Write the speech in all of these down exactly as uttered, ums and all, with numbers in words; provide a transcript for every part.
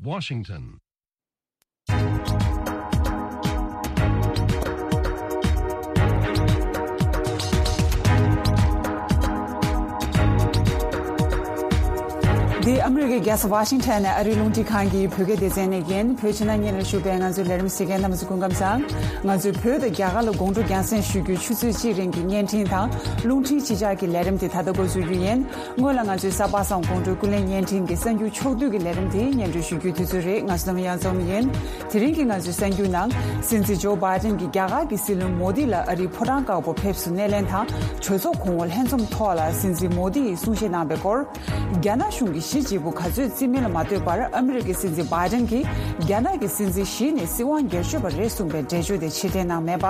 Washington. འདི་ཨ་མི་རི་ཀའི་རྒྱལ་ས་ཝ་ཤིང་ཊོན་ནས་ཨ་རིའི་རླུང་འཕྲིན་ཁང་གི་བོད་སྐད་སྡེ་ཚན་ནས་ཡིན། བོད་ཕྱི་ནང་གཉིས་ལ་བཞུགས་པའི་ང་ཚོའི་ལས་རིམ་གཟིགས་མཁན་རྣམ་པ་ཚོ་སྐུ་ཁམས་བཟང་། ང་ཚོས་བོད་དང་རྒྱ་གར་ལ་དགོང་དྲོ་རྒྱང་སྲིང་ཞུ་རྒྱུའི་ཆུ་ཚོད་གཅིག་རིང་གི་བརྙན་འཕྲིན་དང་རླུང་འཕྲིན་ཕྱི་བསྒྱུར་གྱི་ལས་རིམ་དེ་ད་ལྟ་འགོ་འཛུགས་རྒྱུ་ཡིན། སྔོན་ལ་ང་ཚོའི་གཟའ་པ་སངས་དགོང་དྲོའི་ཀུན་གླེང་བརྙན་འཕྲིན་གྱི་གསར་འགྱུར་ཕྱོགས་བསྡུས་ཀྱི་ལས་རིམ་དེ་སྙན་སྒྲོན་ཞུ་རྒྱུའི་དུས་ཚོད་རེད། ང་ཚོ་ནམ་ཡང་འཛོམས་ཡིན། དེ་རིང་གི་ང་ཚོའི་གསར་འགྱུར་ནང་། སྲིད་འཛིན་ཇོ་བྷའི་ཌེན་གྱིས་རྒྱ་གར་གྱི་སྲིད་བློན་མོ་དི་ལ་ཨ་རིའི་ཕོ་བྲང་དཀར་པོར་ཕེབས་བསུ་སྣེ་ལེན་དང་གྲོས་ཚོགས་གོང་འོག་ལྷན་འཛོམས་ཐོག་ལ་སྲིད་འཛིན་མོ་དི་ཡིས་གསུང་བཤད་གནང་བའི་སྐོར། རྒྱ་ནག་གཞུང་གི་གཞི་བྱེད་པོ་ག་ཚོད་རྩིས་མིན་ལ་མ་ལྟོས་པར་ཨ་མི་རི་ཀའི་སྲིད་འཛིན་བྷའི་ཌེན་གྱིས་རྒྱ་ནག་གི་སྲིད་འཛིན་ཞི་ནས་སྲིད་དབང་སྒེར་གཅོད་པ་རེད་གསུངས་པའི་འགྲེལ་བརྗོད་དེ་ཕྱིར་འཐེན་གནང་མེད་པ།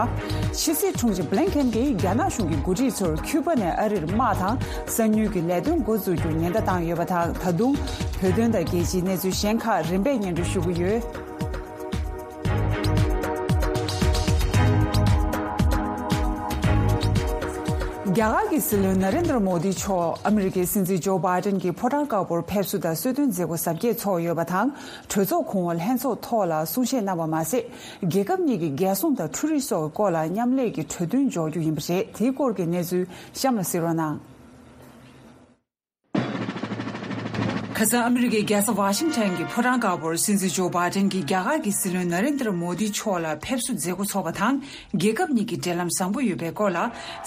ཕྱི་སྲིད་དྲུང་ཆེ་བྷི་ལིན་ཁེན་གྱིས་རྒྱ་ནག་གཞུང་གི་འགོ་ཁྲིད་ཚོར་ཁྱུ་པ་ནས་ཨ་རིར་དམག་དང་གསང་མྱུལ་གྱི་ལས་དོན་འགོ་འཛུགས་རྒྱུར་ཉེན་བརྡ་བཏང་ཡོད་པ་དང་། ད་དུང་བོད་དོན་དང་རྒྱལ་སྤྱིའི་གནས་ཚུལ་གཞན་ཁག་རིམ་པས་སྙན་སྒྲོན་ཞུ་གི་ཡོད། རྒྱ་གར་གྱི་སྲིད་བློན་ན་རེན་དྲ་མོ་དི་མཆོག་ཨ་མི་རི་ཀའི་སྲིད་འཛིན་ཇོ་བྷའི་ཌེན་གྱི་ཕོ་བྲང་དཀར་པོར་ཕེབས་བསུ་དང་གསོལ་སྟོན་མཛད་སྒོ་གཟབ་རྒྱས་ཚོགས་ཡོད་པ་དང་། གྲོས་ཚོགས་གོང་འོག་ལྷན་ཚོགས་ཐོག་ལ་གསུང་བཤད་གནང་བ་མ་ཟད། རྒྱལ་ཁབ་གཉིས་ཀྱི་རྒྱལ་སྲུང་དང་འཕྲུལ་རིག་སོགས་སྐོར་ལ་མཉམ་ལས་ཀྱི་གྲོས་མཐུན་འཇོག་རྒྱུ་ཡིན་པ་རེད། དེའི་སྐོར་གྱི་གནས་ཚུལ་གཤམ་ལ་གཟིགས་རོགས་གནང་། ཁ་སང་ཨ་མི་རི་ཀའི་རྒྱལ་ས་ཝ་ཤིང་ཊོན་གྱི་ཕོ་བྲང་དཀར་པོར་སྲིད་འཛིན་ཇོ་བྷའི་ཌེན་གྱིས་རྒྱ་གར་གྱི་སྲིད་བློན་ན་རེན་དྲ་མོ་དི་མཆོག་ལ་ཕེབས་བསུ་མཛད་སྒོ་ཚོགས་པ་དང་། རྒྱལ་ཁབ་གཉིས་ཀྱི་འབྲེལ་ལམ་བཟང་པོ་ཡོད་པའི་སྐོར་ལ་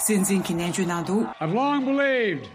སྲིད་འཛིན་གྱིས་ནན་བརྗོད་གནང་འདུག། I've long believed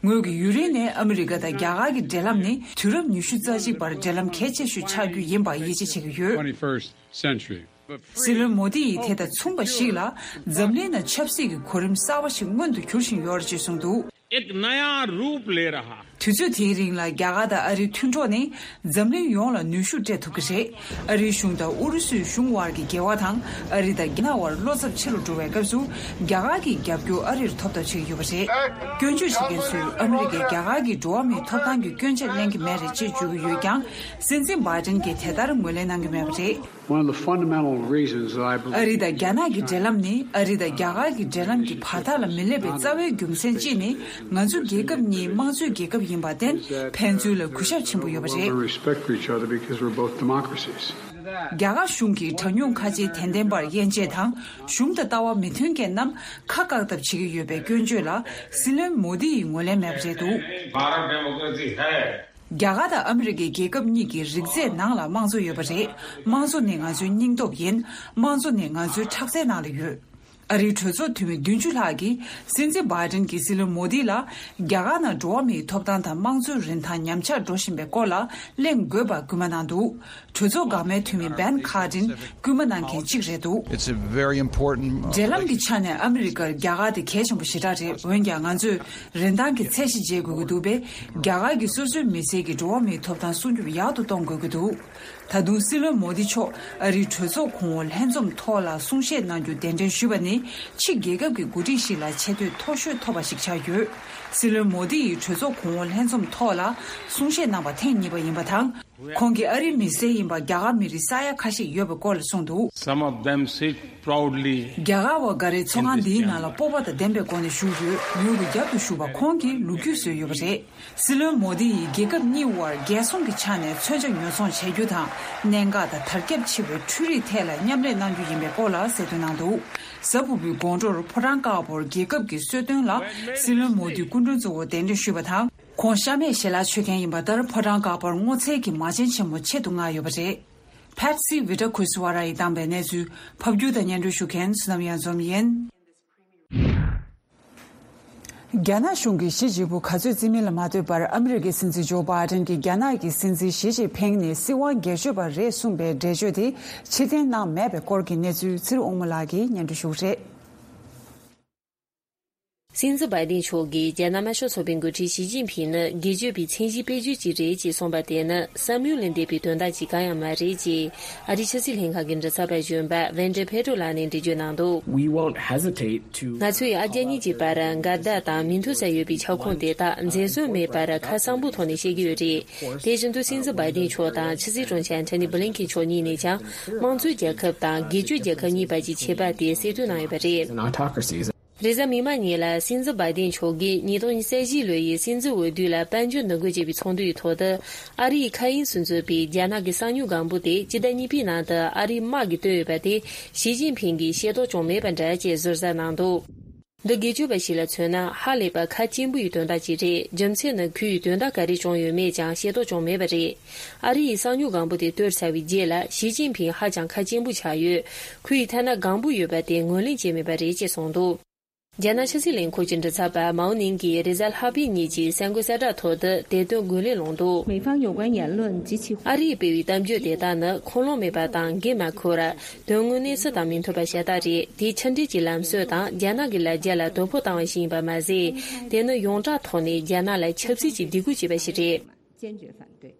ངོས་ཀྱིས་ཡུན་རིང་ནས་ཨ་མི་རི་ཀ་དང་རྒྱ་གར་གྱི་འབྲེལ་ལམ་ནི་དུས་རབས་ཉི་ཤུ་རྩ་གཅིག་པར་འབྲེལ་ལམ་གལ་ཆེ་ཤོས་ཆགས་རྒྱུ་ཡིན་པར་ཡིད་ཆེས་བྱེད་ཀྱི་ཡོད། Twenty-first century. སྲིད་བློན་མོ་དི་ཡིས་དེ་དང་མཚུངས་པ་ཞིག་ལ་འཛམ་གླིང་ནང་ཆབ་སྲིད་ཀྱི་གོ་རིམ་གསར་བ་ཞིག་སྔོན་དུ་འགྱུར་བཞིན་ཡོད་རེད་ཅེས་གསུངས་འདུག། एक नया रूप ले रहा है। དུས་ཚོད་དེའི་རིང་ལ་རྒྱ་གར་དང་ཨ་རིའི་མཐུན་གྲོགས་ནི་འཛམ་གླིང་ཡོངས་ལ་ནུས་ཤུགས་སྤྲད་ཐུབ་ཀྱི་རེད། ཨ་རིའི་གཞུང་དང་ཨུ་རུ་སུའི་གཞུང་དབར་གྱི་འགལ་བ་དང་ཨ་རི་དང་རྒྱ་ནག་དབར་བློ་འཚབ་ཆེ་རུ་འགྲོ་བའི་སྐབས་སུ་རྒྱ་གར་གྱི་རྒྱབ་སྐྱོར་ཨ་རིར་ཐོབ་ཐབས་བྱེད་ཀྱི་ཡོད་པ་རེད། སྐྱོན་བརྗོད་བྱེད་མཁན་ཚོས་ཨ་མི་རི་ཀས་རྒྱ་གར་གྱི་འགྲོ་བ་མིའི་ཐོབ་ཐང་གི་སྐྱོན་ཆ་གླེང་གི་མེད་རེད་ཅེས་བརྗོད་ཀྱི་ཡོད་ཀྱང་། སྲིད་འཛིན་བྷའི་ཌེན་གྱིས་དེ་ལྟར་ངོས་ལེན་གནང་གི་མེད་པ་རེད། One of the fundamental reasons that I believe ཨ་རི་དང་རྒྱ་ནག་གི་འབྲེལ་ལམ་ནི་ཨ་རི་དང་རྒྱ་གར་གྱི་འབྲེལ་ལམ་གྱི་བར་ཐག་ལ་མི་སླེབས་པའི་རྩ་བའི་རྒྱུ་མཚན་གཅིག་ནི་ང་ཚོ་རྒྱལ་ཁབ་གཉིས་དམངས་གཙོའི་རྒྱལ་ཁབ་ཡིན་པར་བརྟེན་ཕན་ཚུན་ལ་གུས་ཞབས་ཆེན་པོ་ཡོད་པ་རེད། We respect for each other because we're both democracies. རྒྱ་གར་གཞུང་གིས་གྲངས་ཉུང་ཁ་ཆེའི་དད་ལྡན་པར་དབྱེ་འབྱེད་དང་གཞུང་དང་ལྟ་བ་མི་མཐུན་མཁན་རྣམས་ཁ་བཀག་ཐབས་བྱེད་ཀྱི་ཡོད་པའི་སྐྱོན་བརྗོད་ལ་སྲིད་བློན་མོ་དི་ཡིས་ངོས་ལེན་མེད་པ་རེད་འདུག། Bharat डेमोक्रेसी है। རྒྱ་གར་དང་ཨ་མི་རི་ཀའི་རྒྱལ་ཁབ་གཉིས་ཀྱི་རིགས་རྫས་ནང་ལ་དམངས་གཙོ་ཡོད་པ་རེད། དམངས་གཙོ་ནི་ང་ཚོའི་སྙིང་སྟོབས་ཡིན། དམངས་གཙོ་ནི་ང་ཚོའི་ཁྲག་རྩའི་ནང་ལ་ཡོད། ཨ་རིའི་གྲོས་ཚོགས་འཐུས་མི་བདུན་ཅུ་ལྷག་གིས་སྲིད་འཛིན་བྷའི་ཌེན་གྱིས་སྲིད་བློན་མོ་དི་ལ་རྒྱ་གར་ནང་འགྲོ་བ་མིའི་ཐོབ་ཐང་དང་དམངས་གཙོའི་རིན་ཐང་ཉམས་ཆག་འགྲོ་བཞིན་པའི་སྐོར་ལ་གླེང་དགོས་པར་སྐུལ་མ་གནང་འདུག། གྲོས་ཚོགས་འགག་མའི་འཐུས་མི་བན་ཁ་ཏིན་སྐུལ་མ་གནང་མཁན་གཅིག་རེད་འདུག། It's a very important འབྲེལ་ལམ་གྱི་ཆ་ནས་ཨ་མི་རི་ཀར་རྒྱ་གར་དེ་གལ་ཆེན་པོ་ཞེ་དྲག་རེད། འོན་ཀྱང་ང་ཚོས་རིན་ཐང་གི་ཚད་གཞི་འཇལ་དགོས་ཀྱི་འདུག་པས། རྒྱ་གར་གྱིས་སོ་སོའི་མི་སེར་གྱི་འགྲོ་བ་མིའི་ཐོབ་ཐང་སྲུང་སྐྱོབ་ཡག་ཏུ་གཏོང་དགོས་ཀྱི་འདུག། ད་དུང་སྲིད་བློན་མོ་དི་མཆོག་ཨ་རིའི་གྲོས་ཚོགས་གོང་འོག་ལྷན་འཛོམས་ཐོག་ལ་གསུང་བཤད་གནང་རྒྱུ་གདན་འདྲེན་ཞུས་པ་ནི་ཕྱི་རྒྱལ་ཁབ་ཀྱི་འགོ་ཁྲིད་ཞིག་ལ་ཆེ་བསྟོད་མཐོ་ཤོས་ཐོབ་པ་ཞིག་ཆགས་ཡོད། སྲིད་བློན་མོ་དི་ཡིས་གྲོས་ཚོགས་གོང་འོག་ལྷན་འཛོམས་ཐོག་ལ་གསུང་བཤད་གནང་བ་ཐེངས་གཉིས་པ་ཡིན་པ་དང་། ཁོང་གིས་ཨ་རིའི་མི་སེར་ཡིན་པ་རྒྱ་གར་མི་རིགས་ས་ཡ་ཁ་ཤས་ཡོད་པའི་སྐོར་ལ་གསུངས་འདུག། Some of them sit proudly རྒྱ་གར་བ་འགའ་རེ་ཚོགས་ཁང་འདིའི་ནང་ལ་སྤོབས་པ་དང་ལྡན་པའི་སྒོ་ནས་བཞུགས་ཡོད། ངོས་ཀྱི་རྒྱབ་ཏུ་བཞུགས་པ་ཁོང་གིས་ལོ་རྒྱུས་བཟོས་ཡོད་པ་རེད། སྲིད་བློན་མོ་དི་ཡིས་རྒྱལ་ཁབ་གཉིས་དབར་རྒྱལ་སྲུང་གི་ཆ་ནས་མཚོན་ཆ་ཉོ་ཚོང་བྱ་རྒྱུ་དང་། གནད་འགག་དང་དར་ཁྱབ་ཆེ་བའི་འཕྲུལ་རིག་ཐད་ལ་མཉམ་ལས་གནང་རྒྱུ་ཡིན་པའི་སྐོར་ལ་གསལ་སྟོན་གནང་འདུག། གཟའ་ཕུར་བུའི་དགོང་དྲོར་ཕོ་བྲང་དཀར་པོར་རྒྱལ་ཁབ་ཀྱི་གསོལ་སྟོན་ལ་སྲིད་བློན་མོ་དི་སྐུ་མགྲོན་གཙོ་བོར་གདན་འདྲེན་ཞུས་པ་དང་། ཁོང་ཤ་མེད་ཞལ་ལག་མཆོད་མཁན་ཡིན་པ་ལྟར་ཕོ་བྲང་དཀར་པོར་སྔོ་ཚལ་གྱི་མ་བྱན་ཆེན་མོ་ཆེད་དུ་མངགས་ཡོད་པ་རེད། ཕེཊ་སི་བི་ཊ་ཁུ་སི་ཝ་ར་ཡིས་བཏང་པའི་གནས་ཚུལ་ཕབ་སྒྱུར་དང་སྙན་སྒྲོན་ཞུ་མཁན་བསོད་ནམས་གཡང་འཛོམས་ཡིན། རྒྱ་ནག་གཞུང་གི་གཞི་བྱེད་པོ་ག་ཚོད་རྩིས་མིན་ལ་མ་ལྟོས་པར་ཨ་མི་རི་ཀའི་སྲིད་འཛིན་ཇོ་བྷའི་ཌེན་གྱིས་རྒྱ་ནག་གི་སྲིད་འཛིན་ཞི་ཅིན་ཕིང་ནི་སྲིད་དབང་སྒེར་གཅོད་པ་རེད་གསུངས་པའི་འགྲེལ་བརྗོད་དེ་ཕྱིར་འཐེན་གནང་མེད་པའི་སྐོར་གྱི་གནས་ཚུལ་ཚེ་རིང་དབང་མོ་ལགས་ཀྱིས་སྙན་སྒྲོན་ཞུ་གི་རེད། སྲིད་འཛིན་བྷའི་ཏིན་མཆོག་གིས་རྒྱ་ནག་དམར་ཤོག་ཚོགས་པའི་འགོ་ཁྲིད་ཞི་ཅིན་ཕིང་ནི་སྒེར་གཅོད་པའི་མཚན་གཞི་སྤེལ་རྒྱུ་ཅིག་རེད་ཅེས་གསུངས་པ་དེ་ནི་བསམ་ཡུལ་ལས་འདས་པའི་དོན་དག་ཅིག་གང་ཡང་མ་རེད་ཅེས་ཨ་རིའི་ཕྱི་སྲིད་ལྷན་ཁང་གི་མགྲིན་ཚབ་པ་གཞོན་པ་ཝན་ཏྲེ་ཕེ་ཏྲོ་ལགས་ནས་འགྲེལ་བརྗོད་གནང་འདུག། We won't hesitate to ང་ཚོས་ཨ་རྒྱ་གཉིས་ཀྱི་བར་འགལ་ཟླ་དང་མི་མཐུན་ས་ཡོད་པའི་ཁྱབ་ཁོངས་དེ་དག་འཛེམ་ཟོན་མེད་པར་ཁ་གསང་པོའི་ཐོག་ནས་བཤད་ཀྱི་ཡོད་རེད། དེ་བཞིན་དུ་སྲིད་འཛིན་བྷའི་ཏིན་མཆོག་དང་ཕྱི་སྲིད་དྲུང་ཆེ་ཨན་ཐོ་ནི་བྷི་ལིན་ཁེན་མཆོག་གཉིས་ནས་ཀྱང་དམངས་གཙོའི་རྒྱལ་ཁབ་དང་སྒེར་གཅོད་རྒྱལ་ཁབ་གཉིས་བར་གྱི་ཁྱད་པར་དེ་གསལ་སྟོན་གནང་ཡོད་པ་རེད། and autocracies. རེས་གཟའ་མིག་དམར་ཉིན་ལ་སྲིད་འཛིན་བྷའི་ཏིན་མཆོག་གིས་ཉིས་སྟོང་ཉི་ཤུ་རྩ་བཞི་ལོ་ཡི་སྲིད་འཛིན་འོས་བསྡུ་ལ་དཔལ་འབྱོར་ནུས་རྒུད་ཅེས་པའི་ཚོགས་འདུའི་ཐོག་ཏུ། ཨ་རིའི་མཁའ་དབྱིངས་སུ་འཛུལ་བའི་རྒྱ་ནག་གི་གསང་མྱུལ་སྒམ་པོ་དེ་སྤྱི་ཟླ་གཉིས་པའི་ནང་དུ་ཨ་རིའི་དམག་གིས་བཏོན་ཡོད་པ་དེ་ཞི་ཅིན་ཕིང་གིས་ཤེས་རྟོགས་བྱུང་མེད་པ་འདྲ་ཅེས་ཟུར་ཟ་གནང་འདུག་འདི་སྒེར་གཅོད་པ་ཞིག་ལ་མཚོན་ན་ཧ་ལས་པ་ཁ་སྐྱེན་པོ་ཡི་དོན་དག་ཅིག་རེད། རྒྱུ་མཚན་ནི་ཁོས་དོན་དག་ག་རེ་བྱུང་ཡོད་མེད་ཀྱང་ཤེས་རྟོགས་བྱུང་མེད་པ་རེད། ཨ་རི་ཡི་གསང་མྱུལ་སྒམ་པོ་དེ་གཏོར་ཚར་བའི་རྗེས་ལ་ཞི་ཅིན་ཕིང་ཧ་ཅང་ཁ་སྐྱེན་པོ་ཆགས་ཡོད། ཁོ་ཡི་ཐད་ན་སྒམ་པོ་ཡོད་པ་དེ་ངོས་ལེན་བྱས་མེད་པ་རེད་ཅེས་གསུངས་འདུག་རྒྱ་ནག་ཕྱི་སྲིད་ལས་ཁུངས་ཀྱི་མགྲིན་ཚབ་པ་མའོ་ནིང་གིས་རེས་གཟའ་ལྷག་པའི་ཉིན་གྱི་གསར་འགོད་གསལ་བསྒྲགས་ཐོག་ཏུ་དེ་དོན་ངོས་ལེན་གནང་འདུག 美方有关言论及其 ཨ་རིས་སྤེལ་བའི་གཏམ་བརྗོད་དེ་དག་ནི་ཁུངས་ལུང་མེད་པ་དང་འགན་མ་འཁུར། དོན་དངོས་གནས་སུ་དང་མི་མཐུན་པ་ཤ་སྟག་རེད། དེ་ཕྱི་འབྲེལ་གྱི་ལམ་སྲོལ་དང་རྒྱ་ནག་གི་ལ་རྒྱ་ལ་དོ་ཕོག་བཏང་བ་ཞིག་ཡིན་པ་མ་ཟད། དེ་ནི་ཡོངས་གྲགས་ཐོག་ནས་རྒྱ་ནག་ལ་ཆབ་སྲིད་ཀྱི་སྡིགས་སྐུལ་བྱས་པ་ཞིག་རེད། 坚决反对。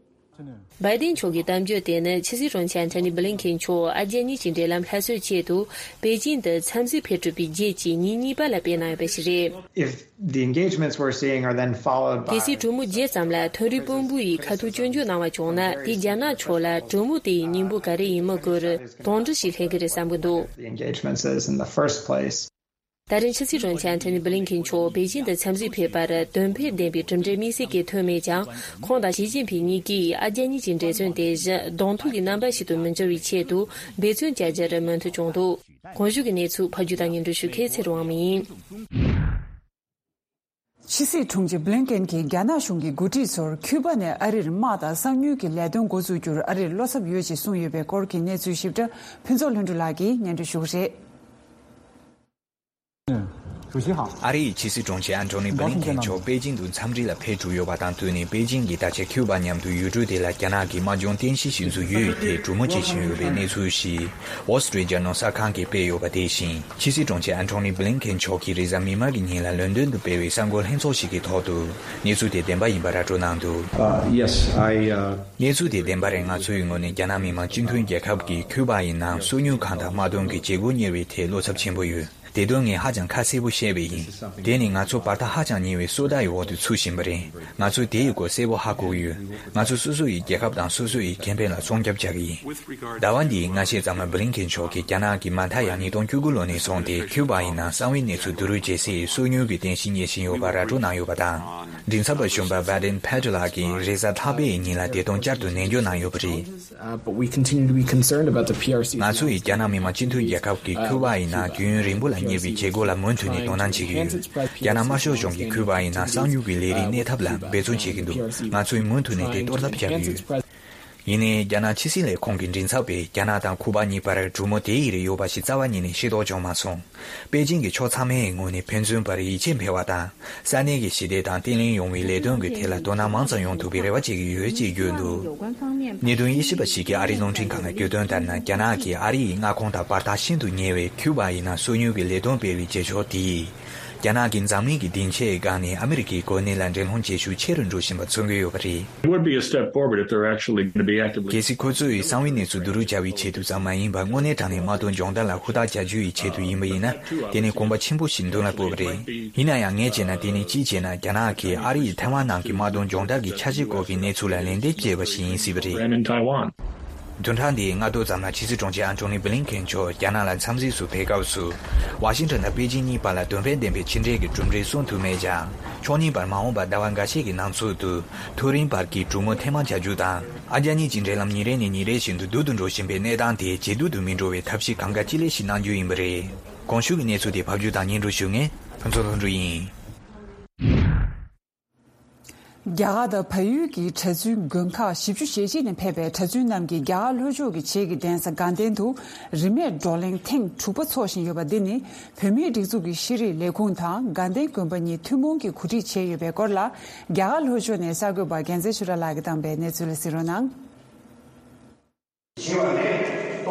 བའི་ཏིན་མཆོག་གི་གཏམ་བརྗོད་དེ་ནི་ཕྱི་སྲིད་དྲུང་ཆེ་ཨན་ཐོ་ནི་བྷི་ལིན་ཁེན་མཆོག་ཨ་རྒྱ་གཉིས་ཀྱི་འབྲེལ་ལམ་སླར་གསོའི་ཆེད་དུ་པེ་ཅིང་དུ་འཚམས་གཟིགས་ཕེབས་གྲུབ་པའི་རྗེས་ཀྱི་ཉིན་གཉིས་པ་ལ་སྤེལ་གནང་ཡོད་པ་ཞིག་རེད། If the engagements we're seeing are then followed by གལ་སྲིད་གྲོས་མོལ་རྗེས་ཙམ་ལ་མཐོ་རིམ་དཔོན་པོ་ཡིས་ཁ་ཐུག་སྐྱོན་བརྗོད་གནང་བ་བྱུང་ན། དེ་རྒྱ་ནག་ཕྱོགས་ལ་གྲོས་མོལ་དེ་ཡི་སྙིང་པོ་ག་རེ་ཡིན་མིན་སྐོར་དོགས་འདྲི་ཞིག་སླེབས་ཀྱི་རེད་བསམ་གྱི་འདུག The engagements is in the first place. ད་རིང་ཕྱི་སྲིད་དྲུང་ཆེ་ཨན་ཐོ་ནི་བྷི་ལིན་ཁེན་མཆོག་པེ་ཅིང་དུ་འཚམས་གཟིགས་ཕེབས་པར་དོན་ཕན་ལྡན་པའི་གྲུབ་འབྲས་དམིགས་བསལ་གྱི་ཐོན་མེད་ཀྱང་། ཁོང་དང་ཞི་ཅིན་ཕིང་གཉིས་ཀྱིས་ཨ་རྒྱ་གཉིས་ཀྱི་འབྲེལ་མཚོན་དེ་བཞིན་གདོང་ཐུག་གི་རྣམ་པ་ཞིག་ཏུ་མི་འགྱུར་བའི་ཆེད་དུ་འབད་བརྩོན་བྱ་རྒྱུར་མོས་མཐུན་བྱུང་འདུག་གོང་ཞུས་ཀྱི་གནས་ཚུལ་ཕབ་སྒྱུར་དང་སྙན་སྒྲོན་ཞུ་མཁན་ཚེ་རིང་དབང་མོ་ཡིན། ཕྱི་སྲིད་དྲུང་ཆེ་བྷི་ལིན་ཀེན་གྱིས་རྒྱ་ནག་གཞུང་གི་འགོ་ཁྲིད་ཚོར་ཁྱུ་པ་ནས་ཨ་རིར་དམག་དང་གསང་མྱུལ་གྱི་ལས་དོན་འགོ་འཛུགས་རྒྱུར་ཨ་རིར་བློ་འཚབ་ཡོད་ཅེས་གསུངས་ཡོད་པའི་སྐོར་གྱི་གནས་ཚུལ་ཞིབ་ཕྲ་ཕུན་ཚོགས་ལྷུན་གྲུབ་ལགས་ཀྱིས་སྙན་སྒྲོན་ཞུ་གི་རེད། ཨ་རིའི་ཕྱི་སྲིད་དྲུང་ཆེ་ཨན་ཐོ་ནི་བྷི་ལིན་ཀེན་མཆོག་པེ་ཅིང་དུ་འཚམས་འདྲི་ལ་ཕེབས་གྲུབ་ཡོད་པ་དང་བསྟུན་ནས། པེ་ཅིང་གིས་ད་ཆ་ཁྱུ་པ་མཉམ་དུ་ཡུལ་གྲུ་དེ་ལ་རྒྱ་ནག་གི་དམག་སྦྱོང་རྟེན་གཞི་ཞིག་བཟོ་རྒྱུའི་ཐད་གྲོས་མོལ་བྱེད་བཞིན་ཡོད་པའི་གནས་ཚུལ་ཞིག་Wall Street Journal གསར་ཁང་གིས་སྤེལ་ཡོད་པ་དེ་བཞིན། ཕྱི་སྲིད་དྲུང་ཆེ་ཨན་ཐོ་ནི་བྷི་ལིན་ཀེན་མཆོག་གིས་རེས་གཟའ་མིག་དམར་གྱི་ཉིན་ལ་ལོན་ཌོན་དུ་སྤེལ་བའི་གསར་འགོད་ལྷན་ཚོགས་ཤིག་གི་ཐོག་ཏུ་གནས་ཚུལ་དེ་བདེན་པ་ཡིན་པ་ར་སྤྲོད་གནང་འདུག Uh, yes, I, uh, གནས་ཚུལ་དེ་བདེན་པ་རེད། ང་ཚོའི་ངོས་ནས་རྒྱ་ནག་མི་དམངས་སྤྱི་མཐུན་རྒྱལ་ཁབ་ཀྱི་ཁྱུ་པ་ཡི་ནང་སོ་ཉུལ་ཁང་དང་དམག་དོན་གྱི་བྱེད་སྒོ་གཉེར་བའི་ཐད་བློ་འཚབ་ཆེན་པོ་ཡོད། དེ་དོན་ངས་ཧ་ཅང་ཁ་གསལ་པོ་བཤད་པ་ཡིན། དེ་ནི་ང་ཚོ་བར་ཐག་ཧ་ཅང་ཉེ་བའི་སོ་ལྟ་ཡི་འོག་ཏུ་ཚུད་བཞིན་པ་རེད། ང་ཚོས་དེ་ཡི་སྐོར་གསལ་པོ་ཧ་གོ་གི་ཡོད། ང་ཚོ་སོ་སོ་ཡི་རྒྱལ་ཁབ་དང་སོ་སོ་ཡི་ཁེ་ཕན་ལ་སྲུང་སྐྱོབ་བྱ་གི་ཡིན། ཟླ་བ་འདིའི་སྔ་ཕྱི་ཙམ་ལ་བྷི་ལིན་ཀེན་མཆོག་གིས་རྒྱ་ནག་གིས་མ་མཐའ་ཡང་ཉིས་སྟོང་བཅུ་དགུ་ལོ་ནས་བཟུང་སྟེ་ཁྱུ་པ་ཡི་ནང་གསང་བའི་གནས་ཚུལ་བསྡུ་རུབ་བྱེད་སའི་སོ་ཉུལ་གྱི་རྟེན་གཞི་གཉེར་བཞིན་ཡོད་པ་ར་སྤྲོད་གནང་ཡོད་པ་དང་། མགྲིན་ཚབ་པ་གཞོན་པ་Vedant Patel ལགས་ཀྱིས་རེས་གཟའ་ལྷག་པའི་ཉིན་ལ་དེ་དོན་བསྐྱར་དུ་ནན་བརྗོད་གནང་ཡོད་པ་རེད། Uh, but we continue to be concerned about the P R C. ང་ཚོ་ཡིས་རྒྱ་ནག་མི་དམངས་སྤྱི་མཐུན་རྒྱལ་ཁབ་ཀྱི་ཁྱུ་པ་ཡི་ནང་རྒྱུན་རིང་པོ་ལ་གཉེར་བའི་བྱེད་སྒོ་ལ་མུ་མཐུད་ནས་དོ་སྣང་བྱེད་ཀྱི་ཡོད། རྒྱ་ནག་དམར་ཤོག་གཞུང་གིས་ཁྱུ་པ་ཡི་ནང་གསང་མྱུལ་གྱི་ལས་རིགས་གནས་ཐབས་ལ་འབད་བརྩོན་བྱེད་ཀྱི་འདུག་ང་ཚོས་མུ་མཐུད་ནས་དེ་གཏོར་ཐབས་བྱ་གི་ཡོད། ཡིན་ནའི་རྒྱ་ནག་ཕྱི་སྲིད་ལས་ཁུངས་ཀྱི་མགྲིན་ཚབ་པས་རྒྱ་ནག་དང་ཁྱུ་པ་གཉིས་བར་གྲོས་མོལ་དེ་ཡི་རིགས་ཡོད་པ་ཞིག་རྩ་བ་ཉིད་ནས་ཤེས་རྟོགས་བྱུང་མ་སོང་། པེ་ཅིང་གི་ཕྱོགས་ཚང་མའི་ངོས་ནས་ཕན་ཚུན་བར་ཡིད་ཆེས་འཕེལ་བ་དང་། ས་གནས་ཀྱི་ཞི་བདེ་དང་བརྟན་ལྷིང་ཡོང་བའི་ལས་དོན་གྱི་ཐད་ལ་དོ་སྣང་མང་ཙམ་ཡོང་ཐུབ་པའི་རེ་བ་བྱེད་ཀྱི་ཡོད་ཅེས་བརྗོད་འདུག་གནད་དོན་དབྱེ་ཞིབ་པ་ཞིག་གིས་ཨ་རིའི་རླུང་འཕྲིན་ཁང་ལ་བརྗོད་དོན་ལྟར་ན། རྒྱ་ནག་གིས་ཨ་རི་ཡི་མངའ་ཁོངས་དང་བར་ཐག་ཤིན་ཏུ་ཉེ་བའི་ཁྱུ་པ་ཡི་ནང་སོ་ཉུལ་གྱི་ལས་དོན་སྤེལ་བའི་བྱེད་ཕྱོགས་དེས། རྒྱ་ནག་གིས་འཛམ་གླིང་གི་སྡིངས་ཆའི་སྒང་ནས་ཨ་མི་རི་ཀའི་གོ་གནས་ལ་འགྲན་སློང་བྱེད་ཤུགས་ཆེ་རུ་འགྲོ་བཞིན་པ་མཚོན་གྱི་ཡོད་པ་རེད། It would be a step forward if they're actually going to be actively གལ་སྲིད་ཁོ་ཚོས་གསང་བའི་གནས་ཚུལ་བསྡུ་རུབ་བྱ་བའི་ཆེད་དུ་ཙམ་མ་ཡིན་པར་དངོས་གནས་དྲང་གནས་དམག་དོན་སྦྱོང་བརྡར་ལ་ཧུར་ཐག་བྱ་རྒྱུ་ཡི་ཆེད་དུ་ཡིན་པ་ཡིན་ན། དེ་ནི་གོམ་པ་ཆེན་པོ་ཞིག་མདུན་ལ་སྤོས་པ་རེད། ཡིན་ན་ཡང་ངས་བྱས་ན་དེ་ནི་གཅིག་བྱས་ན་རྒྱ་ནག་གིས་ཨ་རི་ཡིས་ཐའེ་ཝན་ནང་གི་དམག་དོན་སྦྱོང་བརྡར་གྱི་འཆར་གཞི་སྐོར་གྱི་གནས་ཚུལ་ལ་ལན་འདེབས་བྱས་པ་ཞིག་ཡིན་སྲིད་པ་རེད། Ram in Taiwan. བདུན་ཕྲག་འདིའི་སྔ་དྲོ་ཙམ་ལ་ཕྱི་སྲིད་དྲུང་ཆེ་ཨན་ཐོ་ནི་བྷི་ལིན་ཁེན་མཆོག་རྒྱ་ནག་ལ་འཚམས་གཟིགས་སུ་ཕེབས་སྐབས་སུ། ཝ་ཤིང་ཊོན་དང་པེ་ཅིང་གཉིས་བར་ལ་དོན་ཕན་ལྡན་པའི་ཕྱི་འབྲེལ་གྱི་གྲུབ་འབྲས་སོན་ཐུབ་མེད་ཀྱང་། ཕྱོགས་གཉིས་བར་མ་འོངས་པར་ཟླ་བ་འགའ་ཤས་ཀྱི་ནང་ཚུད་དུ་མཐོ་རིམ་བར་གྱི་གྲོས་མོལ་ཐེངས་མང་བྱ་རྒྱུ་དང་། ཨ་རྒྱ་གཉིས་ཀྱི་འབྲེལ་ལམ་ཉིན་རེ་ནས་ཉིན་རེ་བཞིན་དུ་སྡུག་ཏུ་འགྲོ་བཞིན་པའི་གནས་སྟངས་དེ་ཇེ་སྡུག་ཏུ་མི་འགྲོ་བའི་ཐབས་ཤེས་གང་དགའ་ཅི་ལེགས་ཤིག་གནང་རྒྱུ་ཡིན་པ་རེད། གོང་ཞུས་ཀྱི་གནས་ཚུལ་དེ་ཕབ་སྒྱུར་དང་སྙན་སྒྲོན་ཞུ་མཁན་ཕུན་ཚོགས་ལྷུན་གྲུབ་ཡིན། རྒྱ་གར་དང་བལ་ཡུལ་གྱི་གྲྭ་བཙུན་དགོན་ཁག་བཞི་བཅུ་ཞེ་གཅིག་ནས་ཕེབས་པའི་གྲྭ་བཙུན་རྣམས་ཀྱིས་རྒྱ་གར་ལྷོ་ཕྱོགས་ཀྱི་བྱེས་ཀྱི་གདན་ས་དགའ་ལྡན་དུ་རིན་མེད་བགྲོ་གླེང་ཐེངས་དྲུག་པ་འཚོགས་བཞིན་ཡོད་པ་འདི་ནི་བོད་མིའི་སྒྲིག་འཛུགས་ཀྱི་ཤེས་རིག་ལས་ཁུངས་དང་དགའ་ལྡན་དགོན་པ་གཉིས་ཐུན་མོང་གིས་གོ་སྒྲིག་བྱས་ཡོད་པའི་སྐོར་ལ། རྒྱ་གར་ལྷོ་ཕྱོགས་ནས་གསར་འགོད་པ་རྒྱལ་མཚན་ཆོས་གྲགས་ལགས་ཀྱིས་བཏང་པའི་གནས་ཚུལ་ལ་གཟིགས་རོགས་གནང་།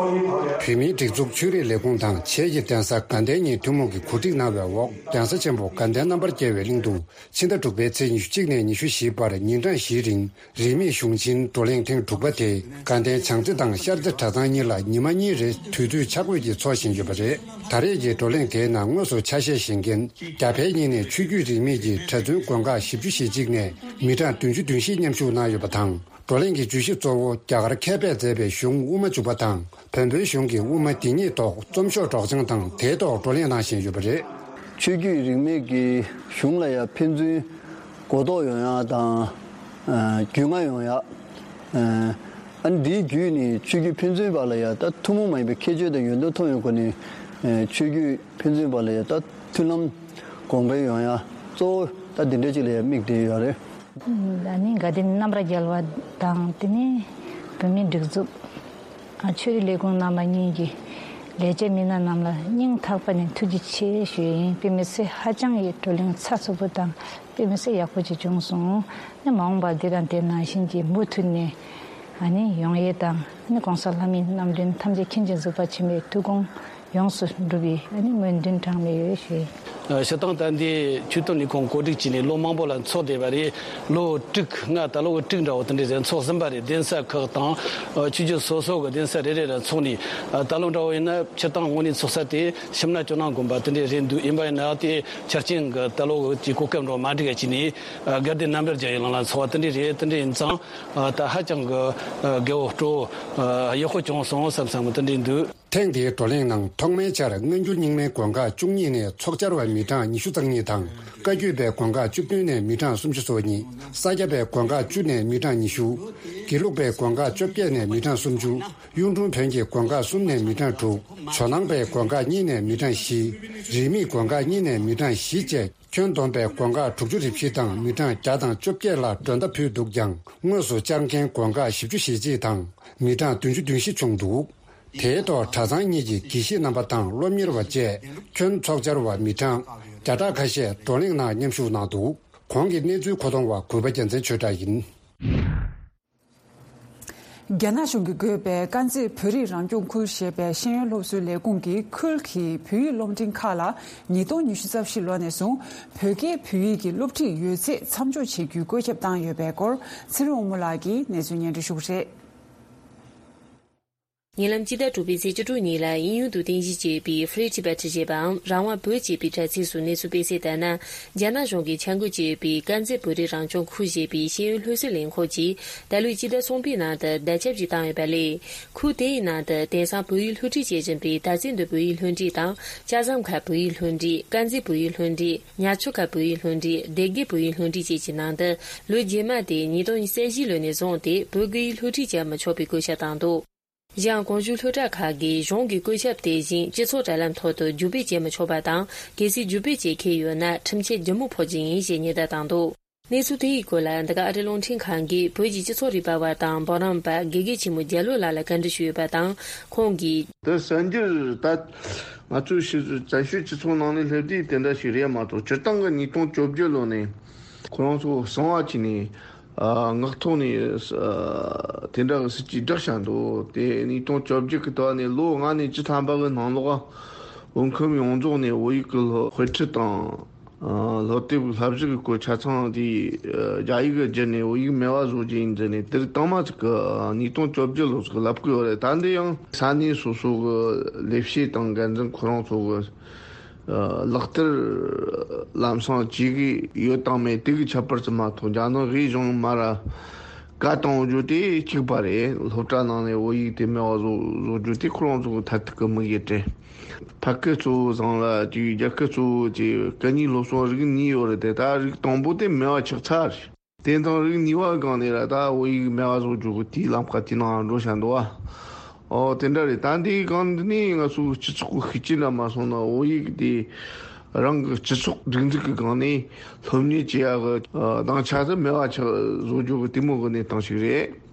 བོད་མིའི་སྒྲིག་འཛུགས་ཆོས་རིག་ལས་ཁུངས་དང་བྱེས་ཀྱི་གདན་ས་དགའ་ལྡན་གཉིས་ཐུན་མོང་གིས་གོ་སྒྲིག་གནང་བའི་འོག་གདན་ས་ཆེན་པོ་དགའ་ལྡན་རྣམ་པར་རྒྱལ་བའི་གླིང་དུ་ཕྱི་ཟླ་དྲུག་པའི་ཚེས་ཉི་ཤུ་གཅིག་ནས་ཉི་ཤུ་བཞི་བར་ཉིན་གྲངས་བཞིའི་རིང་རིན་མེད་གཞུང་ཆེན་བགྲོ་གླེང་ཐེངས་དྲུག་པ་དེ་དགའ་ལྡན་བྱང་རྩེ་དང་ཤར་རྩེ་གྲྭ་ཚང་གཉིས་ལ་ཉི་མ་གཉིས་རེ་དུས་ཚོད་ཆ་བགོས་ཀྱིས་འཚོགས་བཞིན་ཡོད་པ་རེད། ད་རེས་ཀྱི་བགྲོ་གླེང་དེའི་ནང་དངོས་སུ་ཆ་ཤས་བཞེས་མཁན་རྒྱ་བལ་གཉིས་ནས་ཆོས་བརྒྱུད་རིས་མེད་ཀྱི་གྲྭ་བཙུན་དགོན་ཁག་བཞི་བཅུ་ཞེ་གཅིག་ནས་མི་གྲངས་བདུན་ཅུ་དོན་བཞི་མཉམ་ཞུགས་གནང་ཡོད་པ་དང་། བགྲོ་གླེང་གི་བརྗོད་གཞི་གཙོ་བོ་རྒྱ་གར་མཁས་པས་མཛད་པའི་གཞུང་དབུ་མ་འཇུག་པ་དང་བོན་པོའི་གཞུང་གི་དབུ་མ་འདི་ཉིད་ཐོག་རྩོམ་ཤོག་སྒྲོག་སྦྱང་དང་དེའི་ཐོག་བགྲོ་གླེང་གནང་བཞིན་ཡོད་པ་རེད། ཆོས་བརྒྱུད་རིས་མེད་ཀྱི་གཞུང་ལ་ཡང་ཕན་ཚུན་གོ་རྟོགས་ཡོང་ཡག་དང་། ཨ། རྒྱུས་མངའ་ཡོང་ཡག་ཨ། ཨ་ནི་འདིའི་བརྒྱུད་ནས་ཆོས་བརྒྱུད་ཕན་ཚུན་བར་ལ་ཡང་ད་ཐུན་མོང་མ་ཡིན་པའི་ཁྱད་ཆོས་དང་ཡོན་ཏན་མཐོང་བའི་སྒོ་ནས། ཨ། ཆོས་བརྒྱུད་ཕན་ཚུན་བར་ལ་ཡང་ད་མཐུན་ལམ་གོང་འཕེལ་ཡོང་ཡག་གཙོ་བོ་ད་འདི་འདྲ་ཅིག་ལ་ཡང་དམིགས་བསྡད་ཡོད་རེད། ཨ་ནི་དགའ་ལྡན་རྣམ་པར་རྒྱལ་བ་དང་། དེ་ནས་བོད་མིའི་སྒྲིག་འཛུགས། ཨ། ཆོས་རིག་ལས་ཁུངས་རྣམ་པ་གཉིས་ཀྱི་ལས་བྱེད་མི་སྣ་རྣམས་ལ་སྙིང་ཐག་པ་ནས་ཐུགས་རྗེ་ཆེ་ཞུ་ཡིན། དཔེ་མི་སྲིད་ཧ་ཅང་གི་བགྲོ་གླེང་ཚགས་ཚུད་པོ་དང་། དཔེ་མི་སྲིད་ཡག་པོ་ཅིག་བྱུང་སོང་། ཨ་ནི་མ་འོངས་པར་འདི་དང་དེ་ནང་བཞིན་གྱི་མུ་མཐུད་ནས། ཨ་ནི་ཡོང་ཡས་དང་། ཨ་ནི་གོང་ས་ལྷ་མིའི་རྣམ་འདྲེན་ཐམས་ཅད་མཁྱེན་ཅིང་གཟིགས་པ་ཆེན་པོའི་ཐུགས་དགོངས་ཡོངས་སུ་འགྲུབ་པའི། ཨ་ནི་སྨོན་འདུན་གྲངས་མེད་ཡོད་ཞུ་ཡིན། ཨ། སྤྱིར་བཏང་ད་འདི་ཆོས་དོན་ལས་ཁུངས་གོ་སྒྲིག་བྱས་ནས་ལོ་མང་པོ་ལ་འཚོགས་བསྡད་པ་རེད། ལོ་དྲུག་ལྔ། ད་ལོ་དྲུག་འདྲ་བོ་དེ་འདྲས་ཟེར་འཚོགས་ཟིན་པ་རེད། གདན་ས་ཁག་དང་། ཨ། ཆོས་བརྒྱུད་སོ་སོ་གི་གདན་ས་རེ་རེ་ལ་འཚོགས་ནས། ཨ། ད་ལོ་འདྲ་བོ་ཡིན་ན་སྤྱིར་བཏང་དངོས་གནས་འཚོགས་ས་དེ་ཤམ་ན་ཇོ་ནང་དགོན་པ་དེ་འདྲས་རེད་འདུག་ཡིན་པ་ཡིན་ན་དེ་ཆ་རྐྱེན་གྱི་ད་ལོ་གི་གོ་སྐབས་འདྲ་བོ་མ་འགྲིག་ག་བྱས་ནས། ཨ། དགའ་ལྡན་རྣམ་པར་རྒྱལ་བའི་གླིང་ལ་འཚོགས་པ་དེ་འདྲས་རེད། དེ་འདྲས་ཡིན་ཙང་། ཨ། ད་ཧ་ཅང་གི། ཨ། དགའ་བོ་སྤྲོ་བོ། ཨ། ཡག་པོ་བྱུང་སོང་བསམ་བསམ་དེ་འདྲས་འདུག་ཐེངས་འདིའི་བགྲོ་གླེང་ནང་ཐོག་མའི་ཆར་སྔ་འགྱུར་རྙིང་མའི་དགོན་ཁག་བཅུ་གཉིས་ནས་ཚོགས་བཅར་བ་མི་གྲངས་ཉི་ཤུ་རྩ་གཉིས་དང་། བཀའ་བརྒྱུད་པའི་དགོན་ཁག་བཅུ་བདུན་ནས་མི་གྲངས་སུམ་ཅུ་སོ་གཉིས། ས་སྐྱ་པའི་དགོན་ཁག་བཅུ་ནས་མི་གྲངས་ཉི་ཤུ། དགེ་ལུགས་པའི་དགོན་ཁག་བཅོ་བརྒྱད་ནས་མི་གྲངས་སུམ་ཅུ། གཡུང་དྲུང་བོན་གྱི་དགོན་ཁག་གསུམ་ནས་མི་གྲངས་དྲུག། ཇོ་ནང་པའི་དགོན་ཁག་གཉིས་ནས་མི་གྲངས་བཞི། རིས་མེད་དགོན་ཁག་གཉིས་ནས་མི་གྲངས་བཞི་བཅས། ཁྱོན་བསྡོམས་པའི་དགོན་ཁག་དྲུག་ཅུ་རེ་བཞི་དང་མི་གྲངས་བརྒྱ་དང་བཅོ་བརྒྱད་ལ་མགྲོན་བརྡ་ཕུལ་འདུག་ཀྱང་། དངོས་སུ་བཅར་མཁན་དགོན་ཁག་བཞི་བཅུ་ཞེ་གཅིག་དང་མི་གྲངས་བདུན་ཅུ་དོན་བཞི་བྱུང་འདུག་དེའི་ཐོག་གྲྭ་ཚང་གཉིས་ཀྱི་དགེ་བཤེས་རྣམ་པ་དང་སློབ་གཉེར་བ་བཅས་ཁྱོན་ཚོགས་བཅར་བ་མི་གྲངས་བརྒྱ་ཕྲག་ཁ་ཤས་བགྲོ་གླེང་ནང་མཉམ་ཞུགས་གནང་འདུག་གོང་གི་གནས་ཚུལ་མཁོ་གཏོང་བ་གུས་པ་རྒྱལ་མཚན་ཆོས་གྲགས་ཡིན། རྒྱ་ནག་གཞུང་གིས་བགོས་པའི་དཀར་མཛེས་བོད་རིགས་རང་སྐྱོང་ཁུལ་ཞེས་པའི་ཤེས་ཡོན་སློབ་གསོའི་ལས་ཁུངས་ཀྱིས་ཁུལ་གྱི་བོད་ཡིག་སློབ་འབྲིང་ཁག་ལ་ཉིས་སྟོང་ཉི་ཤུ་རྩ་བཞི་ལོ་ནས་བཟུང་བོད་སྐད་བོད་ཡིག་གི་སློབ་ཁྲིད་ཡོད་ཚད་མཚམས་འཇོག་བྱེད་རྒྱུའི་བཀོད་ཁྱབ་བཏང་ཡོད་པའི་སྐོར་ཚེ་རིང་དབང་མོ་ལགས་ཀྱིས་གནས་ཚུལ་སྙན་སྒྲོན་ཞུ་གི་རེད། ཉེ་ལམ་སྤྱི་ཟླ་དྲུག་པའི་ཚེས་བཅུ་དྲུག་ཉིན་ལ་དབྱིན་ཡུལ་དུ་རྟེན་གཞི་བྱས་པའི་Free Tibet ཞེས་པའམ་རང་དབང་བོད་ཅེས་པའི་དྲ་ཚིགས་སུ་གནས་ཚུལ་སྤེལ་གསལ་ལྟར་ན། རྒྱ་ནག་གཞུང་གིས་འཆར་འགོད་བྱས་པའི་དཀར་མཛེས་བོད་རིགས་རང་སྐྱོང་ཁུལ་ཞེས་པའི་ཤེས་ཡོན་སློབ་གསོའི་ལས་ཁུངས་ཀྱིས་ད་ལོའི་སྤྱི་ཟླ་གསུམ་པའི་ནང་དུ་བརྡ་ཁྱབ་ཅིག་བཏང་ཡོད་པ་ལས། ཁུལ་དེའི་ནང་དུ་དེང་སང་བོད་ཡིག་སློབ་ཁྲིད་བྱེད་བཞིན་པའི་དར་རྩེ་མདོ་བོད་ཡིག་སློབ་འབྲིང་དང་། ལྕགས་ཟམ་མཁར་བོད་ཡིག་སློབ་འབྲིང་། དཀར་མཛེས་བོད་ཡིག་སློབ་འབྲིང་། ཉ་ཆུ་ཁ་བོད་ཡིག་སློབ་འབྲིང་། སྡེ་དགེ་བོད་ཡིག་སློབ་འབྲིང་བཅས་ཀྱི་ནང་དུ་ལོ་རྗེས་མ་སྟེ་ཉིས་སྟོང་ཉི་ཤུ་རྩ་བཞི་ལོ་ནས་བཟུང་སྟེ་བོད་སྐད་ཡིག་སློབ་ཁྲིད་བྱ་མི་ཆོག་པའི་བཀོད་ཁྱབ་བཏང་འདུག་གཞན་གོང་ཞུས་སློབ་གྲྭ་ཁག་གིས་གཞུང་གི་བཀོད་ཁྱབ་དེ་བཞིན་སྤྱི་ཚོགས་དྲ་ལམ་ཐོག་ཏུ་བརྒྱུད་སྤེལ་བྱེད་མི་ཆོག་པ་དང་། གལ་སྲིད་བརྒྱུད་སྤེལ་བྱེད་མཁན་ཡོད་ན་ཁྲིམས་ཆད་ལྗིད་མོ་ཕོག་རྒྱུ་ཡིན་ཞེས་ཉེན་བརྡ་བཏང་འདུག་གནས་ཚུལ་དེའི་སྐོར་ལ་འདི་ག་ཨ་རི་རླུང་འཕྲིན་ཁང་གིས་བོད་ཀྱི་སྤྱི་ཚོགས་རིག་པ་བ་དང་འབུམ་རམས་པ་དགེ་རྒན་ཆེན་མོ་རྒྱ་ལོ་ལགས་ལ་བཀའ་འདྲི་ཞུས་ཡོད་པ་དང་། ཁོང་གིས། དེ་གསར་འགྱུར་ད་ང་ཚོའི་ཕྱི་བཙན་བྱོལ་སྤྱི་ཚོགས་ནང་ནས་སླེབས་དུས་དེ་འདྲ་ཞིག་རེད་མ་གཏོགས། སྤྱིར་བཏང་གི་ཉིས་སྟོང་བཅོ་བརྒྱད་ལོ་ནས་ཁོ་རང་ཚོ་གསང་བ་བྱས་ནས། ཨ། ངག་ཐོག་ནས། ཨ། དེ་འདྲ་གི་སྲིད་ཇུས་བསྒྲགས་བཞག་འདུག་དེ་ཉིས་སྟོང་བཅོ་བརྒྱད་ཀྱི་དུས་ནས་ལོ་ལྔ་ནས་བཅུ་ཐམ་པ་གི་ནང་ལོགས། བོད་ཁམས་ཡོངས་རྫོགས་ནས་བོད་ཡིག་གི་སློབ་དཔེ་ཁྲིད་དང་། ཨ། སློབ་དེབ་བསླབ་གཞི་གི་སྐོར་ཆ་ཚང་དེ་རྒྱ་ཡིག་གི་བསྒྱུར་ནས་བོད་ཡིག་མེད་པ་བཟོ་རྒྱུ་ཡིན་ཟེར་ནས། དེ་རིང་དང་མ་ཅིག་གི་ཉིས་སྟོང་བཅོ་བརྒྱད་ལོ་ཙམ་ལབ་གི་ཡོད་རེད། ད་འདི་ཡང་ས་གནས་སོ་སོ་གི་ལས་བྱེད་དང་འགན་འཛིན་ཁོ་རང་ཚོ་གི་ལག་བསྟར་ལམ་སང་བྱེད་གི་ཡོད་དང་མེད་དེ་གི་ཁྱད་པར་ཙམ་མ་གཏོགས། རྒྱ་ནག་གིས་གཞུང་མར་བཀའ་བཏང་རྒྱུ་དེ་གཅིག་པ་རེད། སློབ་གྲྭ་ནང་ནས་བོད་ཡིག་དེ་མེད་པ་བཟོ་བཟོ་རྒྱུ་དེ་ཁོ་རང་ཚོ་གི་མཐར་ཐུག་གི་དམིགས་ཡུལ་རེད། ཕ་སྐད་གཙོ་བོ་བཟང་ལ་ཅིག་རྒྱ་སྐད་གཙོ་བོ་ཅིག་སྐད་གཉིས་སློབ་གསོ་རིགས་གཉིས་ཡོད་རེད་དེ། ད་རིགས་དང་པོ་དེ་མེད་པ་ཆགས་ཚར་རེད། དེ་དང་རིགས་གཉིས་པ་སྒང་ནས་ར་ད་བོད་ཡིག་མེད་པ་བཟོ་རྒྱུ་གི་དེའི་ལམ་ཁ་དེ་ནང་འགྲོ་བཞིན་འདུག་བ། ཨོ་དེ་འདྲ་རེད། ད་འདིའི་སྒང་འདི་ནས་ང་ཚོ་སྤྱི་ཚོགས་ཀྱི་ཤུགས་རྐྱེན་འདྲ་མ་སོང་ན་བོད་ཡིག་དེ་རང་གི་སྤྱི་ཚོགས་སྒྲིག་འཛུགས་ཀྱི་སྒང་ནས་སློབ་གཉེར་བྱེད་ཡག་གི་ཨ་སྡིངས་ཆ་དེ་མེད་པ་ཆགས་བཟོ་རྒྱུ་གི་དེ་མོ་གི་གནས་སྟངས་ཤིག་རེད།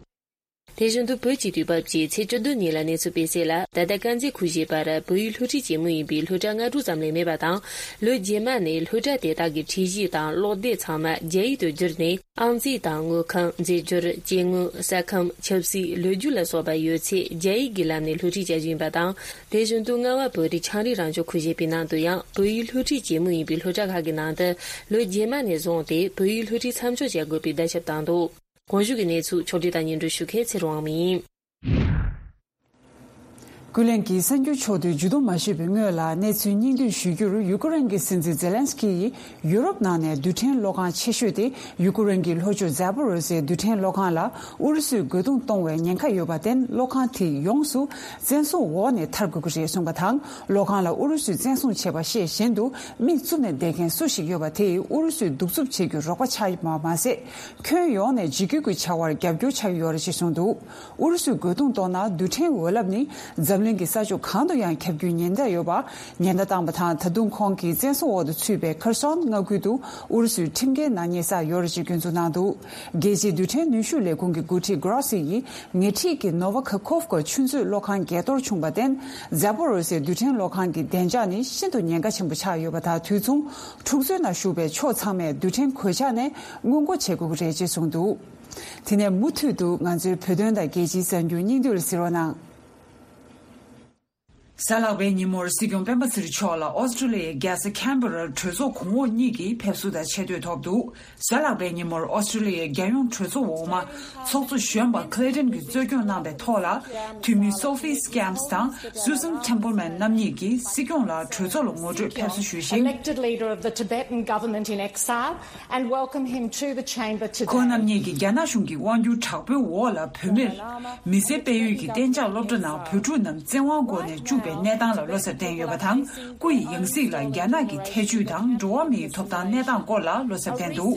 དེ་བཞིན་དུ་བོད་ཀྱི་དུས་བབ་ཀྱི་ཚེས་བཅུ་བདུན་ཉིན་ལ་གནས་ཚུལ་སྤེལ་གསལ་ལ། ད་ལྟ་དཀར་མཛེས་ཁུལ་ཞེས་པར་བོད་ཡིག་སློབ་ཁྲིད་བྱེད་མུས་ཡིན་པའི་སློབ་གྲྭ་ལྔ་དྲུག་ཙམ་ལས་མེད་པ་དང་། ལོ་རྗེས་མ་ནས་སློབ་གྲྭ་དེ་དག་གི་ཁྲིད་གཞི་དང་ཀློག་དེབ་ཚང་མ་རྒྱ་ཡིག་ཏུ་བསྒྱུར་ནས། ཨང་རྩིས་དང་དངུལ་ཁང་། རྫས་སྦྱོར། སྐྱེ་དངོས། ས་ཁམས། ཆབ་སྲིད། ལོ་རྒྱུས་ལ་སོགས་པ་ཡོད་ཚད་རྒྱ་ཡིག་གི་ལམ་ནས་སློབ་ཁྲིད་བྱ་རྒྱུ་ཡིན་པ་དང་། དེ་བཞིན་དུ་རྔ་བ་བོད་རིགས་ཆའང་རིགས་རང་སྐྱོང་ཁུལ་ཞེས་པའི་ནང་དུ་ཡང་བོད་ཡིག་སློབ་ཁྲིད་བྱེད་མུས་ཡིན་པའི་སློབ་གྲྭ་ཁག་གི་ནང་དུ་ལོ་རྗེས་མ་ནས་བཟུང་སྟེ་བོད་ཡིག་སློབ་ཁྲིད་མཚམས་འཇོག་བྱ་དགོས་པའི་བརྡ་ཁྱབ་བཏང་འདུག་གོང་ཞུས་ཀྱི་གནས་ཚུལ་ཕྱོགས་བསྒྲིགས་དང་སྙན་སྒྲོན་ཞུ་མཁན་ཚེ་རིང་དབང་མོ་ཡིན། ཀུན་གླེང་གི་གསར་འགྱུར་ཕྱོགས་བསྡུས་མཇུག་བསྡོམས་མ་ཞུས་པའི་སྔོན་ལ་གནས་ཚུལ་སྙིང་བསྡུས་ཞུ་རྒྱུར། ཡུ་ཀེ་རེན་གྱི་སྲིད་འཛིན་ཛེ་ལན་སི་ཀི་ཡིས་ཡུ་རོབ་ནང་ནས་རྡུལ་ཕྲན་གློག་ཁང་ཆེ་ཤོས་དེ་ཡུ་ཀེ་རེན་གྱི་ལྷོ་ཕྱོགས་ཛཱ་པོ་རོ་སའི་རྡུལ་ཕྲན་གློག་ཁང་ལ་ཨུ་རུ་སུས་རྒོལ་རྡུང་གཏོང་བའི་ཉེན་ཁ་ཡོད་པར་བརྟེན། གློག་ཁང་དེ་ཡོངས་སུ་བཙན་བཟུང་འོག་ནས་ཐར་དགོས་ཀྱི་རེད་གསུངས་པ་དང་། གློག་ཁང་ལ་ཨུ་རུ་སུས་བཙན་བཟུང་བྱས་པ་ཤེས་བཞིན་དུ་མིག་བཙུམ་ནས་བསྡད་མཁན་སུ་ཞིག་ཡོད་པ་དེས་ཨུ་རུ་སུའི་གདུག་རྩུབ་བྱེད་རྒྱུར་རོགས་པ་ཆགས་ཡོད་པ་མ་ཟད། ཁྱོན་ཡོངས་ནས་འཇིགས་སྐུལ་གྱི་བྱ་བར་རྒྱབ་སྐྱོར་ཆགས་ཀྱི་ཡོད་རེད་ཅེས་གསུངས་འདུག་ཨུ་རུ་སུས་རྒོལ་རྡུང་གཏོང་ན་རྡུལ་ཕྲན་འོད་རླབས་ནི་འཛམ་གླིང་གི་ས་ཕྱོགས་གང་དུ་ཡང་ཁྱབ་རྒྱུའི་ཉེན་བརྡ་ཡོད་པ་ཉེན་བརྡ་བཏང་བ་དང་། ད་དུང་ཁོང་གིས་བཙན་བཟུང་འོག་ཏུ་ཚུད་པའི་ཁེར་སོན་མངའ་ཁུལ་དུ་ཨུ་རུ་སུའི་ཁྲིམས་འགལ་ནག་ཉེས་བསགས་ཡོད་རེད་ཅེས་སྐྱོན་འཛུགས་གནང་འདུག་རྒྱལ་སྤྱིའི་རྡུལ་ཕྲན་ནུས་ཤུགས་ལས་ཁུངས་ཀྱི་འགོ་ཁྲིད་གྷ་རོ་སི་ཡིས་ཉེ་འཁྲིས་ཀྱི་ནོ་ཝ་ཁ་ཁོབ་ཀ་ཆུ་མཛོད་གློག་ཁང་འགས་གཏོར་བྱུང་བར་བརྟེན། ཛཱ་པོ་རོ་སའི་རྡུལ་ཕྲན་གློག་ཁང་གི་བདེ་འཇགས་ནི་ཤིན་ཏུ་ཉེན་ཁ་ཆེན་པོ་ཆགས་ཡོད་པ་དང་། དུས་མཚུངས་འཁྲུག་རྩོད་ནང་ཞུགས་པའི་ཕྱོགས་ཚང་མས་རྡུལ་ཕྲན་གོད་ཆག་ནས་སྔོན་འགོག་བྱེད་དགོས་ཀྱི་རེད་ཅེས་གསུངས་འདུག་དེ་ནས་མུ་མཐུད་དུ་ང་ཚོའི་བོད་དོན་དང་རྒྱལ་སྤྱིའི་གསར་འགྱུར་སྙིང་བསྡུས་ལ་གཟིགས་རོགས་གནང་། གཟའ་ལྷག་པའི་ཉིན་མོར་སྲིད་སྐྱོང་སྤེན་པ་ཚེ་རིང་མཆོག་ལ་ཨོ་སི་ཀྲི་ལི་ཡའི་རྒྱལ་ས་ཁན་བྷེ་རར་གྲོས་ཚོགས་གོང་འོག་གཉིས་ཀྱི་ཕེབས་བསུ་དང་ཆེ་བསྟོད་ཐོབ་འདུག་གཟའ་ལྷག་པའི་ཉིན་མོར་ཨོ་སི་ཀྲི་ལི་ཡའི་རྒྱལ་ཡོངས་གྲོས་ཚོགས་འོག་མ་ཚོགས་གཙོ་གཞོན་པ་ཁི་ལི་ཏན་གྱིས་གཙོ་སྐྱོང་གནང་བའི་ཐོག་ལ། འཐུས་མི་སོ་ཕི་སི་ཀེམ་སི་དང་སུ་སན་ཐེམ་པལ་མན་རྣམ་གཉིས་ཀྱིས་སྲིད་སྐྱོང་ལ་གྲོས་ཚོགས་ལ་ངོ་སྤྲོད་ཕེབས་བསུ་ཞུས་ཤིང་། Elected leader of the Tibetan government in exile and welcome him to the chamber today. ཁོང་རྣམ་གཉིས་ཀྱིས་རྒྱ་ནག་གཞུང་གི་དབང་སྒྱུར་དྲག་པོའི་འོག་ལ་བོད་མིར་མི་སེར་སྤེལ་ཡུལ་གྱི་གཏན་འཇགས་སློབ་གྲྭ་ནང་བོད་ཕྲུག་རྣམས་བཙན་དབང་སྒོ་ནས་བཅུག་པའི་གནས་སྟངས་ལ་བློ་འཚབ་བསྟན་ཡོད་པ་དང་། སྐུ་ཡི་ཡང་སྲིད་ལ་རྒྱ་ནག་གི་ཐེ་ཇུས་དང་འགྲོ་བ་མིའི་ཐོབ་ཐང་གནས་སྟངས་སྐོར་ལ་བློ་འཚབ་བསྟན་འདུག་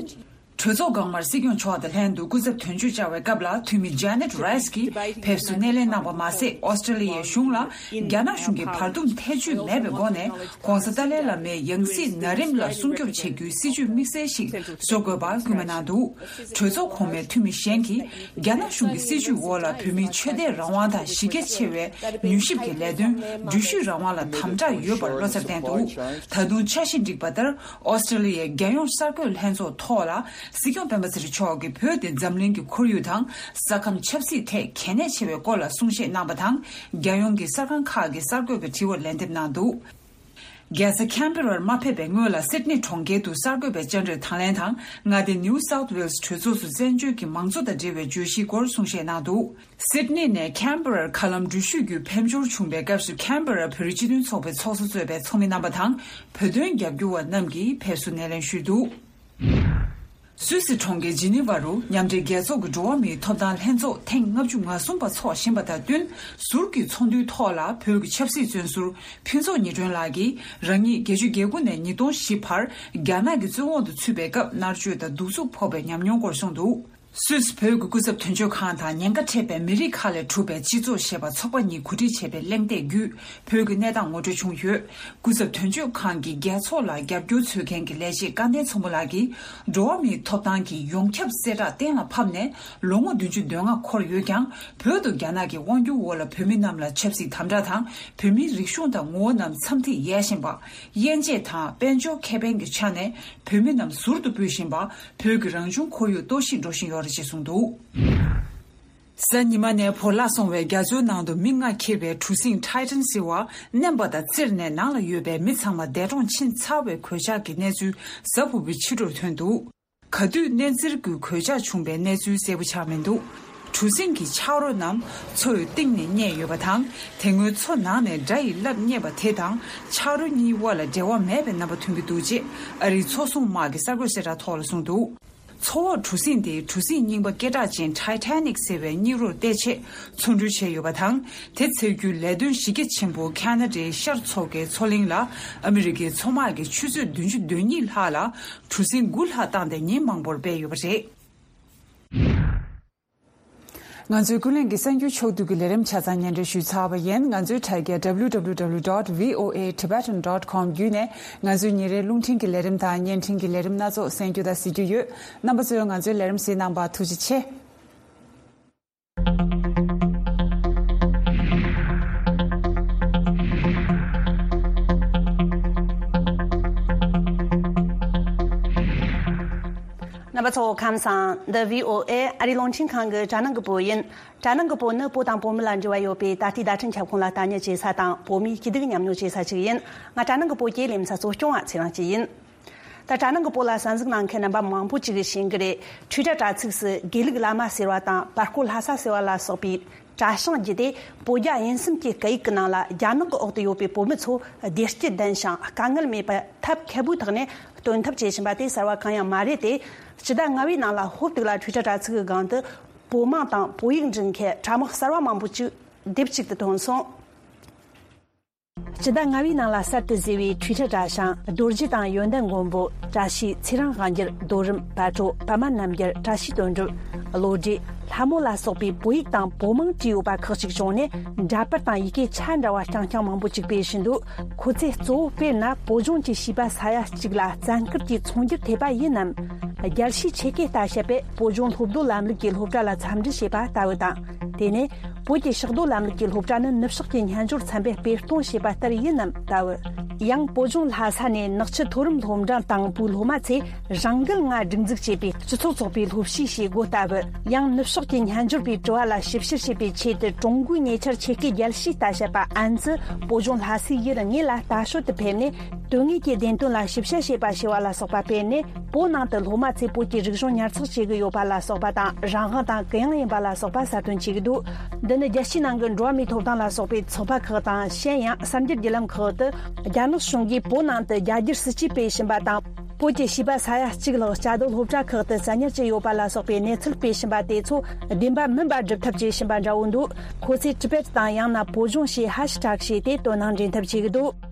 གྲོས་ཚོགས་འགག་དམར་སྲིད་སྐྱོང་མཆོག་དང་ལྷན་དུ་སྐུ་ཚབ་དོན་གཅོད་བཅར་བའི་སྐབས་ལ། འཐུས་མི་ཇ་ནེ་ཊི་རའི་སི་ཀྱིས་ཕེབས་བསུ་སྣེ་ལེན་གནང་བ་མ་ཟད། ཨོ་སི་ཀྲི་ལི་ཡའི་གཞུང་ལ་རྒྱ་ནག་གཞུང་གི་བར་འདུམ་ཐེ་ཇུས་མེད་པའི་སྒོ་ནས་༸གོང་ས་ཏཱ་ལའི་བླ་མའི་ཡང་སྲིད་ན་རིམ་ལ་སྲུང་སྐྱོབ་བྱེད་རྒྱུའི་སྲིད་ཇུས་དམིགས་བསལ་ཞིག་བཟོ་དགོས་པར་སྐུལ་མ་གནང་འདུག་གྲོས་ཚོགས་གོང་མའི་འཐུས་མི་གཞན་གྱིས་རྒྱ་ནག་གཞུང་གི་སྲིད་ཇུས་འོག་ལ་བོད་མིའི་ཆོས་དད་རང་དབང་དང་གཞི་རྒྱ་ཆེ་བའི་མྱུལ་ཞིབ་ཀྱི་ལས་དོན་འགྲུལ་བཞུད་རང་དབང་ལ་དམ་དྲག་ཡོད་པར་བློ་འཚབ་བསྟན་འདུག་ད་དུང་འཆར་གཞི་འགྲིག་པ་ལྟར། ཨོ་སི་ཀྲི་ལི་ཡའི་རྒྱལ་ཡོངས་གསར་འགོད་ལྷན་ཚོགས་ཐོག་ལ་སྲིད་སྐྱོང་སྤེན་པ་ཚེ་རིང་མཆོག་གིས་བོད་དེ་འཛམ་གླིང་གི་ཁོར་ཡུག་དང་ས་ཁམས་ཆབ་སྲིད་ཐད་གལ་གནད་ཆེ་བའི་སྐོར་ལ་གསུང་བཤད་གནང་བ་དང་། རྒྱལ་ཡོངས་ཀྱི་གསར་ཁང་ཁག་གི་གསར་འགོད་པའི་དྲི་བར་ལན་འདེབས་གནང་འདུག་རྒྱལ་ས་ཁན་བྷེ་རར་མ་ཕེབས་པའི་སྔོན་ལ་སིད་ནི་གྲོང་ཁྱེར་དུ་གསར་འགོད་པའི་བཅར་འདྲིར་དང་ལེན་དང་། མངའ་སྡེ་ནིའུ་སའུཐ་ཝེལ་སི་གྲོས་ཚོགས་སུ་བཙན་བྱོལ་གྱི་མང་གཙོ་དང་འབྲེལ་བའི་བརྗོད་གཞིའི་སྐོར་གསུང་བཤད་གནང་འདུག་སིད་ནི་ནས་ཁན་བྷེ་རར་མཁའ་ལམ་འགྲུལ་བཞུད་བརྒྱུད་ཕེབས་འབྱོར་བྱུང་བའི་སྐབས་སུ། ཁན་བྷེ་རར་བོད་རིགས་སྤྱི་མཐུན་ཚོགས་པའི་ཚོགས་གཙོ་གཙོས་པའི་ཚོགས་མི་རྣམ་པ་དང་། བོད་དོན་རྒྱབ་སྐྱོར་བ་རྣམས་ཀྱིས་ཕེབས་བསུ་སྣེ་ལེན་ཞུས་འདུག་སུད་སི་གྲོང་ཁྱེར་ཇི་ནི་ཝ་རུ་མཉམ་འབྲེལ་རྒྱལ་ཚོགས་ཀྱི་འགྲོ་བ་མིའི་ཐོབ་ཐང་ལྷན་ཚོགས་ཐེངས་ལྔ་བཅུ་ང་གསུམ་པ་འཚོགས་བཞིན་པ་དང་བསྟུན། ཟུར་གྱི་ཚོགས་འདུའི་ཐོག་ལ་བོད་ཀྱི་ཆབ་སྲིད་བཙོན་ཟུར་ཕུན་ཚོགས་ཉི་སྒྲོན་ལགས་ཀྱིས། རང་ཉིད་བརྒྱད་ཅུ་གྱ་དགུ་ནས་ཉིས་སྟོང་བཞི་བར་རྒྱ་ནག་གི་བཙོན་འོག་ཏུ་ཚུད་པའི་སྐབས་མནར་གཅོད་དང་གདུག་རྩུབ་ཕོག་པའི་ཉམས་མྱོང་སྐོར་གསུངས་འདུག་སུད་སི་བོད་ཀྱི་སྐུ་ཚབ་དོན་གཅོད་ཁང་དང་ཉེན་ཁ་འཕྲད་པའི་མི་རིགས་ཁག་ལས་གྲུབ་པའི་སྤྱི་ཚོགས་ཞེས་པ་ཚོགས་པ་གཉིས་གོ་སྒྲིག་བྱས་པའི་གླེང་སྟེགས་བརྒྱུད། བོད་ཀྱི་གནས་སྟངས་ངོ་སྤྲོད་བྱུང་ཡོད། སྐུ་ཚབ་དོན་གཅོད་ཁང་གི་རྒྱལ་ཚོགས་ལ་རྒྱབ་སྐྱོར་འཚོལ་མཁན་གྱི་ལས་བྱེད་སྐལ་ལྡན་ཚོམ་བུ་ལགས་ཀྱིས། འགྲོ་བ་མིའི་ཐོབ་ཐང་གི་ཡོངས་ཁྱབ་གསལ་བསྒྲགས་གཏན་ལ་ཕབ་ནས་ལོ་ངོ་བདུན་ཅུ་དོན་ལྔ་འཁོར་ཡོད་ཀྱང་། བོད་དུ་རྒྱ་ནག་གི་དབང་སྒྱུར་འོག་ལ་བོད་མི་རྣམས་ལ་ཆབ་སྲིད་དམ་དྲག་དང་། བོད་མིའི་རིག་གཞུང་དང་ངོ་བོ་རྣམས་མཚམས་ཐིག་ཡལ་བཞིན་པ། དབྱེ་འབྱེད་དང་དཔལ་འབྱོར་ཁེ་ཕན་གྱི་ཆ་ནས་བོད་མི་རྣམས་ཟུར་དུ་སྤུས་བཞིན་པ། བོད་ཀྱི་རང་བྱུང་ཁོར་ཡུག་གཏོར་བཤིག་འགྲོ་བཞིན་ཡོད་རེད་ཅེས་གསུངས་འདུག་གཟའ་ཉི་མ་ནས་བོར་བརླག་སོང་བའི་རྒྱ་མཚོའི་ནང་དུ་མི་ལྔ་འཁྱེར་བའི་གྲུ་གཟིངས་Titan ཟེར་བ་མནན་པ་དང་བཙིར་ནས་ནང་ལ་ཡོད་པའི་མི་ཚང་མ་འདས་གྲོངས་ཕྱིན་ཚར་བའི་གོད་ཆག་གི་གནས་ཚུལ་གཟའ་ཕུར་བུའི་ཕྱི་དྲོར་ཐོན་འདུག་ག་དུས་མནན་བཙིར་གྱི་གོད་ཆག་བྱུང་བའི་གནས་ཚུལ་གསལ་པོ་ཆགས་མི་འདུག་གྲུ་གཟིངས་ཀྱི་ཆག་རོ་རྣམས་མཚོ་ཡི་གཏིང་ནས་རྙེད་ཡོད་པ་དང་། དེ་སྔོན་མཚོ་ནང་ནས་དགྲ་ཡི་རླབས་རྙེད་པ་དེ་དང་ཆག་རོ་གཉིས་དབར་ལ་འབྲེལ་བ་མེད་པའི་རྣམ་པ་ཐོན་གྱི་འདུག་ཅེས་ཨ་རིའི་མཚོ་སྲུང་དམག་གི་གསར་འགོད་གསལ་བསྒྲགས་ཐོག་ལ་གསུངས་འདུག་མཚོ་འོག་གྲུ་གཟིངས་དེ་གྲུ་གཟིངས་རྙིང་པ་སྐད་གྲགས་ཅན་Titanic ཟེར་བའི་རྙིང་རོར་བལྟས་ཆེད་འཚོ་འགྲུལ་བྱས་ཡོད་པ་དང་། དེ་འཚོལ་རྒྱུའི་ལས་དོན་གཞི་རྒྱ་ཆེན་པོ་ཁ་ན་ཌའི་ཤར་མཚོ་ཁའི་མཚོ་གླིང་ལ་ཨ་མི་རི་ཀའི་མཚོ་དམག་གིས་ཆུ་ཚོད་བདུན་ཅུ་དོན་གཉིས་ལྷག་ལ་གྲུ་གཟིངས་དགུ་ལྷག་བཏང་སྟེ་ཉིན་མང་པོར་སྤེལ་ཡོད་པ་རེད། ང་ཚོའི་ཀུན་གླེང་གི་གསར་འགྱུར་ཕྱོགས་བསྡུས་ཀྱི་ལས་རིམ་ཆ་ཚང་སྙན་སྒྲོན་ཞུས་ཚར་བ་ཡིན། ང་ཚོའི་དྲ་རྒྱ W W W dot V O A Tibetan dot com བརྒྱུད་ནས་ང་ཚོའི་ཉིན་རེའི་རླུང་འཕྲིན་གྱི་ལས་རིམ་དང་བརྙན་འཕྲིན་གྱི་ལས་རིམ་སྣ་ཚོགས་གསན་རྒྱུ་དང་གཟིགས་རྒྱུ་ཡོད། རྣམ་པ་ཚོས་ང་ཚོའི་ལས་རིམ་གཟིགས་གནང་བར་ཐུགས་རྗེ་ཆེ། རྣམ་པ་ཚོ་ཁམས་བཟང་། འདི་V O A ཨ་རིའི་རླུང་འཕྲིན་ཁང་གི་དྲ་ནང་གི་བོད་ཡིན། དྲ་ནང་གི་བོད་ནི་བོད་དང་བོད་མི་ལ་འབྲེལ་བ་ཡོད་པའི་ད་ལྟའི་བརྡ་འཕྲིན་ཁྱབ་ཁོངས་ལ་ལྟ་ཉན་བྱེད་ས་དང་བོད་མིའི་སྐྱིད་སྡུག་མཉམ་མྱོང་བྱེད་ས་ཞིག་ཡིན། ང་དྲ་ནང་གི་བོད་སྐད་ལས་མི་ས་གཙོ་སྐྱོང་བ་ཚེ་རིང་སྐྱིད་ཡིན། ད་དྲ་ནང་གི་བོད་ལ་གསན་གཟིགས་གནང་མཁན་རྣམ་པ་མང་པོ་ཅིག་གིས་ཤེས་ཀྱི་རེད། འཕྲུལ་དྲ་དྲ་ཚིགས་སུ་དགེ་ལུགས་བླ་མ་ཟེར་བ་དང་བར་སྐོར་ལྷ་ས་ཟེར་བ་ལ་སོགས་པའི་དྲ་བྱིངས་བརྒྱུད་དེ་བོད་རྒྱ་དབྱིན་གསུམ་གྱི་སྐད་ཡིག་གི་ནང་ལ་རྒྱ་ནག་གི་འོག་ཏུ་ཡོད་པའི་བོད་མི་ཚོ་བདེ་སྐྱིད་ལྡན་ཞིང་དཀའ་ངལ་མེད་པར་ཐབས་མཁས་པོའི་ཐོག་ནས་སྟོན་ཐབས་བྱེད་བཞིན་པ་དེ་གསར་བ་གང་ཡང་མ་རེད་དེ། སྤྱི་ཟླ་ལྔ་པའི་ནང་ལ་ཧོབ་ཏིག་ལ་འཕྲུལ་དྲ་དྲ་ཚིགས་ཀྱི་སྒང་དུ་བོད་དམངས་དང་བོད་ཡིག་འབྲི་མཁན་དྲ་དམག་གསར་བ་མང་པོ་ཅིག་སྡེབ་གཅིག་ཏུ་ཐོན་སོང་། སྤྱི་ཟླ་ལྔ་པའི་ནང་ལ་གསར་དུ་བཟོས་པའི་འཕྲུལ་དྲ་དྲ་བྱིངས་རྡོ་རྗེ་དང་ཡོན་ཏན་མགོན་པོ། བཀྲ་ཤིས་ཚེ་རིང་དབང་རྒྱལ། རྡོ་རིང་བལ་བྲོ། པདྨ་རྣམ་རྒྱལ། བཀྲ་ཤིས་དོན་གྲུབ། བློ་གྲོས། ལྷ་མོ་ལ་སོགས་པའི་བོད་ཡིག་དང་བོད་དམངས་བྲིས་ཡོད་པ་ཁག་ཅིག་བྱུང་ནས། འདྲ་པར་དང་ཡི་གེ་ཆ་འདྲ་བ་རྐྱང་རྐྱང་མང་པོ་ཅིག་སྤེལ་བཞིན་འདུག་ཁོ་ཚོས་གཙོ་བོ་དཔེར་ན་བོད་ལྗོངས་ཀྱི་བྱིས་པ་ས་ཡ་གཅིག་ལ་བཙན་སྐུལ་གྱིས་ཚོང་རྒྱག་ཐེབས་པ་ཡིན་ནམ། རྒྱལ་སྤྱིའི་ཆེད་སྐད་ལྟ་བཤད་པས་བོད་ལྗོངས་སློབ་སྡོད་ལམ་ལུགས་ཀྱི་སློབ་གྲྭ་ལ་འཚམས་འདྲི་བྱས་པ་ལྟ་བུ་དང་། དེ་ནས། བོད་ཀྱི་ཕྱག་སྡོད་ལམ་ལུགས་ཀྱི་སློབ་གྲྭ་ནི་ནུབ་ཕྱོགས་ཀྱི་སྨྱན་སྦྱོར་ཚན་པས་སྤེལ་གཏོང་བྱས་པ་ལྟར་ཡིན་ནམ་ལྟ་བུ། ཡང་བོད་ལྗོངས་ལྷ་ས་ནས་ནག་ཆུ་མཐོ་རིམ་སློབ་འབྲིང་དང་པོའི་སློབ་མ་ཚོས་རང་འགུལ་ངང་སྒྲིག་འཛུགས་བྱས་པའི་སྤྱི་ཚོགས་ཚོགས་པའི་སློབ་གཞིས་ཞེས་འགོ་ལྟ་བུ། ཡང་ནུབ་ཕྱོགས་ཀྱི་སྨྱན་སྦྱོར་པའི་དྲི་བ་ལ་ཞིབ་བཤེར་བྱེད་པའི་ཆེད་དུ་ཀྲུང་གོའི་ཉེ་ཆར་ཆེད་སྐད་རྒྱལ་སྤྱིའི་ལྟ་བཤད་པ་ཨན་ཙི་བོད་ལྗོངས་ལྷ་སའི་ཡུལ་དངོས་ལ་ལྟ་སྐོར་དུ་ཕེབས་ནས། དོན་དངོས་ཀྱི་བདེན་དོན་ལ་ཞིབ་བཤེར་བྱེད་པ་ཞེས་པ་ལ་སོགས་པ་སྤེལ་ནས། བོད་ནང་དུ་སློབ་མ་ཚོས་བོད་ཀྱི་རིག་གཞུང་ཉར་ཚགས་བྱེད་ཀྱི་ཡོད་པ་ལ་སོགས་པ་དང་། རང་དབང་དང་གུ་ཡངས་ཡིན་པ་ལ་སོགས་པ་གསལ་སྟོན་བྱེད་ཀྱི་འདུག་འདི་ནི་རྒྱལ་སྤྱིའི་ནང་གི་འགྲོ་བ་མིའི་ཐོབ་ཐང་ལ་སོགས་པའི་ཚོགས་པ་ཁག་དང་། གཞན་ཡང་གསར་འགྱུར་བརྒྱུད་ལམ་ཁག་ཏུ། རྒྱ་ནག་གཞུང་གིས་བོད་ནང་དུ་རྒྱ་སྒྱུར་སྲིད་ཇུས་སྤེལ་བཞིན་པ་དང་། བོད་ཀྱི་བྱིས་པ་ས་ཡ་གཅིག་ལྷག་བཅའ་སྡོད་སློབ་གྲྭ་ཁག་ཏུ་བཙན་ཉར་བྱས་ཡོད་པ་ལ་སོགས་པའི་གནས་ཚུལ་སྤེལ་བཞིན་པ་དེ་ཚོ་བདེན་པ་མིན་པ་སྒྲུབ་ཐབས་བྱེད་བཞིན་པ་འདྲ་བོ་འདུག་ཁོ་ཚོས་ཊི་བེཊ་དང་ཡང་ན་བོད་ལྗོངས་ཞེས་ཧེ་ཤི་ཊེག་བྱས་ཏེ་དོ་སྣང་འདྲེན་ཐབས་བྱེད་ཀྱི་འདུག་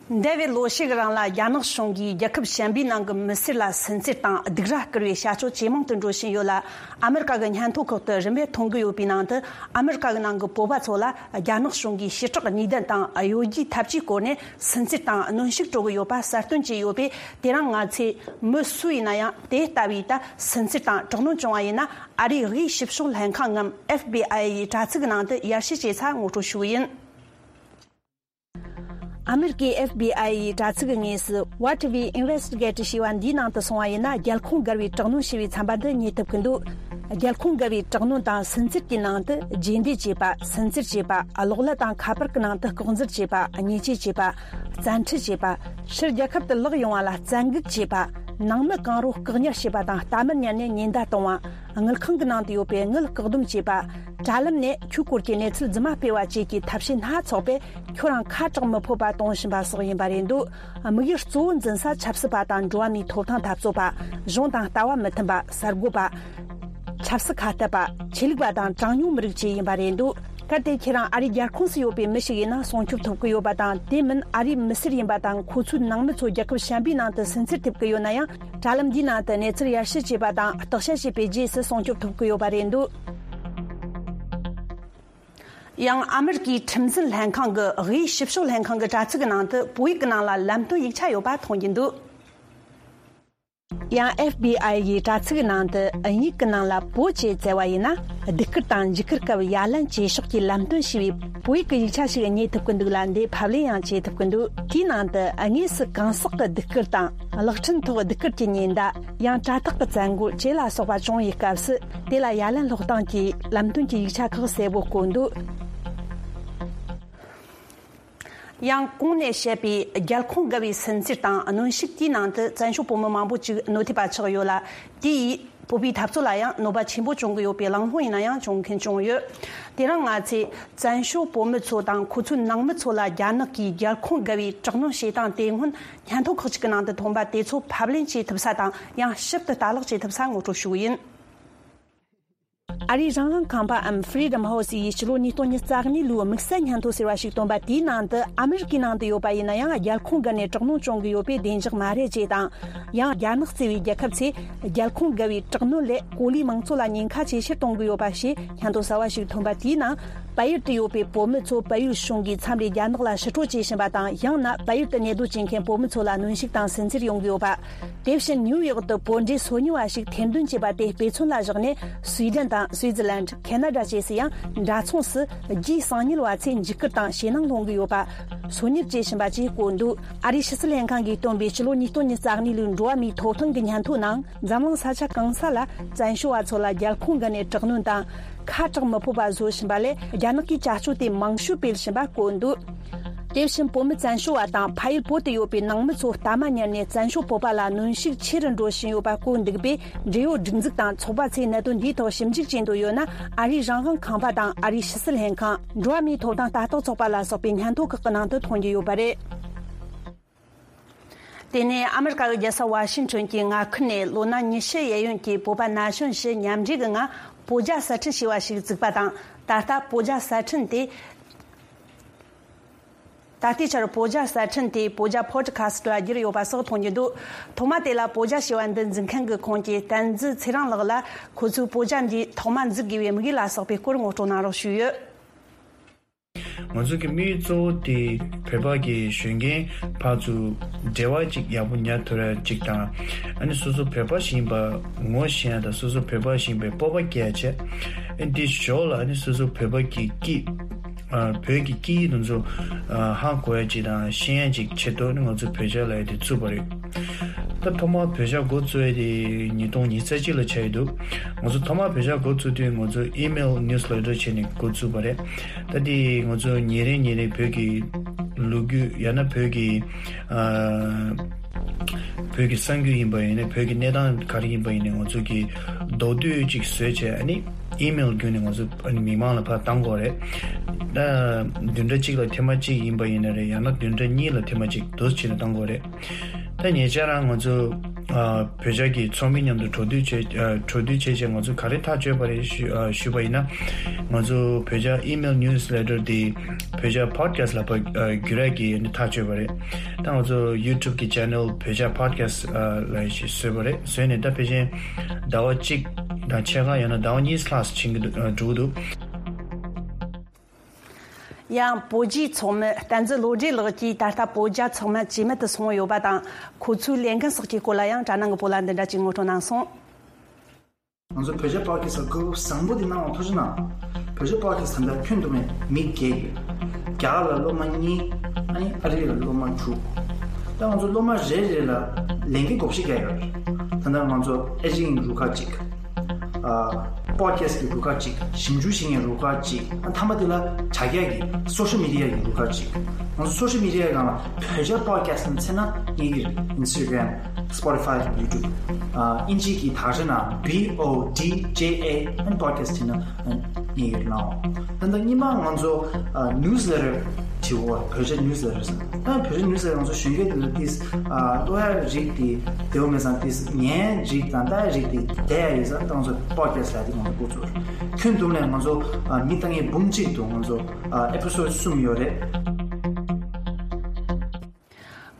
འདས་པའི་ལོ་ཤས་ཀྱི་རིང་ལ་རྒྱ་ནག་གཞུང་གིས་རྒྱལ་ཁབ་གཞན་པའི་ནང་གི་མི་སེར་ལ་སུན་གཙེར་དང་སྡིགས་ར་སྐུལ་བའི་བྱ་སྤྱོད་ཇེ་མང་དུ་འགྲོ་བཞིན་ཡོད་ལ། ཨ་མི་རི་ཀ་གི་སྙན་ཐོ་ཁག་ཏུ་རིམ་པས་མཐོང་གི་ཡོད་པའི་ནང་དུ། ཨ་མི་རི་ཀ་གི་ནང་གི་བོད་པ་ཚོ་ལ་རྒྱ་ནག་གཞུང་གིས་ཞི་དྲག་ཉེས་དོན་དང་གཡོ་སྒྱུའི་ཐབས་ཇུས་བཀོལ་ནས་སུན་གཙེར་དང་གནོན་ཤུགས་སྤྲོད་ཀྱི་ཡོད་པ་གསལ་སྟོན་བྱས་ཡོད་པས། དེ་རིང་ང་ཚོས་མི་སུ་ཡིན་ན་ཡང་དེ་ལྟ་བུའི་ད་སུན་གཙེར་དང་དྲག་གནོན་བྱུང་བ་ཡིན་ན། ཨ་རིའི་དབུས་ཞིབ་ཕྱོགས་ལྷན་ཁང་ངམ་ཨེཕ་བི་ཨའི་ཡི་དྲ་ཚིགས་ནང་དུ་ཡར་ཞུ་བྱེད་ས་ངོ་སྤྲོད་ཞུ་གི་ཡིན། ཨ་མེ་རི་ཀའི་ཨེཕ་བི་ཨའི་ཡི་དྲ་ཚིགས་ཀྱི་ངོས་སུ། What We Investigate ཞེས་པ་འདིའི་ནང་དུ་སོང་བ་ཡིན་ན། རྒྱལ་ཁོངས་བརྒལ་བའི་དྲག་གནོན་ཞེས་པའི་ཚན་པ་འདི་རྙེད་ཐུབ་ཀྱི་འདུག་རྒྱལ་ཁོངས་བརྒལ་བའི་དྲག་གནོན་དང་སུན་གཙེར་གྱི་ནང་དུ། རྗེས་འདེད་བྱེད་པ། སུན་གཙེར་བྱེད་པ། གློག་ཀླད་དང་ཁ་པར་གྱི་ནང་དུ་ལྐོག་འཛུལ་བྱེད་པ། ཉེས་ཆད་བཅད་པ། བཙན་ཁྲིད་བྱེད་པ། ཕྱིར་རྒྱལ་ཁབ་ཏུ་ལོག་ཡོང་བ་ལ་བཙན་འགུག་བྱེད་པ། ནང་མི་གང་རུང་བཀག་ཉར་བྱེད་པ་དང་རྟ་མར་ཉར་ནས་ཉེན་བརྡ་གཏོང་བ། དངུལ་ཁང་གི་ནང་དུ་ཡོད་པའི་དངུལ་བཀག་སྡོམ་བྱེད་པ། དྲ་ལམ་ནས་ཁྱོའི་སྐོར་གྱི་གནས་ཚུལ་རྫུན་མ་སྤེལ་བ་བཅས་ཀྱི་ཐབས་ཤེས་སྣ་ཚོགས་པས་ཁྱོད་རང་ཁ་གྲག་མི་ཕོད་པ་གཏོང་བཞིན་པ་སོགས་ཡིན་པ་རེད་འདུག་དམིགས་ཡུལ་གཙོ་བོ་འཛིན་ས་ཆབ་སྲིད་པ་དང་འགྲོ་བ་མིའི་ཐོབ་ཐང་འཐབ་རྩོད་པ། གཞུང་དང་ལྟ་བ་མི་མཐུན་པ། གསར་འགོད་པ། ཆབ་སྲིད་ཁ་གཏད་པ། ཆོས་ལུགས་པ་དང་གྲངས་ཉུང་མི་རིགས་བཅས་ཡིན་པ་རེད་འདུག་གལ་ཏེ་ཁྱེད་རང་ཨ་རིའི་རྒྱལ་ཁོངས་སུ་ཡོད་པའི་མི་ཞིག་ཡིན་ན་སྲུང་སྐྱོབ་ཐོབ་ཀྱི་ཡོད་པ་དང་། དེ་མིན་ཨ་རིའི་མི་སེར་ཡིན་པ་དང་། ཁོ་ཚོའི་ནང་མི་ཚོ་རྒྱལ་ཁབ་གཞན་པའི་ནང་དུ་སུན་གཙེར་ཐེབས་ཀྱི་ཡོད་ན་ཡང་། དྲ་ལམ་འདིའི་ནང་དུ་གནས་ཚུལ་ཡར་ཞུ་བྱས་པ་དང་བརྟག་དཔྱད་བྱས་པའི་རྗེས་སུ་སྲུང་སྐྱོབ་ཐོབ་ཀྱི་ཡོད་པ་རེད་འདུག་ཡང་ཨ་མེ་རི་ཀའི་ཁྲིམས་འཛིན་ལྷན་ཁང་གི་དབུས་ཞིབ་ཕྱོགས་ལྷན་ཁང་གི་དྲ་ཚིགས་ཀྱི་ནང་དུ་བོད་ཡིག་གི་ནང་ལ་ལམ་སྟོན་ཡིག་ཆ་ཡོད་པ་མཐོང་རྒྱུ་འདུག་ཡང་ཨེཕ་བི་ཨའི་ཡི་དྲ་ཚིགས་ནང་དུ་དབྱིན་ཡིག་གི་ནང་ལ་བོད་ཅེས་བཙལ་བ་ཡིན་ན། སྡིགས་སྐུལ་དང་འཇིགས་སྐུལ་སྐབས་ཡ་ལན་བྱེད་ཕྱོགས་ཀྱི་ལམ་སྟོན་ཞེས་པའི་བོད་ཡིག་གི་ཡིག་ཆ་ཞིག་རྙེད་ཐུབ་ཀྱི་འདུག་ལ། འདི་ཕབ་ལེན་ཡང་བྱེད་ཐུབ་ཀྱི་འདུག་དེའི་ནང་དུ་དངོས་སུ་གང་ཟག་གི་སྡིགས་སྐུལ་དང་། གློག་འཕྲིན་ཐོག་སྡིགས་སྐུལ་གྱི་ཉེན་བརྡ། ཡང་དྲ་ཐག་གི་བཙན་རྒོལ་བཅས་ལ་སོགས་པ་བྱུང་བའི་སྐབས་སུ། དེ་ལ་ཡ་ལན་སློག་སྟངས་ཀྱི་ལམ་སྟོན་གྱི་ཡིག་ཆ་ཁག་གསལ་པོ་བཀོད་འདུག་ཡང་གོང་ནས་བཤད་པའི་རྒྱལ་ཁོངས་བརྒལ་བའི་སུན་གཙེར་དང་གནོན་ཤུགས་དེའི་ནང་དུ་བཙན་བྱོལ་བོད་མི་མང་པོ་ཅིག་གནོད་ཐེབས་པ་ཆགས་ཡོད་ལ། དེ་ཡིས་བོད་པའི་འཐབ་རྩོད་ལ་ཡང་གནོད་པ་ཆེན་པོ་བྱུང་གི་ཡོད་པའི་གླེང་སློང་ཡིན་ན་ཡང་བྱུང་མཁན་བྱུང་ཡོད། དེ་རིང་ང་ཚོས་བཙན་བྱོལ་བོད་མི་ཚོ་དང་ཁོ་ཚོའི་ནང་མི་ཚོ་ལ་རྒྱ་ནག་གིས་རྒྱལ་ཁོངས་བརྒལ་བའི་དྲག་གནོན་བྱེད་སྟངས་དེ་སྔོན་སྙན་ཐོ་ཁག་ཅིག་གི་ནང་དུ་ཐོན་པ་དེ་ཚོ་ཕབ་ལེན་བྱེད་ཐུབ་ས་དང་ཡང་ཞིབ་ཏུ་ལྟ་ཀློག་བྱེད་ཐུབ་ས་ངོ་སྤྲོད་ཞུ་གི་ཡིན། ཨ་རིའི་རང་དབང་ཁང་པའམ་Freedom House ཡིས་ཕྱི་ལོ་ཉིས་སྟོང་ཉི་ཤུ་རྩ་གཉིས་ལོའི་དམིགས་བསལ་སྙན་ཐོ་ཟེར་བ་ཞིག་བཏོན་པ་དེའི་ནང་དུ། ཨ་མི་རི་ཀའི་ནང་དུ་ཡོད་པ་ཡིན་ན་ཡང་རྒྱལ་ཁོངས་བརྒལ་ནས་དྲག་གནོན་བྱུང་གི་ཡོད་པས་བདེ་འཇགས་མ་རེད་ཅེས་དང་། ཡང་རྒྱ་ནག་བརྩི་བའི་རྒྱལ་ཁབ་ཚོས་རྒྱལ་ཁོངས་བརྒལ་བའི་དྲག་གནོན་ལས་གོ་ལའི་མང་ཚོགས་ལ་ཉེན་ཁ་ཇེ་ཆེར་གཏོང་གི་ཡོད་པ་ཞེས་སྙན་ཐོ་གསར་བ་ཞིག་ཐོན་པ་དེའི་ནང་། བལ་ཡུལ་དུ་ཡོད་པའི་བོད་མི་ཚོ་བལ་ཡུལ་གཞུང་གིས་མཚམས་རེ་རྒྱ་ནག་ལ་ཕྱིར་སྤྲོད་བྱེད་བཞིན་པ་དང་། ཡང་ན་བལ་ཡུལ་དུ་གནས་སྡོད་བྱེད་མཁན་བོད་མི་ཚོ་ལ་གནོན་ཤུགས་དང་སུན་གཙེར་ཡོང་གི་ཡོད་པ། དེ་བཞིན་ནིའུ་ཡོག་ཏུ་བོད་འབྲེལ་སོ་ཉུལ་བ་ཞིག་ཐེར་འདོན་བྱས་པ་དེ་དཔེ་མཚོན་ལ་བཞག་ནས། སུའེ་ཌེན་དང་སུའེ་ཙི་ལན། ཁེ་ན་ཌ་བཅས་སུ་ཡང་འདྲ་མཚུངས་སུ་རྒྱའི་གསང་ཉུལ་བ་ཚོས་འཇིགས་སྐུལ་དང་ཞེད་སྣང་སློང་གི་ཡོད་པ། སོ་ཉུལ་བྱེད་བཞིན་པ་བཅས་བཀོད་འདུག་ཨ་རིའི་ཕྱི་སྲིད་ལྷན་ཁང་གིས་བཏོན་པའི་ཕྱི་ལོ་ཉིས་སྟོང་ཉི་ཤུ་རྩ་གཉིས་ལོའི་འགྲོ་བ་མིའི་ཐོབ་ཐང་གི་སྙན་ཐོའི་ནང་། འཛམ་གླིང་ས་ཆ་གང་ས་ལ་བཙན་བྱོལ་བ་ཚོ་ལ་རྒྱལ་ཁོངས་བརྒལ་ནས་དྲག་གནོན་དང་། ཁ་གྲག་མི་ཕོད་པ་བཟོ་བཞིན་པ་ལས། རྒྱ་ནག་གིས་བྱ་སྤྱོད་དེ་མང་ཤོས་སྤེལ་བཞིན་པ་བཀོད་འདུག་དེ་བཞིན་བོད་མི་བཙན་བྱོལ་བ་དང་ཕ་ཡུལ་བོད་དུ་ཡོད་པའི་ནང་མི་ཚོ་ལྟ་མ་ཉར་ནས་བཙན་བྱོལ་བོད་པ་ལ་གནོན་ཤུགས་ཆེ་རུ་འགྲོ་བཞིན་ཡོད་པ་བཀོད་འདུག་པས། འབྲེལ་ཡོད་སྒྲིག་འཛུགས་དང་ཚོགས་པ་ཚོས་གནད་དོན་འདིའི་ཐོག་ཞིབ་འཇུག་བྱེད་འདོད་ཡོད་ན། ཨ་རིའི་རང་དབང་ཁང་པ་དང་ཨ་རིའི་ཕྱི་སྲིད་ལྷན་ཁང་། འགྲོ་བ་མིའི་ཐོབ་ཐང་ལྟ་རྟོག་ཚོགས་པ་ལ་སོགས་པའི་སྙན་ཐོ་ཁག་གི་ནང་དུ་མཐོང་རྒྱུ་ཡོད་པ་རེད། དེ་ནས་ཨ་མི་རི་ཀ་གི་རྒྱལ་ས་ཝ་ཤིང་ཊོན་གྱི་མངའ་ཁུལ་ནས་ལོ་ན་ཉི་ཤུ་གཡས་གཡོན་གྱི་བོད་པ་ན་གཞོན་བཞི་མཉམ་འབྲེལ་གྱི་ངང་བོད་རྒྱ་གསར་སྐྲུན་ཞེས་པ་ཞིག་བཙུགས་པ་དང་། ད་ལྟ་བོད་རྒྱ་གསར་སྐྲུན་དེ། ད་ལྟའི་ཆར་བོད་རྒྱ་གསར་སྐྲུན་དེ་བོད་རྒྱ་ཕོ་ཌི་ཁ་སི་ཊི་ལ་བསྒྱུར་ཡོད་པ་སོགས་མཐོང་རྒྱུ་འདུག་ཐོག་མ་དེ་ལ་བོད་རྒྱ་ཞེས་པ་འདི་འཛིན་མཁན་གྱི་ཁོངས་ཀྱི་བསྟན་འཛིན་ཚེ་རིང་ལགས་ལ། ཁོ་ཚོས་བོད་རྒྱ་འདི་ཐོག་མ་འཛུགས་དགོས་པའི་དམིགས་ཡུལ་ལ་སོགས་པའི་སྐོར་ངོ་སྤྲོད་གནང་རོགས་ཞུས་ཡོད། ང་ཚོ་གི་དམིགས་ཡུལ་གཙོ་བོ་དེ་བོད་པ་གི་གཞོན་སྐྱེས་ཕར་ཚུར་འབྲེལ་བ་ཅིག་ཡག་པོ་ཉར་ཐུབ་ཡ་ཅིག་དང་། ཨ་ནི་སོ་སོ་བོད་པ་ཞིག་ཡིན་པ་ངོ་ཤེས་ཡ་དང་། སོ་སོ་བོད་པ་ཞིག་ཡིན་པའི་སྤོབས་པ་སྐྱེ་ཡ་བྱས། ཨ་ནི་དེ་ཞོར་ལ་ཨ་ནི་སོ་སོ་བོད་པ་གི་སྐད། ཨ། བོད་ཀྱི་སྐད་ཡིག་དེ་ཚོ། ཨ། ཧ་གོ་ཡ་ཅིག་དང་ཤེས་ཡ་ཅིག་ཆེད་དུ་ནི་ང་ཚོ་བོད་རྒྱ་ལབ་ཡ་དེ་བཙུགས་པ་རེད། ད་ཐོག་མར་བོད་རྒྱ་འགོ་བཙུགས་ཡ་དེ་ཉིས་སྟོང་ཉི་ཤུ་རྩ་གཅིག་ལ་ཆགས་ཡི་འདུག་ང་ཚོ་ཐོག་མར་བོད་རྒྱ་འགོ་བཙུགས་དུས་ང་ཚོ་ཨི་མེལ་ནིའུ་སི་ལེ་ཊར་བྱས་ནས་འགོ་བཙུགས་པ་རེད། ད་དེ་ང་ཚོ་ཉིན་རེ་ཉིན་རེ་བོད་ཀྱི་ལོ་རྒྱུས། ཡང་ན་བོད་ཀྱི། ཨ། བོད་ཀྱི་གསར་འགྱུར་ཡིན་པ་ཡིན་ན། བོད་ཀྱི་གནས་སྟངས་ག་རེ་ཡིན་པ་ཡིན་ན། ང་ཚོ་གི་མདོར་བསྡུས་ཅིག་བཟོས་བྱས། ཨ་ནི་ཨི་མེལ་བརྒྱུད་ནས་ང་ཚོ་ཨ་ནི་མི་མང་ལ་ཕར་བཏང་དགོས་རེད། ད་བདུན་ཕྲག་གཅིག་ལ་ཐེངས་མ་གཅིག་ཡིན་པ་ཡིན་ན་རེད། ཡང་ན་བདུན་ཕྲག་གཉིས་ལ་ཐེངས་མ་གཅིག་འདུག་སེ་བྱས་ནས་བཏང་དགོས་རེད། ད་ཉེ་ཆར་རང་ང་ཚོ། ཨ། བོད་རྒྱ་གི་ཚོགས་མི་མཉམ་དུ་གྲོས་བསྡུར་བྱས། ཨ། གྲོས་བསྡུར་བྱས་བྱས་ང་ཚོ་ག་རེ་ཐག་གཅོད་པ་རེད་ཞུ། ཨ། ཞུས་པ་ཡིན་ན། ང་ཚོ་བོད་རྒྱ་ཨི་མེལ་ནིའུ་སི་ལེ་ཊར་དེ་བོད་རྒྱ་པོ་ཌི་ཁ་སི་ཊི་ལ་ཕར། ཨ། བསྒྱུར་ཡ་གི་ནི་ཐག་གཅོད་པ་རེད། ད་ང་ཚོ་ཡུ་ཊུབ་གི་ཆེ་ནལ་བོད་རྒྱ་པོ་ཌི་ཁ་སི་ཊི། ཨ། ལ་ཞིག་བཟོས་པ་རེད། བཟོས་ནས་ད་ཕལ་ཆེར་ཟླ་བ་གཅིག་དང་ཕྱེད་ཀ། ཡང་ན་ཟླ་བ་གཉིས་ལྷག་ཕྱིན་གྱི་འདུག་ཨ། འགྲོ་གི་འདུག་ཡང་བོད་རྒྱའི་ཚོགས་མི་བསྟན་འཛིན་བློ་གྲོས་ལགས་ཀྱིས་ད་ལྟ་བོད་རྒྱ་ཚང་མ་ཇེ་མང་དུ་སོང་ཡོད་པ་དང་། ཁོ་ཚོའི་ལས་འགན་སོགས་ཀྱི་སྐོར་ལ་ཡང་གྲྭ་ནང་གི་བོད་ལ་འདི་འདྲ་ཅིག་ངོ་སྤྲོད་གནང་སོང་། ང་ཚོ་བོད་རྒྱ་པོ་ཌི་ཁ་སི་ཊི་ལ་སྐུལ་བཟང་པོ་དེ་གནང་བ་ཐུགས་རྗེ་གནང་། བོད་རྒྱ་པོ་ཌི་ཁ་སི་ཊི་ད་ལྟ་ཁྱོན་བསྡོམས་ནས་མི་བརྒྱད་ཡོད། རྒྱ་གར་ལ་སློབ་མ་གཉིས། ཨ་ནི་ཨ་རི་ལ་སློབ་མ་དྲུག་ད་ང་ཚོ་སློབ་མ་རེ་རེ་ལ་ལས་འགན་བགོ་བཤའ་རྒྱག་ཡོད་རེད། ད་ལྟ་ང་ཚོ་ཨེ་ཌི་ཊིང་རུ་ཁག་གཅིག་ཨ། པོ་ཌི་ཁ་སི་ཊི་གི་རུ་ཁག་གཅིག་ཞིབ་འཇུག་བྱེད་མཁན་རུ་ཁག་གཅིག་ཨ། མཐའ་མ་དེ་ལ་དྲ་རྒྱ་གི་སོ་ཤལ་མི་ཌི་ཡ་གི་རུ་ཁག་གཅིག་ང་ཚོ་སོ་ཤལ་མི་ཌི་ཡ་སྒང་ལ་བོད་རྒྱ་པོ་ཌི་ཁ་སི་ཊི་ནས་འཚོལ་ན་རྙེད་ཀྱི་རེད། ཨིན་སི་ཊ་གྷ་རམ། སི་པོ་ཊི་ཕའི་དང་ཡུ་ཊུབ། ཨ། དབྱིན་ཇིའི་གི་དག་ཆ་ནང་བྷི་ཨོ་ཌི་ཇེ་ཨེ་ཨན་པོ་ཌི་ཁ་སི་ཊི་ནང་རྙེད་ཡོད་ནའོ། ད་ལྟ་སྔོན་མ་ང་ཚོ། ཨ། ནིའུ་སི་ལེ་ཊར་བྲིས་པ། བོད་རྒྱ་ནིའུ་སི་ལེ་ཊར་ཟེར། ད་བོད་རྒྱ་ནིའུ་སི་ལེ་ཊར་ང་ཚོ་གཞོན་སྐྱེས་དེ་ལ་ཏིས། ཨ། ཀློག་ཡ་རིགས་དེ་བདེ་པོ་མེད་ཙང་། ཏིས་ཉན་རིགས་དང་ལྟ་ཡ་རིགས་དེ་བསྡད་ཡ་ཡོད་ཙང་། ད་ང་ཚོ་པོ་ཌི་ཁ་སི་ཊི་ལབ་དེ་ང་ཚོ་འགོ་བཙུགས། ཁྱོན་བསྡོམས་ནས་ང་ཚོ། ཨ། མི་ལྟ་མཁན་འབུམ་གཅིག་འདུག་ང་ཚོ། ཨ། ཨེ་པི་སོ་ཌི་གསུམ་ཡོད་རེད།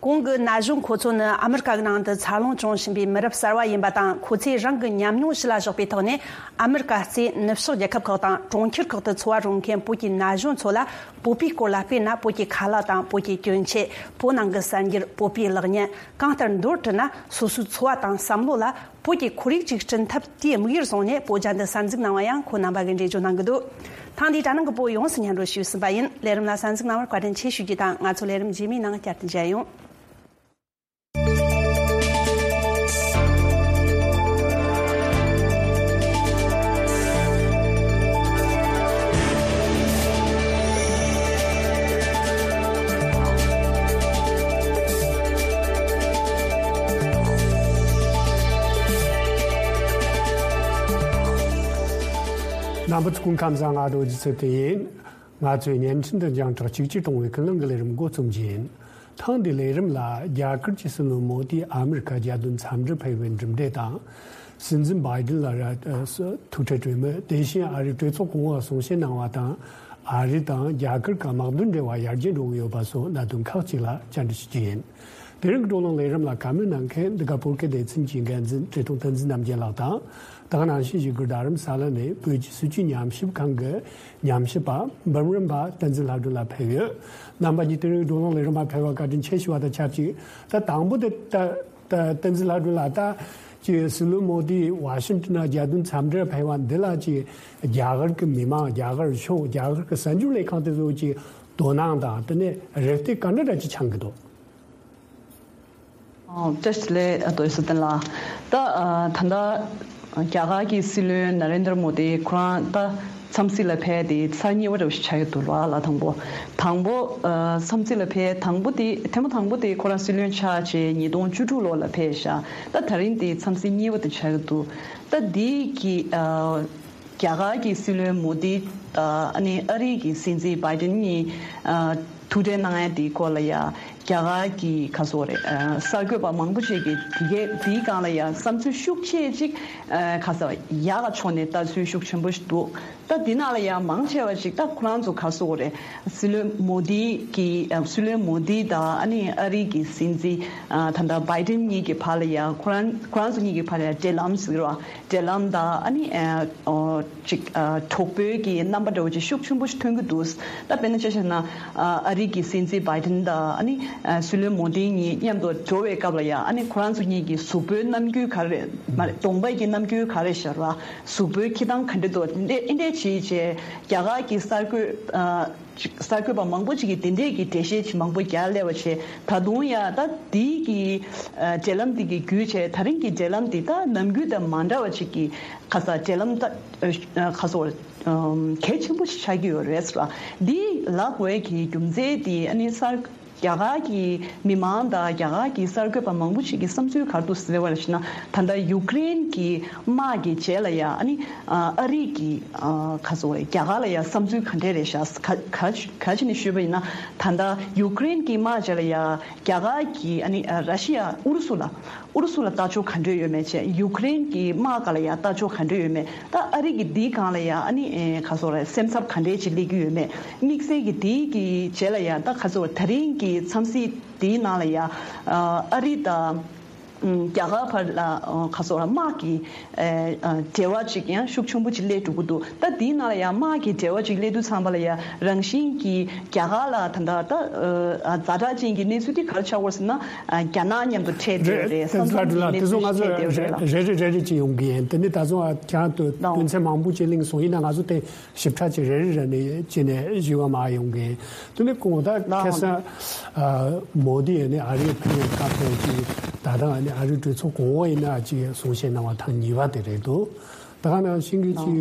གོང་གི་ན་གཞོན་ཁོ་ཚོ་ནི་ཨ་མི་རི་ཀ་གི་ནང་དུ་འཚར་ལོངས་བྱུང་བཞིན་པའི་མི་རབས་གསར་བ་ཡིན་པ་དང་། ཁོ་ཚོས་རང་གི་ཉམས་མྱོང་གཞི་ལ་བཞག་པའི་ཐོག་ནས་ཨ་མི་རི་ཀ་གཙོས་ནུབ་ཕྱོགས་རྒྱལ་ཁབ་ཁག་དང་གྲོང་ཁྱེར་ཁག་ཏུ་འཚོ་བ་རོལ་མཁན་བོད་ཀྱི་ན་གཞོན་ཚོ་ལ། བོད་པའི་སྐོར་ལ་དཔེར་ན་བོད་ཀྱི་ཁ་ལག་དང་བོད་ཀྱི་གྱོན་ཆས། བོད་ནང་གི་གསར་འགྱུར། བོད་པའི་ལག་བརྙན། གང་ལྟར་མདོར་བསྡུས་ན་སོ་སོའི་འཚོ་བ་དང་བསམ་བློ་ལ་བོད་ཀྱི་ཁོར་ཡུག་ཅིག་བསྐྲུན་ཐབས་དེའི་དམིགས་ཡུལ་བཟུང་ནས་བོད་རྒྱ་འདི་གསར་འཛུགས་གནང་བ་ཡང་ཁོང་རྣམ་པ་གིས་འགྲེལ་བརྗོད་གནང་གི་འདུག་ཐེངས་འདིའི་དྲ་ནང་གི་བོད་ཡོངས་སུ་སྙན་སྒྲོན་ཞུས་ཟིན་པ་ཡིན། ལས་རིམ་ལ་གསན་གཟིགས་གནང་བར་བཀའ་དྲིན་ཆེ་ཞུ་རྒྱུ་དང་། ང་ཚོ་ལས་རིམ་རྗེས་མའི་ནང་བསྐྱར་དུ་མཇལ་ཡོང་། རྣམ་པ་ཚོ་སྐུ་ཁམས་བཟང་། ང་རྡོ་རྗེ་ཚེ་བརྟན་ཡིན། ང་ཚོས་བརྙན་འཕྲིན་དང་རྒྱང་བསྒྲགས་གཅིག་གྱུར་གཏོང་བའི་ཀུན་གླེང་གི་ལས་རིམ་འགོ་རྩོམ་རྒྱུ་ཡིན། ཐེངས་འདིའི་ལས་རིམ་ལ། རྒྱ་གར་གྱི་སྲིད་བློན་མོ་དིས་ཨ་མི་རི་ཀ་རྒྱལ་དོན་འཚམས་འདྲིར་ཕེབས་པའི་གྲུབ་འབྲས་དང་། སྲིད་འཛིན་བྷའི་ཌེན་ལ་ར་ཐུག་འཕྲད་གྲོས་མོལ། དེ་བཞིན་ཨ་རིའི་གྲོས་ཚོགས་གོང་འོག་གསུང་བཤད་གནང་བ་དང་། ཨ་རི་དང་རྒྱ་གར་བར་དམག་དོན་འབྲེལ་བ་ཡར་རྒྱས་འགྲོ་གི་ཡོད་པ་སོགས་གནད་དོན་ཁག་ཅིག་ལ་བཅར་འདྲི་ཞུ་རྒྱུ་ཡིན། དེ་རིང་གི་བགྲོ་གླེང་ལས་རིམ་ལ་བཀའ་མོལ་གནང་མཁན་འདི་ག་བོད་སྐད་སྡེ་ཚན་གྱི་འགན་འཛིན་བཀྲས་མཐོང་བསྟན་འཛིན་རྣམ་རྒྱལ་ལགས་དང་། དེ་ག་ནང་བཞིན་བཞུགས་སྒར་རྡ་རམ་ས་ལ་ནས་བོད་ཀྱི་སྲིད་བྱུས་ཉམས་ཞིབ་ཁང་གི་ཉམས་ཞིབ་པ་འབུམ་རམས་པ་བསྟན་འཛིན་ལྷ་སྒྲོན་ལགས་ཕེབས་ཡོད། རྣམ་པ་གཉིས་དེ་རིང་བགྲོ་གླེང་ལས་རིམ་པར་ཕེབས་པར་བཀའ་དྲིན་ཆེ་ཞུ་བ་དང་ཆབས་ཅིག་ད་དང་པོ་དེ་ད་ད་བསྟན་འཛིན་ལྷ་སྒྲོན་ལགས། ད་ཅིག་སྲིད་བློན་མོ་དིས་ཝ་ཤིང་ཊོན་ནང་རྒྱལ་དོན་འཚམས་འདྲིར་ཕེབས་པ་འདི་ལ་ཅིག་རྒྱ་གར་གྱི་མི་མང་། རྒྱ་གར་ཕྱོགས། རྒྱ་གར་གྱི་གསར་འགྱུར་ལས་ཁང་དེ་ཚོ་གིས་དོ་སྣང་དང་། དེ་ནས་རེ་ལྟོས་ག་འདྲ་འདྲ་ཅིག་འཆང་གི་འདུག་ཨོ། བཀྲ་ཤིས་བདེ་ལེགས། ཨ། རྡོ་རྗེ་ཚེ་བརྟན་ལགས། ད། ཨ། ད་ལྟ་ རྒྱ་གར་གྱི་སྲིད་བློན་ན་རེན་དར་མོ་དི་ཁོ་རང་ད་འཚམས་གཟིགས་ལ་ཕེབས་ཏེ་ཚར་གཉིས་པ་འདྲ་བོ་ཞིག་ཆགས་ཀྱི་འདུག་ལ། ལ་དང་པོ་དང་པོ་ཨ་འཚམས་གཟིགས་ལ་ཕེབས་དང་པོ་དེ་ཐེངས་མ་དང་པོ་དེ་ཁོ་རང་སྲིད་བློན་ཆགས་རྗེས་ཉིས་སྟོང་བཅུ་དྲུག་ལོ་ལ་ཕེབས་ཤག་ད་ད་རིང་དེ་འཚམས་གཟིགས་གཉིས་པ་དེ་ཆགས་ཀྱི་འདུག་ད་དེ་གི་ཨ་རྒྱ་གར་གྱི་སྲིད་བློན་མོ་དི་དང་ཨ་ནི་ཨ་རི་གི་སྲིད་འཛིན་བྷའི་ཏིན་གཉིས་ཨ་ཐུག་འཕྲད་གནང་ཡ་དེའི་སྐོར་ལ་ཡ་རྒྱ་གར་གྱི་ག་སོག་རེད་ཨ་གསར་འགོད་པ་མང་པོ་ཅིག་གིས་དེ་གའི་དེའི་སྒང་ལ་ཡ་བསམ་ཚུལ་ཤུགས་ཆེ་ཅིག་ཨ་ག་ས་ཡག་ག་ཕྱོགས་ནས་ལྟ་ཚུལ་ཤུགས་ཆེན་པོ་ཞིག་འདུག་ད་འདི་ནང་ལ་ཡང་མང་ཆེ་བ་ཞིག་ད་ཁོ་རང་ཚོ་ག་སོག་རེད། སྲིད་བློན་མོ་དི་གི་ཨ་སྲིད་བློན་མོ་དི་དང་ཨ་ནི་ཨ་རི་གི་སྲིད་འཛིན་ཨ་ད་ལྟ་བྷའི་ཏིན་གཉིས་ཀྱི་བར་ལ་ཡང་ཁོ་རང་ཁོ་རང་ཚོ་གཉིས་ཀྱི་བར་ལ་ཡང་འབྲེལ་ལམ་ཟེར་བ་འབྲེལ་ལམ་དང་ཨ་ནི་ཨ་ཨོ་ཅིག་ཨ་གྲོགས་པོའི་གི་རྣམ་པ་འདྲ་བོ་ཅིག་ཤུགས་ཆེན་པོ་ཞིག་ཐོན་གྱི་འདུག་ད་དཔེར་ན་ཆ་བཞག་ན་ཨ་ཨ་རི་གི་སྲིད་འཛིན་བྷའི་ཏིན་དང་ཨ་ནི་ཨ་སྲིད་བློན་མོ་དི་གཉིས་མཉམ་དུ་འགྲོ་བའི་སྐབས་ལ་ཡང་ཨ་ནི་ཁོ་རང་ཚོ་གཉིས་ཀྱི་གཟུགས་པོའི་རྣམ་འགྱུར་ག་རེ་རེད་མ་རེད་གདོང་པ་གི་རྣམ་འགྱུར་ག་རེ་ཤར་བ། གཟུགས་པོའི་འཁྱེར་སྟངས་ག་འདྲ་འདུག་འདི་འདྲས་བྱས་རྗེས་རྒྱ་གར་གྱི་གསར་འགོད་ཨ་ཅིག་གསར་འགོད་པ་མང་པོ་ཅིག་གིས་དེ་འདྲས་ཀྱི་འགྲེལ་བཤད་ཅིག་མང་པོ་རྒྱག་སླེབས་པ་བྱས་ད་དུང་ཡང་ད་འདི་གི་ཨ་འབྲེལ་ལམ་འདི་གི་བརྒྱུད་བྱས་ད་རིང་གི་འབྲེལ་ལམ་འདི་ད་ནམ་རྒྱུན་དང་མ་འདྲ་བ་ཅིག་གི་ག་ས་འབྲེལ་ལམ་ད་ཨ་ག་སོ་ཨམ་གལ་ཆེན་པོ་ཞིག་ཆགས་ཀྱི་ཡོད་རེད་ཟེར་བ། འདི་ལབ་དགོས་ཀྱི་རྒྱུ་མཚན་འདི་ཨ་ནི་གསར་རྒྱ་གར་གྱི་མི་མང་དང་རྒྱ་གར་གྱི་གསར་འགོད་པ་མང་པོ་ཞིག་གི་བསམ་ཚུལ་ག་རེ་འདུག་ཟེར་བ་ལ་ཞེ་ན། ད་ལྟ་ཡུཀ་རེན་གྱི་དམག་གི་རྗེས་ལ་ཡ་ཨ་ནི་ཨ་རི་གི་ཨ་ག་ཚོད་རེད་རྒྱ་གར་ལ་ཡ་བསམ་ཚུལ་ག་འདྲས་རེད་ཤག་ག་ག་ག་ཅི་ནས་ཞུས་པ་ཡིན་ན། ད་ལྟ་ཡུཀ་རེན་གྱི་དམག་རྗེས་ལ་ཡ་རྒྱ་གར་གྱི་ཨ་ནི་ཨ་ར་ཤི་ཡ་ཨུ་རུ་སུ་ལ་ཨུ་རུ་སུ་ལ་ལྟ་ཕྱོགས་ག་འདྲས་ཡོད་མེད་བྱས། ཡུཀ་རེན་གྱི་དམག་སྒང་ལ་ཡ་ལྟ་ཕྱོགས་ག་འདྲས་ཡོད་མེད། ད་ཨ་རི་གི་འདིའི་སྒང་ལ་ཡ་ཨ་ནི་ཨེ་ག་ཚོད་རེད་སེམས་འཚབ་ག་འདྲས་ཅིག་སླེབས་ཀྱི་ཡོད་མེད། དམིགས་བསལ་གྱི་འདིའི་གི་རྗེས་ལ་ཡ་ད་ག་ཚོད་ད་རིང་གི་འཚམས་གཟིགས་འདིའི་ནང་ལ་ཡ་ཨ་རི་དང་ཨམ་རྒྱ་གར་བར་ལ་ཨ་ག་ཚོད་རེད་དམག་གི་ཨེ་ཨ་འབྲེལ་བ་ཅིག་ཡང་ཤུགས་ཆེན་པོ་ཅིག་སླེབས་འགྲོ་གི་འདུག་ད་འདིའི་ནང་ལ་ཡ་དམག་གི་འབྲེལ་བ་ཅིག་སླེབས་དུས་ཙམ་པ་ལ་ཡ་རང་བཞིན་གྱི་རྒྱ་གར་ལ་ད་ལྟ་ད་ཨ་ཛ་དྲག་ཅན་གྱི་གནས་ཚུལ་འདི་ག་རེ་ཆགས་ཡོད་ཟེར་ན། ཨ་རྒྱ་ནག་མཉམ་དུ་འཕྲད་བསྡད་ཡོད་རེད། ས་མཚམས་ཀྱི་གནས་ཚུལ་ཞིག་འཕྲད་བསྡད་ཡོད་རེད་ལ། རེ་རེ་རེ་རེ་ཅིག་ཡོང་གི་ཡིན། དེ་ནི་ད་ཚོ་ཨ་ཁྱང་དུ་དོན་ཚན་མང་པོ་ཅིག་གླེང་སོང་། ཡིན་ན་ང་ཚོ་དེ་ཞིབ་ཕྲ་ཅིག་རེ་རེ་རེ་ནས་ཅི་ནས་ཞུ་བ་མ་ཡོང་གི་ཡིན། དེ་ནི་གོང་ད་ཁ་སང་ཨ་མོ་དི་ཡིན་ནི་ཨ་རིའི་ཕེབས་པའི་སྐབས་དེ་ཅིག་ད་ལྟ་ཨ་ནི་ཨ་རིའི་གྲོས་ཚོགས་གོང་འོག་ཡིན་ན་ཅིག་གསུང་བཤད་གནང་བ་ཐེངས་གཉིས་པ་དེ་རེད་འདུག་ད་ག་ནང་བཞིན་གྱི་ཅིག་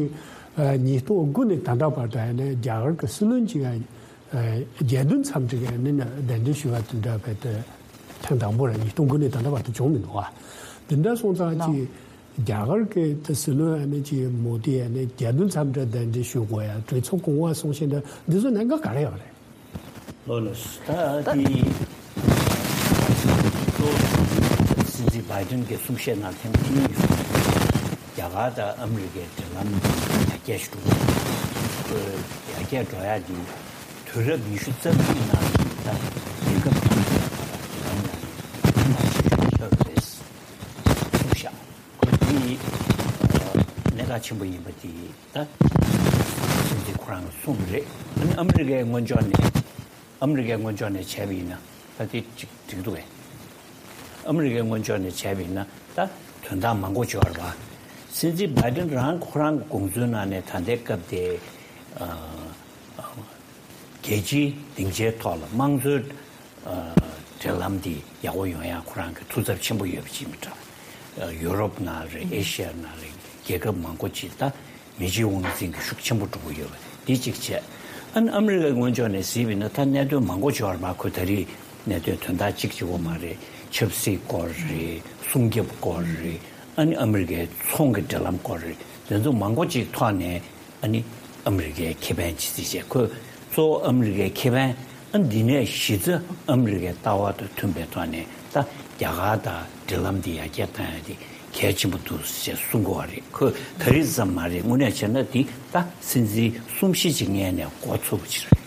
ཨ་ཉིས་སྟོང་དགུ་ནས་ད་ལྟ་བར་དུ་ཨ་ནི་རྒྱ་གར་གྱི་སྲིད་བློན་ཅིག་ཨ་རྒྱལ་དོན་འཚམས་འདྲི་གི་ཨ་ནི་གདན་འདྲེན་ཞུ་བ་དེ་འདྲ་བས་དེ་ཐེངས་དང་པོ་རེད། ཉིས་སྟོང་དགུ་ནས་ད་ལྟ་བར་དུ་བྱུང་མི་འདུག་ཨ། དེ་འདྲ་སོང་ཙང་ཅིག་རྒྱ་གར་གྱི་དེ་སྲིད་བློན་ཨ་ནི་ཅིག་མོ་དི་ཨ་ནི་རྒྱལ་དོན་འཚམས་འདྲི་གདན་འདྲེན་ཞུ་དགོས་ཡ་གྲོས་ཚོགས་གོང་འོག་གསུང་བཤད་འདྲ་འདི་ཚོ་གནད་འགག་ག་རེ་ཡོད་རེད། ལོ་ལོ་ད་དེ་སྲིད་འཛིན་བྷའི་ཏིན་གྱི་གསུང་བཤད་ནང་ཐེངས་གཅིག་རྒྱ་གར་དང་ཨ་མི་རི་ཀའི་འབྲེལ་ལམ་ཡར་རྒྱས་འགྲོ་ཡར་རྒྱས་འགྲོ་ཡ་དེ་དུས་རབས་ཉི་ཤུ་རྩ་གཅིག་ནང་ད་རྒྱལ་ཁབ་གཉིས་ཀྱི་བར་འབྲེལ་ལམ་ལ་ཡང་ཁྱབ་རེད་གསུངས་ཤག་ཁོ་དེ་གནད་འགག་ཆེན་པོ་ཡིན་པ་དེ། ད་སྲིད་འཛིན་ཁོ་རང་གིས་གསུངས་པ་རེད། ཨ་ནི་ཨ་མི་རི་ཀའི་ངོས་ཕྱོགས་ནས་ཨ་མི་རི་ཀའི་ངོས་ཕྱོགས་ནས་བྱས་པ་ཡིན་ན་ད་དེ་ཅིག་འགྲིག་འདུག་གས། ཨ་མི་རི་ཀའི་ངོས་ཕྱོགས་ནས་བྱས་པ་ཡིན་ན་ད་དོན་དག་མང་པོ་འབྱོར་བ། སྲིད་འཛིན་བྷའི་ཏིན་རང་ཁོ་རང་གི་དགོངས་ཚུལ་ནང་ནས་ད་ལྟའི་སྐབས་དེ་ཨ། རྒྱལ་སྤྱིའི་སྡིངས་ཆའི་ཐོག་ལ་དམངས་གཙོའི་ཨ་འབྲེལ་ལམ་འདི་ཡག་པོ་ཡོང་ཡ་ཁོ་རང་གི་ཐུགས་འཚབ་ཆེན་པོ་ཡོད་པ་ཅིག་མི་འདྲ། ཨ་ཡུ་རོབ་ནང་རེད། ཨེ་ཤི་ཡ་ནང་རེད། རྒྱལ་ཁབ་མང་པོ་ཅིག་ད་མི་སྤྱི་དབང་འཛིན་གྱི་ཤུགས་ཆེན་པོ་འགྲོ་གི་ཡོད་པ་འདི་གཅིག་བྱས། ཨ་ནི་ཨ་མི་རི་ཀའི་ངོས་ཕྱོགས་ནས་གཟིགས་པ་ཡིན་ན་ད་གནད་དོན་མང་པོ་འབྱོར་བ། ཁོ་ད་རེས་གནད་དོན་དོན་དག་གཅིག་གཅིག་པོ་མ་རེད། ཆབ་སྲིད་སྐོར་རེད། སྲུང་སྐྱོབ་སྐོར་རེད། ཨ་ནི་ཨ་མི་རི་ཀའི་ཚོང་གི་འབྲེལ་ལམ་སྐོར་རེད། དེ་ཚོ་མང་པོ་ཅིག་ཐོག་ནས། ཨ་ནི་ཨ་མི་རི་ཀའི་ཁེ་ཕན་ཇི་སྲིད་བྱས། ཁོས་གཙོ་བོ་ཨ་མི་རི་ཀའི་ཁེ་ཕན། ཨ་འདི་ནས་གཞི་རྩ་ཨ་མི་རི་ཀའི་ལྟ་བ་དང་མཐུན་པའི་ཐོག་ནས་ད་རྒྱ་གར་དང་འབྲེལ་ལམ་འདི་ཡར་རྒྱས་བཏང་ཡ་དེ་གལ་ཆེན་པོ་འདུག་ཅེས་གསུང་གི་ཡོད་རེད། ཁོས་ད་རེས་ཙམ་མ་རེད། དངོས་གནས་བྱས་ན་འདི་ད་སྲིད་འཛིན་གསུམ་བཞི་ཅིག་སྔོན་ནས་འགོ་ཚུགས་པ་ཅིག་རེད།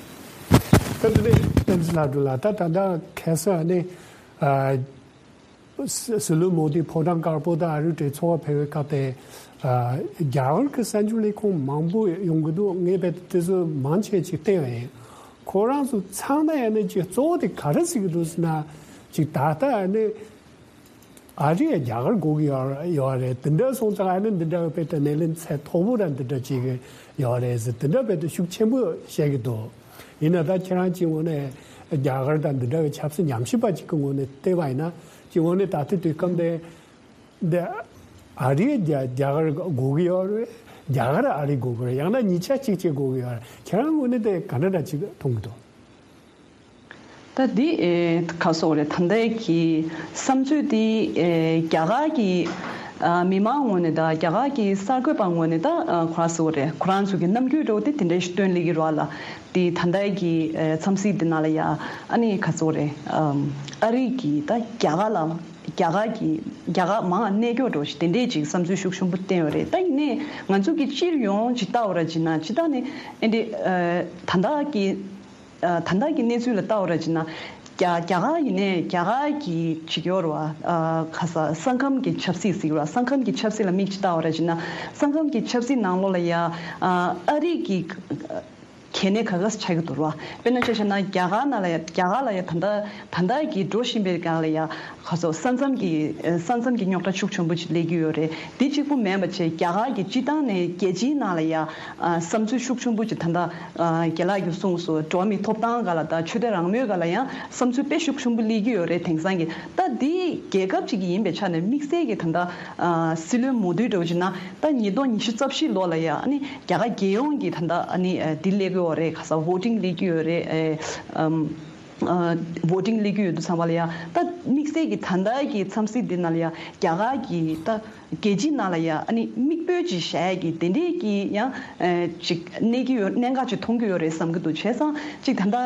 ད་དེ་ནས་བསྟན་འཛིན་ལྷ་སྒྲོན་ལགས། ད་ད་ལྟ་ཁ་སང་ཨ་ནི་ཨ། སྲིད་བློན་མོ་དི་ཕོ་བྲང་དཀར་པོ་དང་ཨ་རིའི་གྲོས་ཚོགས་ཕེབས་པའི་སྐབས་དེ། ཨ་རྒྱ་གར་གྱི་གསར་འགྱུར་ལས་ཁུངས་མང་པོ་ཡོང་གི་འདུག་ངས་རྦད་དེ་ཚོ་མང་ཆེ་ཅིག་བལྟས་པ་ཡིན། ཁོ་རང་ཚོ་ཚང་མ་ཡང་ནས་ཅིག་གཙོ་བོ་དེ་ག་རེ་ཟེར་གྱི་འདུག་ཟེར་ན། ཅིག་ད་ལྟ་ཡང་ནས་ཨ་རི་ཡ་རྒྱ་གར་དགོས་ཀྱི་ཡོད་ཡོད་རེད། དེ་འདྲ་སོང་ཙང་ཨ་ནི་འདི་འདྲ་བའི་རྦད་དེ་སྣེ་ལེན་ཚད་མཐོ་པོ་ར་འདི་འདྲ་ཅིག་ཡོད་རེད་ཟེར། དེ་འདྲ་རྦད་དེ་ཤུགས་ཆེན་པོ་བཤད་ཀྱི་འདུག་ཡིན་ན་ད་ཁྱེད་རང་གཅིག་ངོས་ནས་རྒྱ་གར་དང་འདི་འདྲ་བའི་ཆབ་སྲིད་ཉམས་ཞིབ་པ་ཅིག་གི་ངོས་ནས་བལྟས་པ་ཡིན་ན། གཅིག་ངོས་ནས་ད་ལྟའི་དུས་སྐབས་འདི་འདི་ ཨ་རིས་རྒྱ་རྒྱ་གར་དགོས་ཀྱི་ཡོད་རེད། རྒྱ་གར་ཨ་རི་དགོས་ཀྱི་རེད། ཡང་ན་གཉིས་ཆ་གཅིག་བྱེད་དགོས་ཀྱི་ཡོད་རེད། ཁྱེད་རང་ངོས་ནས་དེ་ག་འདྲ་འདྲ་ཅིག་མཐོང་གི་འདུག་ད་འདི་ཨེ་ག་སོགས་རེད། ད་ལྟའི་གི་བསམ་ཚུལ་འདི་ཨེ་རྒྱ་གར་གྱི་ཨ་མི་མང་ངོས་ནས་དང་རྒྱ་གར་གྱི་གསར་འགོད་པ་ངོས་ནས་ད་ཨ་ག་སོགས་རེད། ཁོ་རང་ཚོ་གི་རྣམ་འགྱུར་འདྲ་བོ་དེ་དེ་འདྲ་ཞིག་སྟོན་སླེབས་ཀྱི་རེད་བ་ལ། དེ་ད་ལྟའི་གི་ཨེ་འཚམས་གཟིགས་འདི་ནང་ལ་ཡ་ཨ་ནི་ག་སོགས་རེད། ཨམ་ཨ་རི་གི་ད་རྒྱ་གར་ལ་རྒྱ་གར་གྱི་རྒྱ་གར་མང་ང་གནས་སྐྱོ་འདྲ་བོ་ཞིག་དེ་འདྲས་ཅིག་བསམ་ཚུལ་ཤུགས་ཆེན་པོ་བསྟན་ཡོད་རེད། ད་ཡིན་ནའི་ང་ཚོ་གི་སྤྱིར་ཡོངས་ཅིག་ལྟ་བ་ར་བྱས་ན་སྤྱིར་བཏང་ནས་ཨེ་འདྲས་ཨ་ད་ལྟ་གི་ཨ་ད་ལྟ་གི་གནས་ཚུལ་ལ་ལྟ་བ་ར་བྱས་ན། རྒྱ་རྒྱ་གར་ཡིན་ནའི་རྒྱ་གར་གྱི་ཅིག་ཡོད་རེད་བ། ཨ་ག་ས་ས་ཁམས་ཀྱི་ཆབ་སྲིད་ཟེར་གྱི་རེད་བ། ས་ཁམས་ཀྱི་ཆབ་སྲིད་ལ་མིག་ཅིག་ལྟ་བ་ར་བྱས་ན། ས་ཁམས་ཀྱི་ཆབ་སྲིད་ནང་ལོགས་ལ་ཡ་ཨ་ཨ་རི་གི་གལ་གནད་ག་ག་ས་ཆགས་ཀྱི་འདུག་རེད་བ། དཔེར་ན་ཆ་བཞག་ན་རྒྱ་གར་ནང་ལ་ཡ་རྒྱ་གར་ལ་ཡ་ད་ལྟ་ད་ལྟ་གི་འགྲོ་བཞིན་པའི་སྒང་ལ་ཡ་ག་ཚོད་ས་མཚམས་ཀྱི་ས་མཚམས་ཀྱི་རྙོག་དྲ་ཤུགས་ཆེན་པོ་ཅིག་སླེབས་ཀྱི་ཡོད་རེད། འདི་གཅིག་པུ་མིན་པ་བྱས་རྒྱ་གར་གྱི་སྤྱི་བཏང་ནས་རྒྱལ་སྤྱིའི་ནང་ལ་ཡ་ཨ་བསམ་ཚུལ་ཤུགས་ཆེན་པོ་ཅིག་ད་ལྟ་ཨ་རྒན་ལགས་ཀྱིས་གསུངས་སོང་། འགྲོ་བ་མིའི་ཐོབ་ཐང་སྒང་ལ་དང་ཆོས་དད་རང་མོས་སྒང་ལ་ཡང་བསམ་ཚུལ་དཔེ་ཤུགས་ཆེན་པོ་སླེབས་ཀྱི་ཡོད་རེད། དེང་སང་གི་ད་འདི་རྒྱལ་ཁབ་ཅིག་ཡིན་པའི་ཆ་ནས་དམིགས་བསལ་གྱི་ད་ལྟ་ཨ་སྲིད་བློན་མོ་དི་འདྲ་བོ་ཅིག་ན་ད་ཉིས་སྟོང་ཉི་ཤུ་རྩ་བཞི་ལོ་ལ་ཡ་ཨ་ནི་རྒྱ་གར་རྒྱལ་ཡོངས་ཀྱི་ད་ལྟ་ཨ་ནི་ཨ་འདི་སླེབས་ཀྱི་ཡོད་རེད། ག་ས་བྷོ་ཊིང་སླེབས་ཀྱི་ཡོད་རེད། ཨེ་ཨམ། ཨ་བྷོ་ཊིང་སླེབས་ཀྱི་ཡོད་དུས་ཙམ་པ་ལ་ཡ་ད་དམིགས་བསལ་གྱི་ད་ལྟ་གི་འཚམས་གཟིགས་འདི་ནང་ལ་ཡ་རྒྱ་གར་གྱི་ད་རྒྱལ་སྤྱིའི་ནང་ལ་ཡ་ཨ་ནི་མིག་དཔེ་ཅིག་བཞག་ཡ་གི་དེ་འདྲས་ཀྱི་ཡང་ཨ་ཅིག་གནས་ཀྱི་ཡོད། གནད་འགག་ཅིག་མཐོང་གི་ཡོད་རེད་བསམ་གྱི་འདུག་བྱས་ཙང་ཅིག་ད་ལྟ་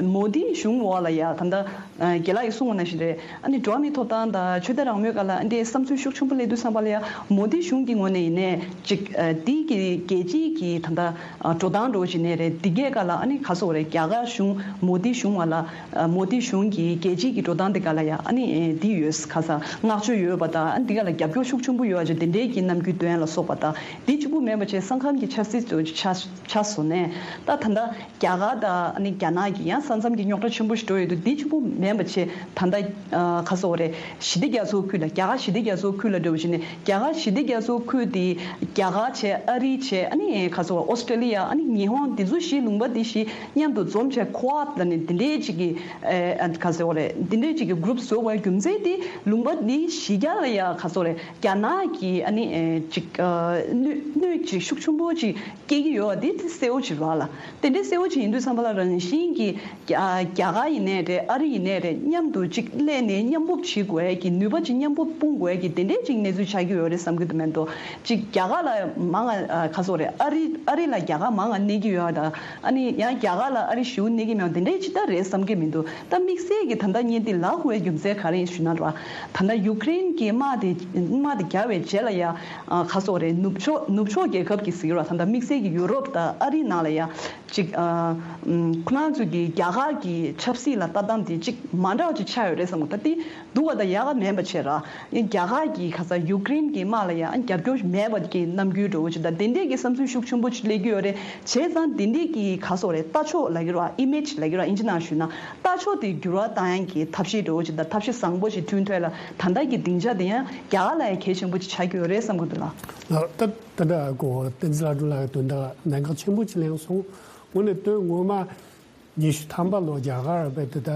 ན་མོ་དི་གཞུང་འོག་ལ་ཡ་ད་ལྟ་ཨ་རྒན་ལགས་ཀྱིས་གསུངས་པ་ནང་བཞིན་རེད། ཨ་ནི་འགྲོ་བ་མིའི་ཐོབ་ཐང་དང་ཆོས་དད་རང་མོས་སྒང་ལ་ཨ་འདྲས་བསམ་ཚུལ་ཤུགས་ཆེན་པོ་སླེབས་དུས་ཙམ་པ་ལ་ཡ་མོ་དི་གཞུང་གི་ངོས་ནས་ཡིན་ནའི་ཅིག་ཨ་དེའི་གི་རྒྱལ་སྤྱིའི་གི་ད་ལྟ་ཨ་འགྲོ་སྟངས་འདྲ་བོ་ཞིག་ནས་རེད། འདི་གའི་སྒང་ལ་ཨ་ནི་ག་སོགས་རེད། རྒྱ་གར་གཞུང་མོ་དི་གཞུང་བ་ལ་ཨ་མོ་དི་གཞུང་གི་རྒྱལ་སྤྱིའི་གི་འགྲོ་སྟངས་འདི་སྒང་ལ་ཡ་ཨ་ནི་ཨེ་འདི་ཡོད་ག་ས་བསྔགས་བརྗོད་ཡོད་པ་དང་ཨ་འདི་སྒང་ལ་རྒྱབ་སྐྱོར་ཤུགས་ཆེན་པོ་ཡོད་ཅིག་དེ་འདྲའི་གི་རྣམ་འགྱུར་སྟོན་ལ་སོགས་པ་དང་། འདི་གཅིག་པུ་མིན་པ་བྱས་ས་ཁམས་ཀྱི་ཆབ་སྲིད་ཚོ་ཆ་ཆ་བཟོ་ནས་ད་ད་ལྟ་རྒྱ་གར་དང་ཨ་ནི་རྒྱ་ནག་གི་ཡང་ས་མཚམས་ཀྱི་རྙོག་དྲ་ཆེན་པོ་ཞིག་འགྲོ་ཡོད་དུས་འདི་གཅིག་པུ་མིན་པ་བྱས་ད་ལྟ་ཨ་ག་སོགས་རེད། ཞི་བདེ་རྒྱ་མཚོའི་ཁུལ་ལ་རྒྱ་གར་ཞི་བདེ་རྒྱ་མཚོའི་ཁུལ་ལ་འགྲོ་བ་ཞིག་ནས་རྒྱ་གར་ཞི་བདེ་རྒྱ་མཚོའི་ཁུལ་དེ་རྒྱ་གར་བྱས་ཨ་རི་བྱས་ཨ་ནི་ག་སོགས་ཨོ་སི་ཀྲེ་ལི་ཡ་ཨ་ནི་ཉི་ཧོང་འདི་ཚོ་བཞི་ལུང་པ་འདི་བཞི་མཉམ་དུ་འཛོམས་བྱས་ཁོ་ཨ་ད་ནི་འདི་འདྲའི་ཅིག་གི་ཨ་ག་སོགས་རེད། འདི་འདྲའི་ཅིག་གི་གུ་རུབ་བཟོ་བའི་རྒྱུ་མཚན་དེ་ལུང་པ་འདི་བཞི་རྒྱ་ལ་ཡ་ག་སོགས་རེད། རྒྱ་ནག་གི་ཨ་ནི་ཨེ་ཅིག་ཨ་གནོད་གནོད་ཅིག་ཤུགས་ཆེན་པོ་ཅིག་སྐྱེལ་གྱི་ཡོད་པ་དེ་དེ་གསལ་བོ་ཅིག་རེད་བ་ལ། དེ་འདྲའི་གསལ་བོ་ཅིག་ཡིན་དུས་ཙམ་པ་ལ་རང་བཞིན་གྱིས་རྒྱ་རྒྱ་གར་ཡིན་ནའི་རེད། ཨ་རི་ཡིན་ནའི་རེད། མཉམ་དུ་ཅིག་སླེབས་ནས་མཉམ་སྤོབས་བྱེད་དགོས་ཀྱི་ནུས་པ་ཅིག་མཉམ་པོ་སྤུངས་དགོས་ཀྱི་དེ་འདྲའི་ཅིག་གནས་ཚུལ་ཆགས་ཀྱི་ཡོད་རེད་བསམ་གྱི་འདུག་མེད་དོ། ཅིག་རྒྱ་གར་ལ་མང་ང་ཨ་ག་སོགས་རེད། ཨ་རི་ཨ་རི་ལ་རྒྱ་གར་མང་ང་གནས་ཀྱི་ཡོད་པ་དང་ཨ་ནི་ཡང་རྒྱ་གར་ལ་ཨ་རི་ཞེ་པོ་གནས་ཀྱི་མེད་པ་དེ་འདྲའི་ཅིག་ད་རེད་བསམ་གྱི་མི་འདུག་ད་དམིགས་བསལ་གྱི་ད་ལྟ་ངས་འདི་ལབ་དགོས་པའི་རྒྱུ་མཚན་ག་རེ་ཡིན་ཞུས་ན་རེད་བ། ད་ལྟ་ཡུ་ཀེ་རེན་གྱི་དམག་དེ་དམག་དེ་རྒྱག་པའི་རྗེས་ལ་ཡ་ཨ་ག་སོགས་རེད། ནུབ་ཕྱོགས་ནུབ་ཕྱོགས་རྒྱལ་ཁབ་ཀྱི་ཟེར་གྱི་རེད་བ། ད་ལྟ་དམིགས་བསལ་གྱི་ཡུ་རོབ་དང་ཨ་རི་ནང་ལ་ཡ་ཅིག་ཨ་ཨམ་ཁོ་རང་ཚོ་གི་རྒྱ་གར་གྱི་ཆབ་སྲིད་ལ་ལྟ་སྟངས་དེ་ཅིག་མ་འདྲ་བ་ཅིག་ཆགས་ཡོད་རེད་བསམ་གྱི། ད་དེ་སྡུག་པ་དང་ཡག་ག་མེད་པ་བྱས་ར། རྒྱ་གར་གྱིས་ག་ས་ཡུ་ཀེ་རེན་གྱི་དམག་ལ་ཡང་རྒྱབ་སྐྱོར་མེད་པ་གི་རྣམ་འགྱུར་འདྲ་བོ་ཅིག་དང་དེ་འདྲས་ཀྱི་བསམ་ཚུལ་ཤུགས་ཆེན་པོ་ཅིག་སླེབས་ཀྱི་ཡོད་རེད། བྱས་ཙང་དེ་འདྲས་ཀྱི་ག་སོགས་རེད། ལྟ་ཕྱོགས་ལབ་ཀྱི་རེད་བ། ཨི་མེ་ཇི་ལབ་ཀྱི་རེད་བ། ཨིན་ཇི་ནང་ཞུས་ན་ལྟ་ཕྱོགས་དེ་འགྱུར་བ་བཏང་ཡག་གི་ཐབས་ཤེས་འདྲ་བོ་ཅིག་དང་ཐབས་ཤེས་བཟང་པོ་ཞིག་བསྐྲུན་ཐུབ་ཡག་ལ་ད་ལྟ་གི་སྡིངས་ཆ་དེ་ཡང་རྒྱ་གར་ལ་ཡང་གལ་ཆེན་པོ་ཅིག་ཆགས་ཀྱི་ཡོད་རེད་བསམ་གྱི་འདུག་ལགས། ལགས། ད་ད་ལྟ་གོ་བསྟན་འཛིན་ལྷ་སྒྲོན་ལགས་ཀྱི་དོན་དག་གནད་འགག་ཆེན་པོ་ཅིག་གླེང་སོང་། དངོས་གནས་དོན་ངོ་མ། ཉི་ཤུ་ཐམ་པ་ལོ་རྒྱ་གར་བས་དེ་ད་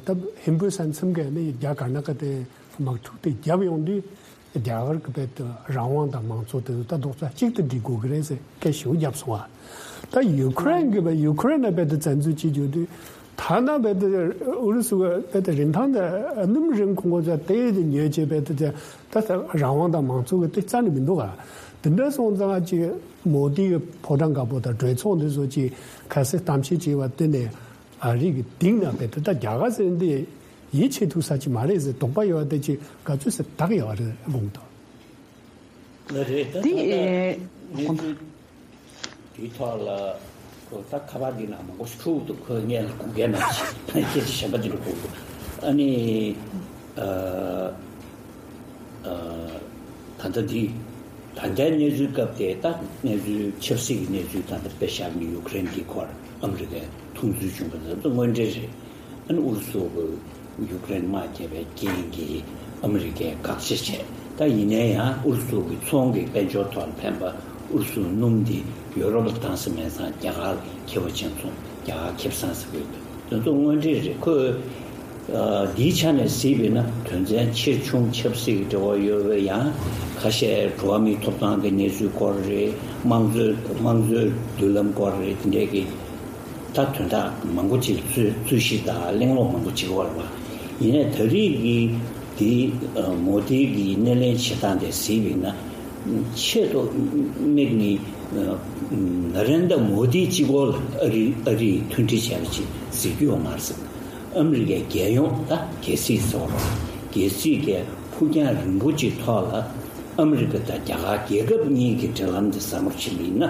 ད་ཧིན་བོད་ས་མཚམས་ཀྱི་ནི་རྒྱ་གར་ནག་གི་དེ་དམག་འཁྲུག་དེ་བརྒྱབ་ཡོང་དུས་རྒྱ་གར་གྱི་བས་དེ་རང་དབང་དང་མང་གཙོ་དེ་ཚོ་ད་རྡོག་རྩ་གཅིག་ཏུ་སྒྲིལ་དགོས་ཀྱི་རེད་ཟེར་སྐད་ཞེ་པོ་བརྒྱབ་སོང་བ། ད་ཡུ་ཁུ་རེན་གྱི་བས་ཡུ་ཁུ་རེན་ནས་བས་དེ་བཙན་འཛུལ་བྱེད་རྒྱུ་དུས་ཐ་ན་བས་དེ་ཨུ་རུ་སུ་བས་དེ་རིན་ཐང་དེ་སྣུམ་རིན་གོང་གོ་ཚ་དེ་དེ་ཉོས་བྱས་བས་དེ་ད་རང་དབང་དང་མང་གཙོ་གི་དེ་རྩ་ནས་མི་འདུག་ག། དེ་འདྲ་སོང་ཙང་ཅིག་མོ་དི་གི་ཕོ་བྲང་དཀར་པོ་དང་གྲོས་ཚོགས་འདི་ཚོ་ཅིག་ཁ་གསལ་གཏམ་བཤད་བྱས་པ་དེ་ནས་ཨ་རི་གི་གཏིང་ན་བས་དེ་ད་རྒྱ་གར་ཟེར་འདི་ཡིད་ཆེས་ཐུབ་ས་ཅིག་མ་རེད་ཟེར་དོགས་པ་ཡོད་པ་དེ་ཅིག་ག་ཚོད་ཟེར་དག་ཡོད་རེད་དགོངས་དོན། ལ་རེད། ད་ད་ལྟ་དེ་གནས་ཚུལ་དེའི་ཐོག་ལ་ཁོ་ད་ཁ་པར་འདི་ནང་མང་པོ་ཞིག་འཁྲུག་འདུག་ཁོས་ངས་ལ་དགོངས་འགལ་གནང་ཞིག་ད་སྐད་ཆ་གཞན་པ་འདི་ལ་དགོངས་འདུག་ཨ་ནི་ཨ། ད་ལྟ་འདི་ད་ལྟའི་གནས་ཚུལ་སྐབས་དེ་ད་གནས་ཚུལ་ཆབ་སྲིད་ཀྱི་གནས་ཚུལ་ད་ལྟ་དཔེ་བཞག་ནས་ཡུ་ཀེ་རེན་གྱི་སྐོར་ཨ་མི་རི་ཀས་མཐོང་ཚུལ་བྱུང་བ་ད་ལྟ་དངོས་འབྲེལ་རེད། ཨ་ནི་ཨུ་རུ་སུ་གི་ཡུ་ཀེ་རེན་དམག་རྒྱབ་པའི་རྐྱེན་གྱིས་ཨ་མི་རི་ཀས་དགག་བྱ་བྱས། ད་ཡིན་ནའི་ཡང་ཨུ་རུ་སུ་གི་ཚོང་གི་དཔལ་འབྱོར་ཐོག་ལ་ཕན་པ་ཨུ་རུ་སུ་སྣུམ་འདི་ཡོ་རོབ་ལ་བཏང་ས་མེད་ཙང་རྒྱ་གར་ཁེ་བ་ཅན་ཚོང་རྒྱ་གར་ཁེ་བཟང་ཟེར་གི་ཡོད། དེ་ཚོ་དངོས་འབྲེལ་རེད། ཁོས་ འདིའི་ཆ་ནས་གཟིགས་པས་ན་དོན་ཚན་ཆེ་ཆུང་ཆབ་སྲིད་ཀྱི་འབྲེལ་བ་ཡོད་པའི་ཡང་ཁ་ཤས་འགྲོ་བ་མིའི་ཐོབ་ཐང་གི་གནས་ཚུལ་སྐོར་རེད། དམངས་གཙོའི་དམངས་གཙོའི་མདུན་ལམ་སྐོར་རེད། དེ་འདྲའི་གི་ད་དོན་དག་མང་པོ་ཅིག་རྩོད་རྩོད་གཞི་དང་གླེང་སློང་མང་པོ་བྱེད་ཀྱི་ཡོད་རེད་པ། ཡིན་ནའི་ད་རེས་ཀྱི་འདི་མོ་དི་གི་སྣེ་ལེན་བྱེད་སྟངས་དེ་གཟིགས་པས་ན་ཆེད་དུ་དམིགས་ནས་ན་རེན་དྲ་མོ་དི་གཅིག་པོ་ལ་ཨ་རི་ཨ་རིས་མཐུན་སྒྲིལ་བྱས་པ་ཅིག་གཟིགས་རྒྱུ་ཡོད་མ་རེད་ཟེར། ཨ་མི་རི་ཀའི་རྒྱལ་ཡོངས་ད་རྒྱལ་སྲིད་ཟེར་བ་རེད། རྒྱལ་སྲིད་ཀྱི་ཕུགས་རྒྱང་རིང་པོ་ཅིག་ཐོག་ལ་ཨ་མི་རི་ཀ་དང་རྒྱ་གར་རྒྱལ་ཁབ་གཉིས་ཀྱི་འབྲེལ་ལམ་དེ་ཟབ་མོ་ཕྱིན་པ་ཡིན་ན།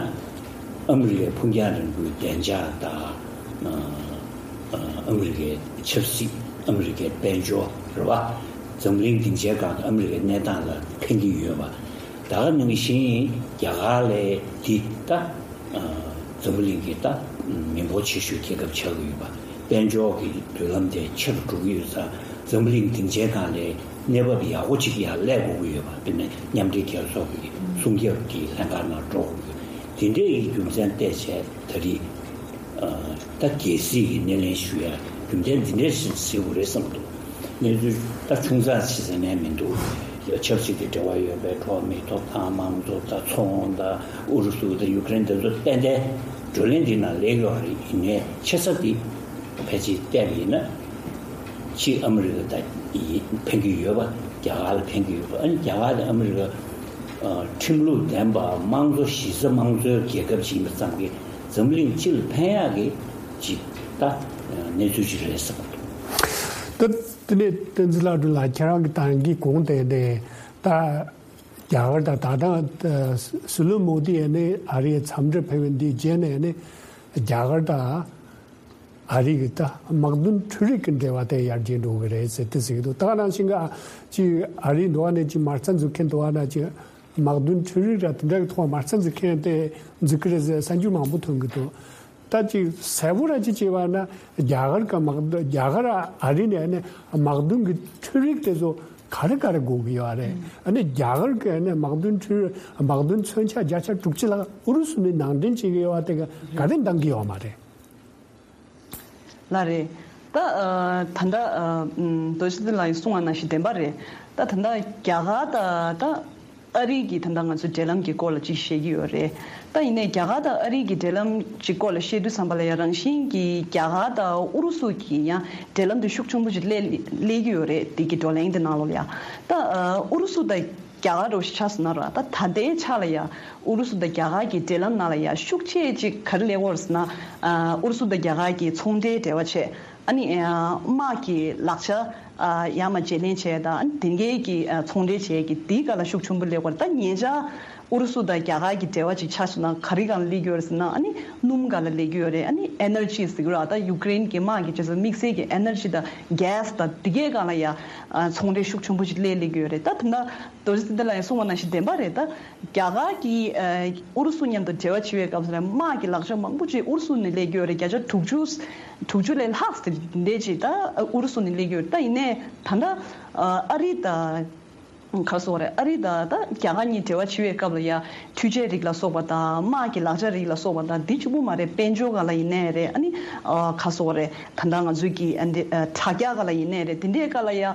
ཨ་མི་རི་ཀའི་ཕུགས་རྒྱང་རིང་པོའི་བདེ་འཇགས་དང་། ཨ་མི་རི་ཀའི་ཆབ་སྲིད། ཨ་མི་རི་ཀའི་དཔལ་འབྱོར་རེད་པ། འཛམ་གླིང་སྡིངས་ཆའི་སྒང་དུ་ཨ་མི་རི་ཀའི་གནས་སྟངས་ལ་ཕན་གྱི་ཡོད་པ། ད་ག་ནང་བཞིན་རྒྱ་གར་ལས་འདི་ད་འཛམ་བུ་གླིང་གི་ད་མི་འབོར་ཆེ་ཤོས་རྒྱལ་ཁབ་ཆགས་ཀྱི་ཡོད་པ། དཔལ་འབྱོར་གྱི་མདུན་ལམ་དེ་ཆེ་རུ་འགྲོ་གི་ཡོད་ཙང་འཛམ་བུ་གླིང་སྡིངས་ཆའི་སྒང་ལ་གནས་བབ་ཡག་པོ་ཅིག་ཡར་སླེབས་དགོས་ཀྱི་ཡོད་པ། དཔེར་ན་མཉམ་འབྲེལ་རྒྱལ་ཚོགས་ཀྱི་སྲུང་སྐྱོབ་ཀྱི་ལྷན་ཁང་ནང་འགྲོ་དགོས་ཀྱི་ཡོད། དེ་འདྲའི་རྒྱུ་མཚན་བལྟས་བྱས་ད་རེས་ད་རྒྱལ་སྲིད་ཀྱི་སྣེ་ལེན་ཞུ་ཡ་རྒྱུ་མཚན་འདི་འདྲ་ཞིག་གཟིགས་དགོས་རེད་བསམ་འདུག་གནས་ཚུལ་ད་ཆུང་ཙག་ཞིག་ཟེར་ནས་མི་འདུག་ཆབ་སྲིད་ཀྱི་འབྲེལ་བ་ཡོད་པའི་འགྲོ་བ་མིའི་ཐོབ་ཐང་། དམངས་གཙོ་དང་ཚོང་དང་ཨུ་རུ་སུ་དང་ཡུ་ཀེ་རེན་དེ་ཚོ་ཏན་ཏན་བགྲོ་གླེང་འདི་ནང་སླེབས་ཡོད་རེད། ཡིན་ནའི་ཆེ་ས་འདི་ཕལ་ཆེར་བལྟས་པ་ཡིན་ན་གཅིག་ཨ་མི་རི་ཀ་དང་ཕན་གྱི་ཡོད་པ། རྒྱ་གར་ལ་ཕན་གྱི་ཡོད་པ། ཨ་ནི་རྒྱ་གར་དང་ཨ་མི་རི་ཀ་ཁྲིམས་ལུགས་ལྡན་པ་དམངས་གཙོ་གཞི་རྩ་དམངས་གཙོའི་རྒྱལ་ཁབ་ཅིག་ཡིན་པ་ཙམ་གྱིས་འཛམ་གླིང་སྤྱི་ལ་ཕན་ཡག་གི་ཅིག་ད་གནས་ཚུལ་ཅིག་རེད་བསམ་གྱི་འདུག་ད་དེ་ནས་བསྟན་འཛིན་ལགས་འགྲོ་ལ་ཁྱེད་རང་གི་ད་གིན་གོང་དེ་ནས་ད་རྒྱ་གར་དང་ད་ལྟ་སྲིད་བློན་མོ་དི་ཡ་ནས་ཨ་རིའི་འཚམས་འདྲིར་ཕེབས་པའི་འདིའི་རྗེས་ནས་ནི་རྒྱ་གར་དང་ཨ་རི་གི་ད་དམག་དོན་འཕྲུལ་རིག་གི་འབྲེལ་བ་དེ་ཡར་རྒྱས་འགྲོ་གི་རེད་ཟེར་ཏེ་ཟེར་གྱི་འདུག་ད་ག་ནང་བཞིན་ག་ཅིག་ཨ་རིའི་འགྲོ་བ་ནས་ཅིག་མ་རྩ་འཛུགས་མཁན་འགྲོ་བ་ན་ཅིག་དམག་དོན་འཕྲུལ་རིག་ར་དེ་འདྲ་གི་ཐོག་མ་རྩ་འཛུགས་མཁན་དེ་འཛུགས་ཀྱི་རེད་ཟེར་གསར་འགྱུར་མང་པོ་ཐོན་གྱི་འདུག་ད་ཅིག་གསལ་པོ་ར་ཅིག་བྱས་པ་ན་རྒྱ་གར་ག་དམག་རྒྱ་གར་ཨ་རི་ནས་ནས་དམག་དོན་གྱི་འཕྲུལ་རིག་དེ་ཚོ་ག་རེ་ག་རེ་དགོས་ཀྱི་ཡོད་རེད། ཨ་ནི་རྒྱ་གར་གི་ནས་དམག་དོན་འཕྲུལ་དམག་དོན་མཚོན་ཆ་བརྒྱ་ཆ་དྲུག་ཅུ་ལྷག་ཨུ་རུ་སུ་ནས་ནང་འདྲེན་བྱེད་ཀྱི་ཡོད་པ་དེ་ག་ག་རེ་འདང་གི་ཡོད་མ་རེད། ལགས་རེད། ད་ཨ་ད་ལྟ་ཨ་ཨུམ་རྡོ་རྗེ་ལགས་ཀྱིས་གསུངས་པ་ནང་བཞིན་བདེན་པ་རེད། ད་ད་ལྟ་རྒྱ་གར་དང་ད་ཨ་རི་གི་ད་ལྟ་ང་ཚོའི་འབྲེལ་ལམ་གྱི་སྐོར་ལ་ཅིག་བཤད་ཀྱི་ཡོད་རེད། ད་ཡིན་ནའི་རྒྱ་གར་དང་ཨ་རི་གི་འབྲེལ་ལམ་ཅིག་སྐོར་ལ་བཤད་དུས་ཙམ་པ་ལ་ཡང་རང་བཞིན་གྱིས་རྒྱ་གར་དང་ཨུ་རུ་སུ་གི་ཡང་འབྲེལ་ལམ་དེ་ཤུགས་ཆེན་པོ་ཅིག་སླེབས་སླེབས་ཀྱི་ཡོད་རེད། དེ་གི་བགྲོ་གླེང་དེ་ནང་ལོགས་ལ་ཡང་ད་ཨ་ཨུ་རུ་སུ་དང་རྒྱ་གར་འདྲ་བོ་ཞིག་ཆགས་སོང་ན་ར། ད་ད་ལྟའི་ཆ་ལ་ཡ་ཨུ་རུ་སུ་དང་རྒྱ་གར་གྱི་འབྲེལ་ལམ་ནང་ལ་ཡ་ཤུགས་ཆེ་ཅིག་ག་རེ་སླེབས་ཡོད་རེད་ཟེར་ན། ཨ་ཨུ་རུ་སུ་དང་རྒྱ་གར་གྱི་ཚོང་འབྲེལ་འབྲེལ་བ་བྱས། ཨ་ནི་ཨ་དམག་གི་ལག་ཆ་ཨ་ཡར་མར་བརྗེ་ལེན་བྱས་དང་། ཨ་ནི་དེ་འགའི་གི་ཨ་ཚོང་འབྲེལ་བྱས་ཀྱི་དེའི་སྒང་ལ་ཤུགས་ཆེན་པོ་སླེབས་ཡོད་རེད། ད་ཉེ་ཆར་ཨུ་རུ་སུ་དང་རྒྱ་གར་གྱི་འབྲེལ་བ་ཅིག་ཆགས་སོང་ན་ག་རེ་སྒང་ལ་སླེབས་ཀྱི་ཡོད་རེད་ཟེར་ན། ཨ་ནི་སྣུམ་སྒང་ལ་སླེབས་ཀྱི་ཡོད་རེད། ཨ་ནི་ཨེ་ནར་ཇི་ཟེར་གྱི་རེད་པ། ད་ཡུ་ཀེ་རེན་གྱི་དམག་གི་རྗེས་སུ་དམིགས་བསལ་གྱི་ཨེ་ནར་ཇི་དང་གྷེ་སི་དང་དེ་གའི་སྒང་ལ་ཡ་ཨ་ཚོང་འབྲེལ་ཤུགས་ཆེན་པོ་ཅིག་སླེབས་སླེབས་ཀྱི་ཡོད་རེད། ད་ད་ལྟ་རྡོ་རྗེ་ཚེ་བརྟན་ལགས་ཀྱིས་གསུངས་པ་ནང་བཞིན་བདེན་པ་རེད། ད་རྒྱ་གར་གྱིས་ཨ་ཨུ་རུ་སུ་མཉམ་དུ་འབྲེལ་བ་བྱེད་པའི་སྐབས་སུ་ལ་དམག་གི་ལག་ཆ་མང་པོ་ཅིག་ཨུ་རུ་སུ་ནས་སླེབས་ཀྱི་ཡོད་རེད། བརྒྱ་ཆ་དྲུག་ཅུ་དྲུག་ཅུ་ལས་ལྷག་ཙམ་དེ་འདྲས་ཅིག་ད་ཨུ་རུ་སུ་ནས་སླེབས་ཀྱི་ཡོད་རེད། ད་ཡིན་ནའི་ད་ལྟ་ཨ་ཨ་རི་དང་ག་རེ་ཟེར་དགོས་རེད། ཨ་རི་དང་ད་རྒྱ་གར་གཉིས་འབྲེལ་བ་བྱེད་པའི་སྐབས་ལ་ཡ་འཕྲུལ་ཆས་རིགས་ལ་སོགས་པ་དང་དམག་གི་ལག་ཆ་རིགས་ལ་སོགས་པ་དང་། འདི་གཅིག་པུ་མ་རེད། དཔལ་འབྱོར་སྒང་ལ་ཡིན་ནའི་རེད། ཨ་ནི་ཨ་ག་རེ་ཟེར་དགོས་རེད། ད་ལྟ་ང་ཚོའི་གི་ཨ་འདི་ཨ་དྲ་རྒྱ་སྒང་ལ་ཡིན་ནའི་རེད། དེ་འདྲའི་སྒང་ལ་ཡ་ཨ་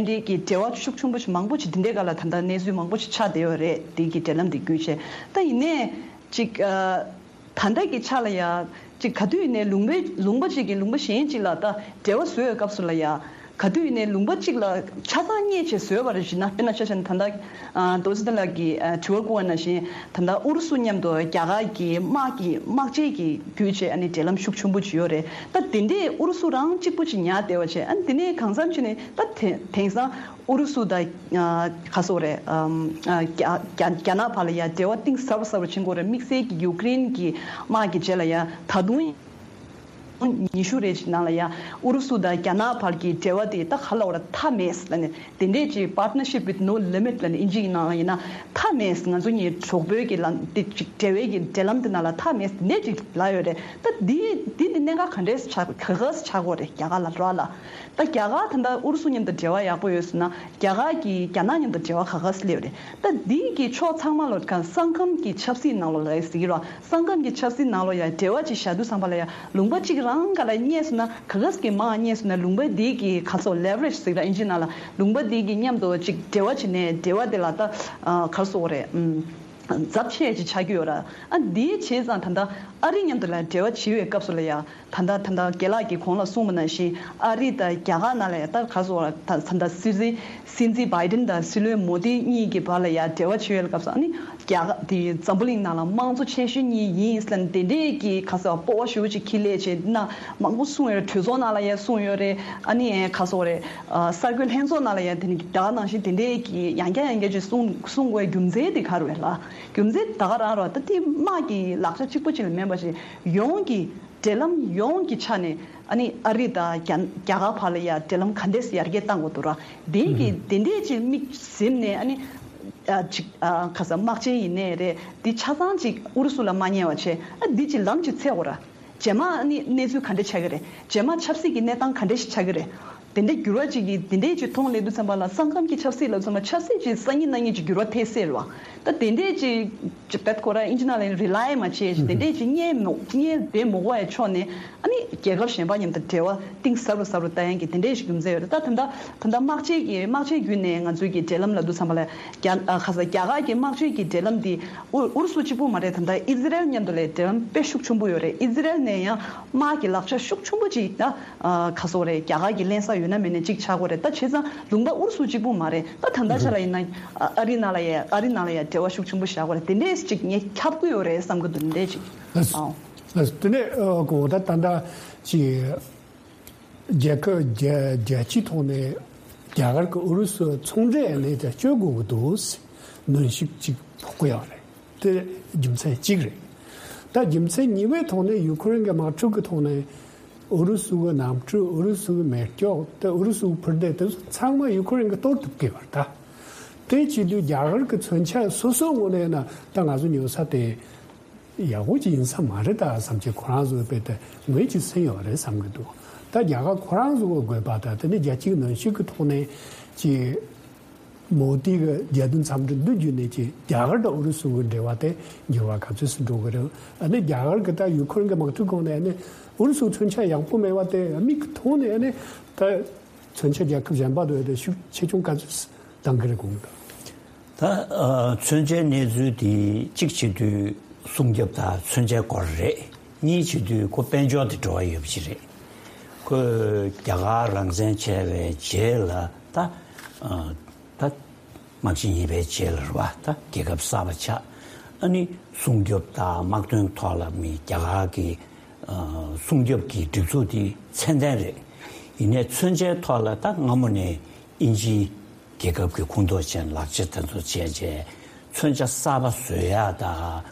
འདི་གི་འབྲེལ་བ་ཤུགས་ཆེན་པོ་ཞིག་མང་པོ་ཞིག་དེ་འདྲའི་སྒང་ལ་ད་ལྟ་གནས་ཚུལ་མང་པོ་ཞིག་ཆགས་བསྡད་ཡོད་རེད། དེ་གི་འབྲེལ་ལམ་དེ་བརྒྱུད་བྱས། ད་ཡིན་ནའི་ཅིག་ཨ་ད་ལྟ་གི་ཆ་ལ་ཡ་ཅིག་ག་དུས་ཡིན་ནའི་ལུང་པའི་ལུང་པ་ཅིག་གིས་ལུང་པ་གཞན་ཅིག་ལ་ད་འབྲེལ་བ་བཟོ་བའི་སྐབས་སུ་ལ་ཡ་ག་དུས་ཡིན་ནའི་ལུང་པ་ཅིག་ལ་ཆ་ཚང་བརྙེས་བྱས་བཟོས་པ་རེད་ཟེར་ན། དཔེར་ན་ཆ་བཞག་ན་ད་ལྟ་ཨ་རྡོ་རྗེ་ཚེ་བརྟན་ལགས་ཀྱིས་ཨ་དྲི་བ་བསྐུར་བ་ནང་བཞིན་ད་ལྟ་ཨུ་རུ་སུ་མཉམ་དུ་རྒྱ་གར་གྱི་དམག་གི་དམག་ཆས་ཀྱི་བརྒྱུད་བྱས་ཨ་ནི་འབྲེལ་ལམ་ཤུགས་ཆེན་པོ་ཅིག་ཡོད་རེད། ད་དེ་འདྲས་ཨུ་རུ་སུ་རང་གཅིག་པུ་ཅིག་ཉར་བསྡད་པ་བྱས། ཨ་ནི་དེ་ནས་གང་འཚམ་ཅིག་ནས་ད་དེ་དེང་སང་ཨུ་རུ་སུ་དང་ཨ་ག་རེ་ཟེར་དགོས་རེད། ཨམ་ཨ་རྒྱ་རྒྱ་རྒྱ་ནག་བར་ལ་ཡ་འབྲེལ་བ་གཏིང་ཟབ་ཟབ་རུ་ཕྱིན་དགོས་རེད། དམིགས་བསལ་གྱི་ཡུ་ཀེ་རེན་གྱི་དམག་གི་རྗེས་ལ་ཡ་ད་དུང་ཉི་ཤུ་རེ་ཅིག་ནང་ལ་ཡ་ཨུ་རུ་སུ་དང་རྒྱ་ནག་བར་གྱི་འབྲེལ་བ་དེ་ད་ག་ལབ་དགོས་རེད། མཐའ་མེད་ལབ་ནས་དེ་འདྲས་ཅིག་partnership with no limit ལབ་ནས་ཨིན་ཇི་ཡི་ནང་ལ་ཡིན་ན་མཐའ་མེད། ང་ཚོ་གཉིས་གྲོགས་པོའི་གི་ལམ་དེ་ཅིག་འབྲེལ་བའི་གི་འབྲེལ་ལམ་དེ་ནང་ལ་མཐའ་མེད་དེ་འདྲས་ཅིག་ལབ་ཡོད་རེད། ད་འདི་འདི་འདི་གནད་འགག་ག་འདྲས་ཆགས་ག་ག་ཆགས་དགོས་རེད། རྒྱ་གར་ལ་རོགས་ལ། ད་རྒྱ་གར་ད་ལྟ་ཨུ་རུ་སུ་མཉམ་དུ་འབྲེལ་བ་ཡག་པོ་ཡོད་ཟེར་ན། རྒྱ་གར་གྱིས་རྒྱ་ནག་མཉམ་དུ་འབྲེལ་བ་ག་ག་སེ་སླེབས་རེད། ད་འདི་གི་ཕྱོགས་ཚང་མ་ལོ་ག་ས་ཁམས་ཀྱི་ཆབ་སྲིད་ནང་ལོ་ལ་ཟེར་གྱི་རོ། ས་ཁམས་ཀྱི་ཆབ་སྲིད་ནང་ལོ་ཡ་འབྲེལ་བ་ཅིག་བཞག་དུས་ཙམ་པ་ལ་ཡ་ལུང་པ་གཅིག་ རང་ག་ལ་རྙེད་སོང་ན་ག་ག་ཟིག་གི་མ་རྙེད་སོང་ན་ལུང་པ་འདི་གི་ག་སོ་leverage་ཟེར་ར་ཨིན་ཇི་ནང་ལ་ལུང་པ་འདི་གི་མཉམ་དུ་ཅིག་འབྲེལ་བ་བྱས་ནས་འབྲེལ་བ་དེ་ལ་ད་ག་སོ་རེད། ཚབས་ཆེ་ཅིག་ཆགས་ཀྱི་ཡོད་ར། ཨ་འདི་བྱས་ཙང་ད་ལྟ་ཨ་རི་མཉམ་དུ་ལ་འབྲེལ་བ་བྱེད་པའི་སྐབས་སུ་ལ་ཡ། ད་ལྟ་ད་ལྟ་རྒན་ལགས་ཀྱིས་གོང་ལ་གསུངས་པ་ནང་བཞིན་ཨ་རི་དང་རྒྱ་གར་ནང་ལ་ཡ་ད་ག་སོ་ད་ད་ལྟ་སྲིད་འཛིན་སྲིད་འཛིན་བྷའི་ཏིན་དང་སྲིད་བློན་མོ་དི་གཉིས་ཀྱི་བར་ལ་ཡ་འབྲེལ་བ་བྱེད་ཡོད་སྐབས་སུ་ཨ་ནི་རྒྱ་གར་དེ་འཛམ་བུ་གླིང་ནང་ལ་དམངས་གཙོ་ཆེ་ཤོས་གཉིས་ཡིན་ཟེར་ནས་དེ་འདྲས་ཀྱི་ག་སོ་སྤོབས་པ་ཞེ་པོ་ཅིག་ཁྱི་ལས་བྱས་ན་མང་པོ་གསུངས་ཡོད་རེད། གྲོས་ཚོགས་ནང་ལ་ཡ་གསུངས་ཡོད་རེད། ཨ་ནི་ག་སོ་རེད། གསར་འགོད་ལྷན་ཚོགས་ནང་ལ་ཡ་དེ་ནི་ད་ག་ནང་བཞིན་དེ་འདྲས་ཀྱི་ཡང་བསྐྱར་ཡང་བསྐྱར་ཅིག་གསུང་གསུང་དགོས་རྒྱུ་མཚན་དེ་ག་རེ་རེད་ལ། རྒྱུ་མཚན་ད་ག་རང་རེད་ད་དེ་དམག་གི་ལག་ཆ་གཅིག་པོ་ཅིག་ལ་མིན་པ་ཞིག་ཡོངས་ཀྱི་འབྲེལ་ལམ་ཡོངས་ཀྱི་ཆ་ནས་ཨ་ནི་ཨ་རི་དང་རྒྱ་རྒྱ་གར་བར་ལ་ཡ་འབྲེལ་ལམ་ག་འདྲས་ཡར་རྒྱས་གཏང་དགོས་འདུག་ར། དེ་གི་དེ་འདྲས་ཅིག་མིག་ཟིམ་ནས་ཨ་ནི་ཨ་ཅིག་ཨ་ག་ས་དམག་ཆེན་ཡིན་ནའི་རེད་འདི་ཆ་ཚང་ཅིག་ཨུ་རུ་སུ་ལ་མ་ཉེ་བ་བྱས་ཨ་འདི་ཅིག་ལམ་ཅིག་འཚོལ་དགོས་ར། རྗེས་མ་ཨ་ནི་གནས་ཚུལ་ག་འདྲ་ཆགས་ཀྱི་རེད། རྗེས་མ་ཆབ་སྲིད་ཀྱི་གནས་སྟངས་ག་འདྲ་ཞིག་ཆགས་ཀྱི་རེད། དེ་འདྲའི་འགྱུར་བ་ཅིག་གིས་དེ་འདྲའི་ཅིག་མཐོང་སླེབས་དུས་ཙམ་པ་ལ་ས་ཁམས་ཀྱི་ཆབ་སྲིད་ལ་མཚོན་པ་ཆབ་སྲིད་ཅིག་སང་ཉིན་གནངས་ཉིན་ཅིག་འགྱུར་བ་ཐེབས་སྲིད་རེད་བ། ད་དེ་འདྲའི་ཅིག་ཅིག་བེད་ཁོ་ར་ཨིན་ཇི་ནང་ལ་རི་ལའི་མ་བྱས་ཅིག་དེ་འདྲའི་ཅིག་རྙེད་མོ་རྙེད་བསྡད་མི་དགོས་པའི་ཕྱོགས་ནས་ཨ་ནི་རྒྱལ་ཁབ་གཞན་པ་མཉམ་དུ་འབྲེལ་བ་གཏིང་ཟབ་རུ་ཟབ་རུ་བཏང་ཡག་གི་དེ་འདྲའི་ཞིག་རྒྱུ་མཚན་ཡོད་རེད། ད་ད་ལྟ་ད་ལྟ་དམག་ཆེན་གྱི་དམག་ཆེན་བརྒྱུད་ནས་ང་ཚོའི་གི་འབྲེལ་ལམ་ལབ་དུས་ཙམ་པ་ལ་རྒྱ་ཨ་ཁ་ས་རྒྱ་གར་གྱི་དམག་ཆེན་གྱི་འབྲེལ་ལམ་འདི་ཨུ་ཨུ་རུ་སུ་གཅིག་པུ་མ་རེད། ད་ལྟ་ཨི་ཛི་རལ་མཉམ་དུ་ལས་འབྲེལ་ལམ་དཔེ་ཤུགས་ཆེན་པོ་ཡོད་རེད། ཨི་ཛི་རལ་ནས་ཡང་དམག་གི་ལག་ཆ་ཤུགས་ཆེན་པོ་ཅིག་ད་ཨ་ཁ་སོ་རེད། རྒྱ་གར་གྱི་ལེན་ས་ཡོད་ན་མེད་ན་གཅིག་ཆགས་ཀྱི་རེད། ད་བྱས་ཙང་ལུང་པ་ཨུ་རུ་སུ་གཅིག་པུ་མ་རེད། ད་ད་ལྟ་ཆ་ལ་ཡིན་ན་ཨ་ཨ་རི་ནང་ལ་ཡ་ཨ་རི་ནང་ལ་ཡ་འབྲེལ་བ་ཤུགས་ཆེན་པོ་བཞག་གི་རེད། དེ་འདྲས་ཅིག་ངས་ཁྱབ་ཀྱི་ཡོད་རེད་བསམ་གྱི་འདུག་དེ་འདྲས་ཅིག་ཨང་། ལགས་དེ་ནས་ཨ་གོ་ད་ད་ལྟ་ཅིག་རྒྱལ་ཁབ་རྒྱལ་རྒྱལ་སྤྱིའི་ཐོག་ནས་རྒྱ་གར་གྱི་ཨུ་རུ་སུ་ཚོང་འབྲེལ་ནས་ཀྱང་གཅོད་དགོས་ཀྱི་འདུག་ཟེར་གནོན་ཤུགས་གཅིག་ཕོག་གི་ཡོད་རེད། དེ་རྒྱུ་མཚན་གཅིག་རེད། ད་རྒྱུ་མཚན་གཉིས་པའི་ཐོག་ནས་ཡུ་ཁུ་རེན་གྱི་དམག་འཁྲུག་གི་ཐོག་ནས་ཨུ་རུ་སུ་གི་གནམ་གྲུ་ཨུ་རུ་སུ་གི་མེ་སྒྱོགས་དེ་ཨུ་རུ་སུ་གི་འཕུར་མདེལ་དེ་ཚོ་ཚང་མ་ཡུ་ཁུ་རེན་གྱིས་གཏོར་ཐུབ་ཀྱི་ཡོད་རེད། ད་དེ་བྱེད་དུས་རྒྱ་གར་གྱི་མཚོན་ཆ་སོ་སོའི་ངོས་ནས་ན་ད་ང་ཚོ་ཉོ་ས་དེ། ཡག་པོ་ཅིག་ཡིན་ས་མ་རེད་ད་བསམ་གྱི་ཁོ་རང་ཚོའི་དཔེ་དེ་ངོས་ཀྱིས་སེམས་ཡོད་རེད་བསམ་གྱི་འདུག་ད་རྒྱ་གར་ཁོ་རང་ཚོ་གི་དགོས་པ་དང་དེ་ནས་རྒྱལ་སྤྱིའི་གནོན་ཤུགས་ཀྱི་ཐོག་ནས་ཀྱི་མོ་དི་གི་རྒྱལ་དོན་འཚམས་འདྲི་འདི་བརྒྱུད་ནས་ཀྱི་རྒྱ་གར་དང་ཨུ་རུ་སུ་གི་འབྲེལ་བ་དེ་འགྱུར་བ་ག་ཚོད་སུ་འགྲོ་གི་རེད། ཨ་ནི་རྒྱ་གར་གི་ད་ཡུ་ཁུ་རེན་གི་དམག་འཁྲུག་གོང་ནས་ཨ་ནི་ཨུ་རུ་སུ་མཚོན་ཆ་ཡག་པོ་མེད་པ་དེ་མིག་གི་མཐོང་ནས་ཨ་ནི་ད་མཚོན་ཆ་རྒྱལ་ཁབ་གཞན་པ་དང་ཡོད་དེ་ཤུགས་ཆེ་ཆུང་ག་ཚོད་སུ་འདང་གི་རེད་གོང་དུ། ད་ཨ་མཚོན་ཆའི་གནས་ཚུལ་དེ་གཅིག་བྱེད་དུས་སྲུང་སྐྱོབ་དང་མཚོན་ཆའི་སྐོར་རེད། གཉིས་བྱེད་དུས་ཁོ་དཔལ་འབྱོར་དེ་འབྲེལ་བ་ཡོད་པ་ཞིག་རེད། ཁོས་རྒྱ་གར་རང་བཙན་བྱས་པའི་རྗེས་ལ་ད་ཨ་ད་དམག་ཆེན་གཉིས་པའི་རྗེས་ལ་རེད་བ། ད་རྒྱལ་ཁབ་གསར་པ་ཆགས། ཨ་ནི་སྲུང་སྐྱོབ་དང་དམག་དོན་ཐོག་ལ་མི་རྒྱ་གར་གྱི་ཨ་སྲུང་སྐྱོབ་ཀྱི་སྒྲིག་འཛུགས་དེ་ཚད་ལྡན་རེད། ཡིན་ནའི་མཚོན་ཆའི་ཐོག་ལ་ད་སྔ་མོ་ནས་དབྱིན་ཇིའི་རྒྱལ་ཁབ་ཀྱི་ཁོངས་གཏོགས་ཅན་ལག་ཆ་དེ་ཚོ་བྱས་རྗེས་མཚོན་ཆ་གསར་པ་བཟོ་ཡག་དང་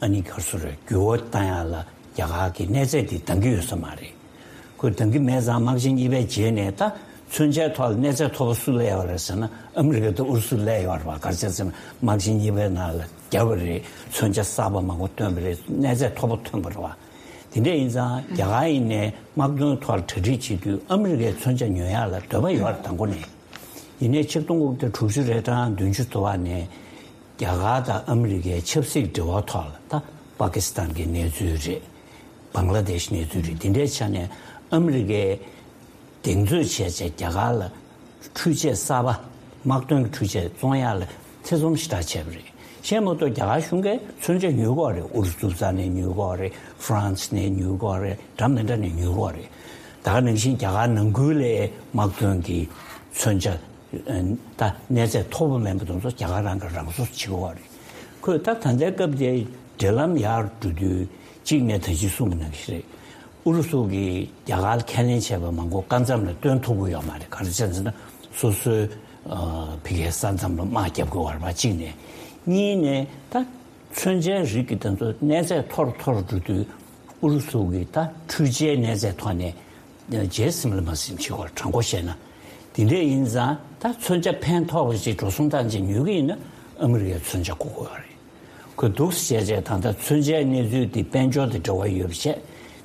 ཨ་ནི་ག་རེ་ཟེར་དགོས་རེད། འགྱུར་བ་བཏང་ཡག་ལ་རྒྱ་གར་གྱིས་གནས་ཚད་དེ་འདང་གི་ཡོད་ས་མ་རེད། ཁོས་འདང་གི་མེད་ཙང་དམག་ཆེན་གཉིས་པའི་རྗེས་ནས་ད་མཚོན་ཆའི་ཐོག་ལ་གནས་ཚད་མཐོ་པོ་སུ་སླེབས་ཡོད་རེད་ཟེར་ན་ཨ་མི་རི་ཀ་དང་ཨུ་རུ་སུ་སླེབས་ཡོད་རེད་བ། ག་རེ་བྱས་ཟེར་ན་དམག་ཆེན་གཉིས་པའི་ནང་ལ་བརྒྱབ་པ་རེད། མཚོན་ཆ་གསར་པ་མང་པོ་བཏོན་པ་རེད། གནས་ཚད་མཐོ་པོ་ཐོན་པ་རེད་བ། དེ་འདྲ་ཡིན་ཙང་རྒྱ་གར་ཡིན་ནའི་དམག་དོན་ཐོག་ལ་གྲ་སྒྲིག་བྱེད་དུས་ཨ་མི་རི་ཀའི་མཚོན་ཆ་ཉོ་ཡག་ལ་འདོད་པ་ཡོད་རེད་དང་པོ་ནས། ཡིན་ནའི་ཆིག་སྟོང་དགུ་བརྒྱ་དྲུག་ཅུ་རེ་གྲངས་བདུན་ཅུ་ཐོ་བ་ནས་རྒྱ་གར་དང་ཨ་མི་རི་ཀའི་ཆབ་སྲིད་འབྲེལ་བ་ཐོག་ལ་ད་པ་ཀི་སི་ཐན་གྱི་གནས་ཚུལ་རེད། བང་ལ་དེཤ་གནས་ཚུལ་རེད། དེ་འདྲའི་ཆ་ནས་ཨ་མི་རི་ཀའི་གདེང་ཚོད་བྱས་བྱས་རྒྱ་གར་ལ་འཕྲུལ་ཆས་གསར་པ་དམག་དོན་གྱི་འཕྲུལ་ཆས་བཙོང་ཡག་ལ་ཐེ་ཚོམ་ཞེ་དྲག་བྱས་པ་རེད། གཞན་མ་གཏོགས་རྒྱ་གར་གཞུང་གིས་མཚོན་ཆ་ཉོ་གི་ཡོད་རེད། ཨུ་རུ་སུ་རྩ་ནས་ཉོ་གི་ཡོད་རེད། ཧྥ་རན་སི་ནས་ཉོ་གི་ཡོད་རེད། འདྲ་མི་འདྲ་ནས་ཉོ་གི་ཡོད་རེད། ད་ག་ནང་བཞིན་རྒྱ་གར་ནང་ཁུལ་ལ་དམག་དོན་གྱི་མཚོན་ཆ་ད་གནས་ཚད་མཐོ་པོ་མིན་པ་དེ་ཚོ་རྒྱ་གར་རང་གིས་རང་བཟོ་བྱེད་ཀྱི་ཡོད་རེད། ཁོས་ད་ད་ལྟའི་སྐབས་དེ་འབྲེལ་ལམ་ཡར་འགྲོ་དུས་གཅིག་ནས་ད་ཅི་གསུངས་པ་ནང་བཞིན་རེད། ཨུ་རུ་སུ་གིས་རྒྱ་གར་ལ་ཁས་ལེན་བྱས་པ་མང་པོ་སྐབས་མཚམས་ལ་སྟོན་ཐུབ་ཀྱི་ཡོད་མ་རེད། ག་རེ་བྱས་ཟེར་ན་སོ་སོའི་ཨ་ཕ་གིའི་ས་མཚམས་ལ་དམག་རྒྱབ་དགོས་པ་རེད་པ་གཅིག་ནས། གཉིས་ནས་ད་མཚོན་ཆའི་རིགས་ཀྱི་དེ་ཚོ་གནས་ཚད་མཐོ་རུ་མཐོ་རུ་འགྲོ་དུས་ཨུ་རུ་སུ་གིས་ད་འཕྲུལ་ཆའི་གནས་ཚད་ཐོག་ནས་རྗེས་ཟིན་ལ་མ་ཟིན་བྱེད་དགོས་རེད། དྲང་པོ་བཤད་ན། དེ་འདྲས་ཡིན་ཙང་ད་མཚོན་ཆ་ཕན་ཐོགས་པ་ཞིག་འགྲོ་སོང་བཏང་བྱས་ཉོ་གི་ཡིན་ན་ཨ་མི་རི་ཀའི་མཚོན་ཆ་དགོས་ཀྱི་ཡོད་རེད། ཁོས་འདུག་སེ་བྱས་བྱས་ད་ལྟ་མཚོན་ཆའི་གནས་ཚུལ་འདི་དཔལ་འབྱོར་དང་འབྲེལ་བ་ཡོད་པ་བྱས།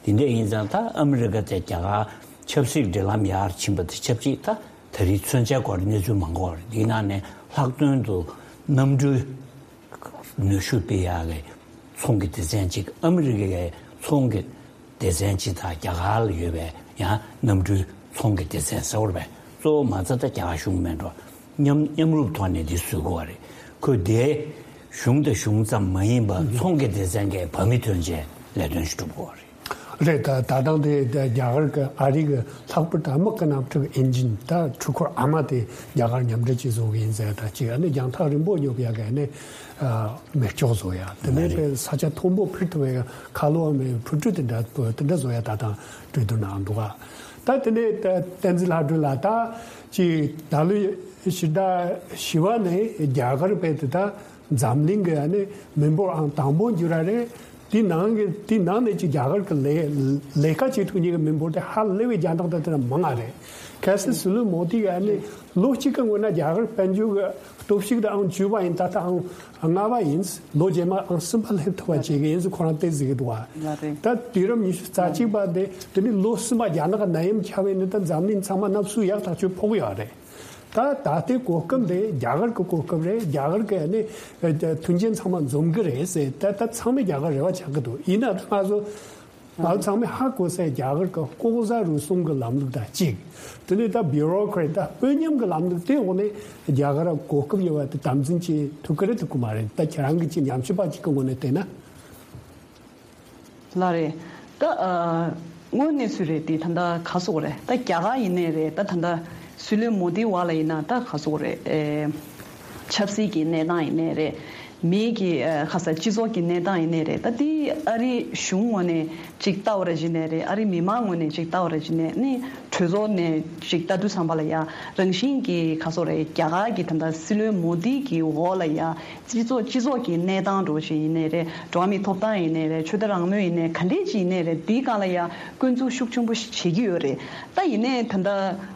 དེ་འདྲས་ཡིན་ཙང་ད་ཨ་མི་རི་ཀ་དང་རྒྱ་གར་ཆབ་སྲིད་འབྲེལ་ལམ་ཡར་ཕྱིན་པ་དང་ཆབས་ཅིག་ད་ད་རེས་མཚོན་ཆའི་སྐོར་གནས་ཚུལ་མང་པོ་ཡོད་རེད། འདིའི་ནང་ནས་ལྷག་དོན་དུ་གནམ་གྲུའི་ནུས་ཤུགས་སྤེལ་ཡག་གི་ཚོང་གི་སྡེ་ཚན་གཅིག་ཨ་མི་རི་ཀའི་ཚོང་གི་ སྡེ་ཚན་སྤྱི་དང་རྒྱ་གར་ལ་ཡོད་པའི་ཡང་གནམ་གྲུའི་ཚོང་གི་སྡེ་ཚན་ཟེར་བ་རེད་པས། གཙོ་བོ་མ་རྩ་ད་རྒྱ་གར་གཞུང་མིན་འགྲོ། མཉམ་མཉམ་རུབ་ཐོག་ནས་འདི་བཟོ་དགོས་པ་རེད། ཁོས་དེ་གཞུང་དང་གཞུང་ཙམ་མ་ཡིན་པར་ཚོང་གི་སྡེ་ཚན་གྱི་བ་མི་ཐོན་བྱས་ལས་དོན་ཞིག་སྒྲུབ་དགོས་པ་རེད། རེད། ད་ད་ལྟ་དེ་རྒྱ་གར་གྱི་ཨ་རི་གི་ལྷག་པར་དུ་དམག་གི་དམག་འཁྲུག་ཨིན་ཇིན་ད་འཕྲུལ་འཁོར་ཨ་མ་དེ་རྒྱ་གར་མཉམ་འབྲེལ་གྱིས་བཟོ་གི་ཡིན་ཟེར། ད་ཅིག་ཨ་ནི་རྒྱང་ཐག་རིང་པོ་ཉོ་གི་ཡ་གི་ཨ་ནི་མེ་སྒྱོགས་བཟོ་ཡ། དེ་ནས་པའི་ས་ཆ་མཐོན་པོ་འཕུར་ཐུབ་པའི་ཁ་ལོ་བ་མེད་འཕུར་གྲུ་དེ་འདྲ་དེ་འདྲ་བཟོ་ཡ་ད་དང་གྲོས་བསྡུར་གནང་འདུག་ག་ད་དེ་ནས་བསྟན་འཛིན་ལྷ་སྒྲོལ་ལགས། ད་ཅིག་ད་ལོའི་ཕྱི་ཟླ་བཞི་པ་ནས་རྒྱ་གར་པའི་དེ་ད། འཛམ་གླིང་གི་ཨ་ནི་མི་འབོར་ཨང་དང་པོ་འགྱུར་ར་རེད། དེ་ནང་གི་དེ་ནང་ནས་ཀྱི་རྒྱ་གར་གི་ལས་ལས་ཀ་བྱེད་ཐུབ་མཁན་གྱི་མི་འབོར་དེ་ཧ་ལས་པའི་རྒྱ་ནག་དང་དེ་ན་མང་ང་རེད། གལ་སྲིད་སྲིད་བློན་མོ་དི་གི་ཨ་ནི་ལོ་གཅིག་གི་སྔོན་ན་རྒྱ་གར་དཔལ་འབྱོར་གི་སྟོབས་ཤུགས་དེ་ཨང་བཅུ་པ་ཡིན། ད་ལྟ་ཨང་ལྔ་པ་ཡིན། ལོ་རྗེས་མ་ཨང་གསུམ་པ་སླེབས་ཐུབ་པ་བྱེད་ཀྱི་ཡིན་ཟེར་ཁོ་རང་བལྟས་ཟེར་གི་འདུག་བ། ལ་རེད། ད་དུས་རབས་ཉི་ཤུ་རྩ་གཅིག་པ་དེ་དེ་ནི་ལོ་གསུམ་པ་རྒྱ་ནག་གི་ནད་ཡམས་ཁྱབ་པ་ཡིན་ན་ད་འཛམ་གླིང་ཚང་མ་ནབ་སུ་ཡག་ཐག་ཆོད་ཕོག་ཡོད་རེད། ད་ད་ལྟའི་གོ་སྐབས་དེ་རྒྱ་གར་གྱི་གོ་སྐབས་རེད། རྒྱ་གར་གྱི་ནི་མཐུན་རྐྱེན་ཚང་མ་འཛོམས་ཀྱི་རེད་ཟེར། ད་ད་ཚང་མས་རྒྱ་གར་རེ་བ་ཆགས་ཀྱི་འདུག་ཡིན་ན་ད་ང་ཚོ་ང་ཚོ་ཚང་མས་ཧ་གོ་སའི་རྒྱ་གར་གྱི་ལྐོག་ཟ་རུལ་སུངས་ཀྱི་ལམ་ལུགས་དང་གཅིག་དེ་ནས་ད་བྷིའུ་རོ་ཀེ་རེ་ཊི་ད་དཔོན་ཉམས་ཀྱི་ལམ་ལུགས་དེ་འོག་ནས་རྒྱ་གར་གོ་སྐབས་ཡོད་པ་དེ་དམ་འཛིན་བྱེད་ཐུབ་ཀྱི་རེད་ཐུབ་ཀྱི་མ་རེད། ད་ཁྱེད་རང་གི་ཅི་ཉམས་ཞིབ་པ་ཅིག་གི་ངོས་ནས་བལྟས་ན། ལགས་རེད། ད་ཨ་དངོས་གནས་ཚུལ་རེད་དེ། ད་ལྟ་ག་སོག་རེད། ད་རྒྱ་གར་ཡིན་ནའི་རེད། ད་ད་ལྟ་སྲིད་བློན་མོ་དི་བ་ལ་ཡིན་ན་ད་ག་སོག་རེད། ཨེ་ཆབ་སྲིད་ཀྱི་གནས་སྟངས་ཡིན་ནའི་རེད། མིའི་གི་ཨ་ག་ས་སྤྱི་ཚོགས་ཀྱི་གནས་སྟངས་ཡིན་ནའི་རེད། ད་དེ་ཨ་རི་གཞུང་ངོས་ནས་ཅིག་ལྟ་བ་ར་བྱས་ནའི་རེད། ཨ་རི་མི་མང་ངོས་ནས་ཅིག་ལྟ་བ་ར་བྱས་ནའི་ནི་གྲོས་ཚོགས་ནས་ཅིག་ལྟ་དུས་ཙམ་པ་ལ་ཡ་རང་བཞིན་གྱི་ག་སོག་རེད། རྒྱ་གར་གྱི་ད་ལྟ་སྲིད་བློན་མོ་དི་གི་འོག་ལ་ཡ། སྤྱི་ཚོགས་སྤྱི་ཚོགས་ཀྱི་གནས་སྟངས་འདྲ་བོ་ཞིག་ཡིན་ནའི་རེད། འགྲོ་བ་མིའི་ཐོབ་ཐང་ཡིན་ནའི་རེད། ཆོས་དད་རང་མོས་ཡིན་ནའི་ག་འདྲས་ཅིག་ཡིན་ནའི་རེད། དེའི་སྒང་ལ་ཡ་སྐྱོན་འཛུགས་ཤུགས་ཆེན་པོ་ཞིག་བྱེད་ཀྱི་ཡོད་རེད། ད་ཡིན་ནའི་ད་ལྟ་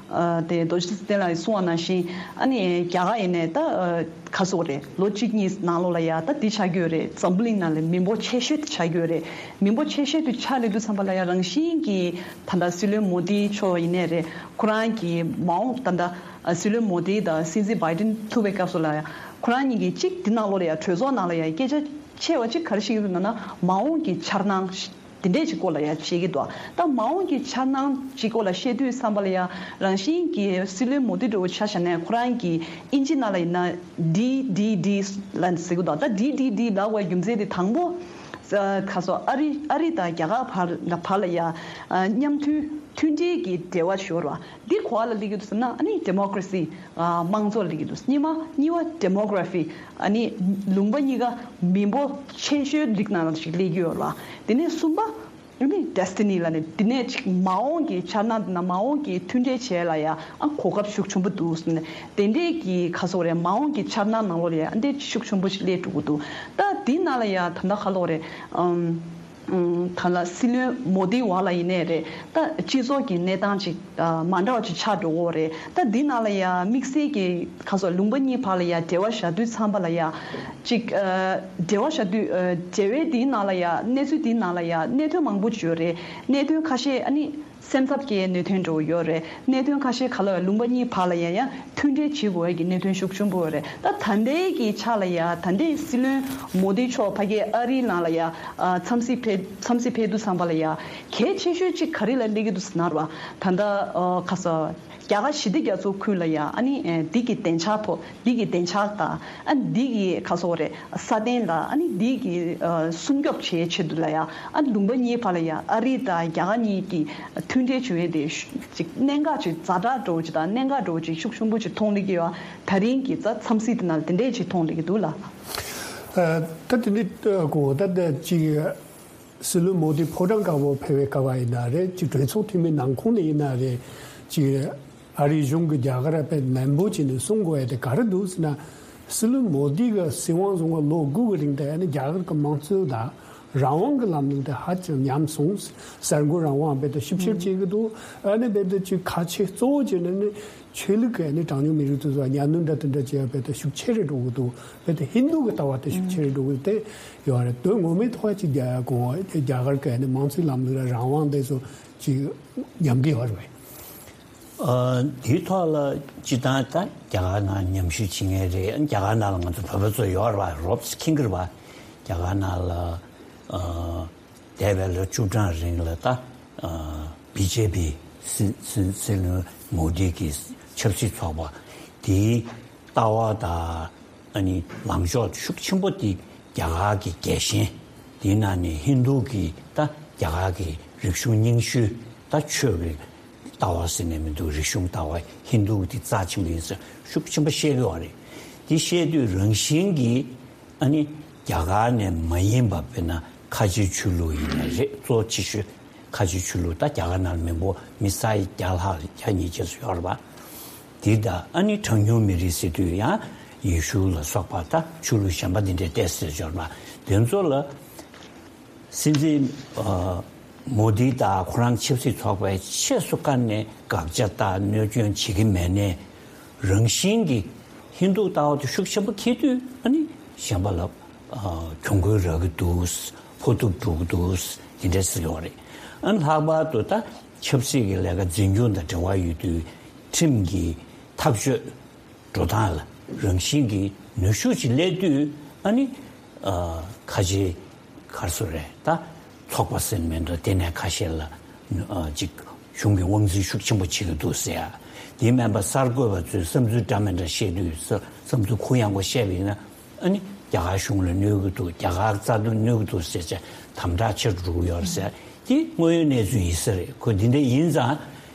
ཨ་དེ་རྡོ་རྗེ་བསྟན་ལགས་གསུངས་པ་ནང་བཞིན་ཨ་ནི་རྒྱ་གར་ཡིན་ནའི་ད་ཨ་ག་སོག་རེད། ལོ་གཅིག་གཉིས་ནང་ལོགས་ལ་ཡ་ད་འདི་ཆགས་ཀྱི་ཡོད་རེད། འཛམ་བུ་གླིང་ནང་ལ་མི་འབོར་ཆེ་ཤོས་དེ་ཆགས་ཀྱི་ཡོད་རེད། མི་འབོར་ཆེ་ཤོས་དེ་ཆགས་སླེབས་དུས་ཙམ་པ་ལ་ཡ་རང་བཞིན་གྱི་ད་ལྟ་སྲིད་བློན་མོ་དི་མཆོག་ཡིན་ནའི་རེད། ཁོ་རང་གི་མ་འོངས་ད་ལྟ་ཨ་སྲིད་བློན་མོ་དི་དང་སྲིད་འཛིན་བྷའི་ཏིན་ཐུག་པའི་སྐབས་སུ་ལ་ཡ། ཁོ་རང་གཉིས་ཀྱིས་གཅིག་འདི་ནང་ལོགས་ལ་ཡ་གྲོས་ཚོགས་ནང་ལ་ཡ་སྐད་ཆ་ཆེ་བ་གཅིག་ག་རེ་བཤད་ཀྱི་འདུག་ན་ན་མ་འོངས་ཀྱི་འཆར་སྣང་དེ་འདྲས་ཅིག་སྐོར་ལ་ཡ་བཤད་ཀྱི་འདུག་ད་མ་འོངས་ཀྱི་འཆར་སྣང་ཅིག་སྐོར་ལ་བཤད་དུས་ཙམ་པ་ལ་ཡ་རང་བཞིན་གྱི་སྲིད་བློན་མོ་དི་འདྲ་བོ་ཆ་བཞག་ནས་ཁོ་རང་གི་ཨིན་ཇི་ནང་ལ་ཡིན་ན་ཌི་ཌི་ཌི་ལབ་ཟེར་གྱི་འདུག་ད་ཌི་ཌི་ཌི་ལབ་པའི་རྒྱུ་མཚན་དེ་དང་པོ་ཁ་སོ་ཨ་རི་ཨ་རི་དང་རྒྱ་གར་བར་ལ་བར་ལ་ཡ་མཉམ་མཐུན་མཐུན་འབྲེལ་གྱི་འབྲེལ་བ་ཤོར་བ། འདི་ག་པར་ལ་སླེབས་ཀྱི་འདུག་ཟེར་ན་ཨ་ནི་ཌི་མོ་ཀ་རེ་སི་ཨ་དམངས་གཙོ་ལ་སླེབས་ཀྱི་འདུག་གཉིས་པ་གཉིས་པ་ཌི་མོ་གྷ་ར་ཕི། ཨ་ནི་ལུང་པ་གཉིས་ཀ་མི་འབོར་ཆེ་ཤོས་རིགས་ནང་ལ་ཞིག་སླེབས་ཀྱི་ཡོད་ལ། དེ་ནས་གསུམ་པ་ཨ་ནི་ཌེ་སི་ཊི་ནི་ལ་ནི་དེ་ནས་ཅིག་མ་འོངས་ཀྱི་འཆར་སྣང་དེ་ན་མ་འོངས་ཀྱི་མཐུན་འབྲེལ་བྱེད་ལ་ཡ་ཨ་གོ་སྐབས་ཤུགས་ཆེན་པོ་འདུག་ཟེར་ནས་དེ་འདྲས་ཀྱི་ཁ་སོ་རེད། མ་འོངས་ཀྱི་འཆར་སྣང་ནང་ལོགས་ལ་ཡ་ཨ་འདྲས་ཤུགས་ཆེན་པོ་ཞིག་སླེབས་འགྲོ་གི་འདུག་ད་དེ་ནང་ལ་ཡ་ད་ལྟ་ཁ་ལོ་རེད། ཨམ། ད་ལ་སྲིད་བློན་མོ་དི་བ་ལ་ཡིན་ནའི་རེད། ད་སྤྱི་ཚོགས་ཀྱི་གནས་སྟངས་ཅིག་ཨ་མ་འདྲ་བ་ཅིག་ཆགས་འགྲོ་གི་རེད། ད་འདི་ནང་ལ་ཡ་དམིགས་བསལ་གྱི་ཁ་སོ་ལུང་པ་གཉིས་བར་ལ་ཡ་འབྲེལ་བ་བཞག་དུས་ཙམ་པ་ལ་ཡ་ཅིག་ཨ་འབྲེལ་བ་བཞག་དུས་ཨ་འབྲེལ་བའི་འདིའི་ནང་ལ་ཡ་གནས་ཚུལ་འདིའི་ནང་ལ་ཡ་གནད་དོན་མང་པོ་ཅིག་ཡོད་རེད། གནད་དོན་ཁ་ཤས་ཨ་ནི། སེམས་འཚབ་སྐྱེ་གནད་དོན་འགྲོ་ཡོད་རེད། གནད་དོན་ཁ་ཤས་ག་ལ་ལུང་པ་གཉིས་བར་ལ་ཡང་ཡང་མཐུན་འབྲེལ་བྱེད་དགོས་ཡ་གི་གནད་དོན་ཤུགས་ཆེན་པོ་ཡོད་རེད། ད་ད་ལྟའི་གི་ཆ་ལ་ཡ་ད་ལྟའི་སྲིད་བློན་མོ་དི་མཆོག་ཕ་གིའི་ཨ་རིའི་ནང་ལ་ཡ་འཚམས་གཟིགས་ཕེབས་འཚམས་གཟིགས་ཕེབས་དུས་ཙམ་པ་ལ་ཡ་གལ་ཆེ་ཤོས་གཅིག་ག་རེ་ལ་སླེབས་ཀྱི་འདུག་ཟེར་ན་ར་བ། ད་ལྟ་ཁ་ས་རྒྱ་གར་ཞི་བདེ་རྒྱ་མཚོ་ཁུལ་ལ་ཡ་ཨ་ནི་འདི་གི་བདེ་འཇགས་ཐོག་འདི་གི་བདེ་འཇགས་དང་ཨ་འདི་གི་ཁ་སོ་རེད། སྲ་བརྟན་ལ་ཨ་ནི་འདི་གི་ཨ་སྲུང་སྐྱོབ་བྱེད་ཆེད་དུ་ལ་ཡ་ཨ་ལུང་པ་གཉིས་བར་ལ་ཡ་ཨ་རི་དང་རྒྱ་གར་གཉིས་ཀྱི་མཐུན་འབྲེལ་བྱུང་ཡས་དེ་ཅིག་གནད་འགག་ཅིག་ཛ་དྲག་འགྲོ་ཅིག་དང་གནད་འགག་འགྲོ་ཅིག་ཤུགས་ཆེན་པོ་ཅིག་མཐོང་ལེ་གི་ཡོད། ད་རིང་གི་ཛ་འཚམས་གཟིགས་དེ་ནང་དེ་འདྲས་ཅིག་མཐོང་ལེ་གི་འདུག་ལ། ད་དེ་འདྲས་གོ་ད་ཅིག་སྲིད་བློན་མོ་དི་ཕོ་བྲང་དཀར་པོ་ཕེབས་པའི་སྐབས་ཡིན་ན་རེད། ཅིག་གྲོས་ཚོགས་འཐུས་མི་ནང་ཁོངས་ནས་ཡིན་ན་རེད། ཅིག་ཨ་རིའི་གཞུང་གི་རྒྱ་གར་པའི་ནན་པོ་བྱས་ནས་གསུང་དགོས་ཡ་དེ་ག་རེ་འདུག་ཟེར་ན། སྲིད་བློན་མོ་དི་གི་སྲིད་དབང་བཟུང་བ་ལོ་དགུ་གི་རིང་དེ་ཨ་ནི་རྒྱ་གར་གི་དམངས་གཙོ་དང་རང་དབང་གི་ལམ་ལུགས་དེ་ཧ་ཅང་ཉམས་སོང་། གསར་འགོད་རང་དབང་རྦད་དེ་ཞིབ་བཤེར་བྱེད་ཀྱི་འདུག་ཨ་ནི་རྦད་དེ་ཅིག་ཁ་ཆེ་གཙོ་བོ་བྱས་ནས་ནི་ཆོས་ལུགས་ཀྱི་ཨ་ནི་གྲངས་ཉུང་མི་རིགས་དེ་ཚོ་གཉའ་གནོན་འདྲ་དེ་འདྲ་བྱེད་ཡ་རྦད་དེ་ཤུགས་ཆེ་རུ་འགྲོ་གི་འདུག་རྦད་དེ་ཧིན་དུ་གི་ལྟ་བ་དེ་ཤུགས་ཆེ་རུ་འགྲོ་གི་དེ་ཡོད་རེད། དོན་ངོ་མའི་ཐོག་ཅིག་རྒྱ་གོ་རྒྱ་གར་གི་ཨ་ནི་དམངས་གཙོའི་ལམ་ལུགས་ལ་རང་དབང་དེ་ཚོ་ཅིག་ཉམས་ཀྱི་ཡོད་རེད། ཨ་དེའི་ཐོག་ལ་སྤྱིར་བཏང་ད་རྒྱ་གར་ནང་ཉམས་ཞིབ་བྱེད་མཁན་རེད། རྒྱ་གར་ནང་ལ་ང་ཚོ་བོད་པ་ཚོ་ཡོད་རེད་པ། རོབ་ཙམ་མཁྱེན་གྱི་རེད་པ། རྒྱ་གར་ནང་ལ་ཨ་ འདས་པའི་ལོ་བཅུ་གྲངས་རིང་ལ་ད་ཨ་བི་ཇེ་པི་སྲིད་སྲིད་སྲིད་བློན་མོ་དི་གི་ཆབ་སྲིད་ཚོགས་པ་དེའི་ལྟ་བ་དང་ཨ་ནི་ལངས་ཕྱོགས་ཤུགས་ཆེན་པོ་དེ་རྒྱ་གར་གྱི་རྒྱལ་ཞེན། དེའི་ནང་ནས་ཧིན་རྡུ་གི་ད་རྒྱ་གར་གྱི་རིག་གཞུང་རྙིང་ཤོས་ད་ཆོས་ཀྱི་ལྟ་བ་ཟེར་ནས་མི་འདུག་རིག་གཞུང་ལྟ་བ་ཧིན་རྡུ་དེ་རྩ་ཆེན་པོ་ཡིན་ཟེར་ཤུགས་ཆེན་པོ་བཤད་ཀྱི་ཡོད་རེད། དེ་བཤད་དུས་རང་བཞིན་གྱིས་ཨ་ནི་རྒྱ་གར་ནས་མ་ཡིན་པ་དཔེར་ན་ཁ་ཆེ་ཆོས་ལུགས་ཡིན་ནའི་རེད། གཙོ་ཆེ་ཤོས་ཁ་ཆེ་ཆོས་ལུགས་ད་རྒྱ་གར་ནང་མི་འབོར་མི་ས་ཡི་བརྒྱ་ལྷག་བརྒྱ་ཉིས་བརྒྱ་ཙམ་ཡོད་རེད་པ། དེ་ད་ཨ་ནི་གྲངས་ཉུང་མི་རིགས་ཟེར་དུས་ཡང་ཡེ་ཤུ་ལ་སོགས་པ་ད་ཆོས་ལུགས་གཞན་པ་འདི་འདྲའི་ཏོག་ཙམ་ཡོད་རེད་པ། དེ་ཚོ་ལ། སྲིད་འཛིན་ཨ་མོ་དི་དང་ཁོ་རང་ཆབ་སྲིད་ཚོགས་པའི་ཆེས་སུ་བཀར་ནས་དགག་བྱ་དང་གནོད་སྐྱོན་བྱེད་ཀྱི་མེད་ནའི་རང་བཞིན་གྱིས་ཧིན་རྡུ་ལྟ་བ་དེ་ཤུགས་ཆེན་པོ་འཁྱེར་དུས་ཨ་ནི་གཞན་པ་ལ་ཨ་གྱོང་གུན་རག་གི་འདུག་ཕོག་ཐུག་འགྲོ་གི་འདུག་དེ་འདྲ་ཟེར་གྱི་ཡོད་རེད། ཨ་ནི་ལྷག་པར་དུ་ད་ཆབ་སྲིད་ཀྱི་ལས་ཀ་འཛིན་སྐྱོང་དང་འབྲེལ་བ་ཡོད་དུས་ཁྲིམས་ཀྱི་ཐག་གཅོད་འགྲོ་སྟངས་ལ་རང་བཞིན་གྱིས་ནུས་ཤུགས་ཅིག་སླེབས་དུས་ཨ་ནི་ཨ་ཁ་ཆེ་ག་རེ་ཟེར་རེད། ད་ཚོགས་པ་ཟེར་མི་འདྲ་དེ་ནས་ཁ་ཤས་ལ་ཨ་ཅིག་གཞུང་གི་དབང་འཛིན་ཤུགས་ཆེན་པོ་བྱེད་ཀྱི་འདུག་ཟེར་ཡ། དེ་མིན་པ་གསར་འགོད་པ་ཚོས་བསམ་ཚུལ་འདྲ་མི་འདྲ་བཤད་དུས་བསམ་ཚུལ་གུ་ཡངས་པོ་བཤད་པ་ཡིན་ན་ཨ་ནི་རྒྱ་གར་གཞུང་ལ་གནོད་ཀྱི་འདུག་རྒྱ་གར་རྩ་དོན་གནོད་ཀྱི་འདུག་ཟེར་བྱས་དམ་དྲག་ཆེ་རུ་འགྲོ་གི་ཡོད་རེད་ཟེར། དེ་དངོས་ཡོད་གནས་ཚུལ་ཡིན་ས་རེད། ཁོ་འདི་འདྲ་ཡིན་ཙང་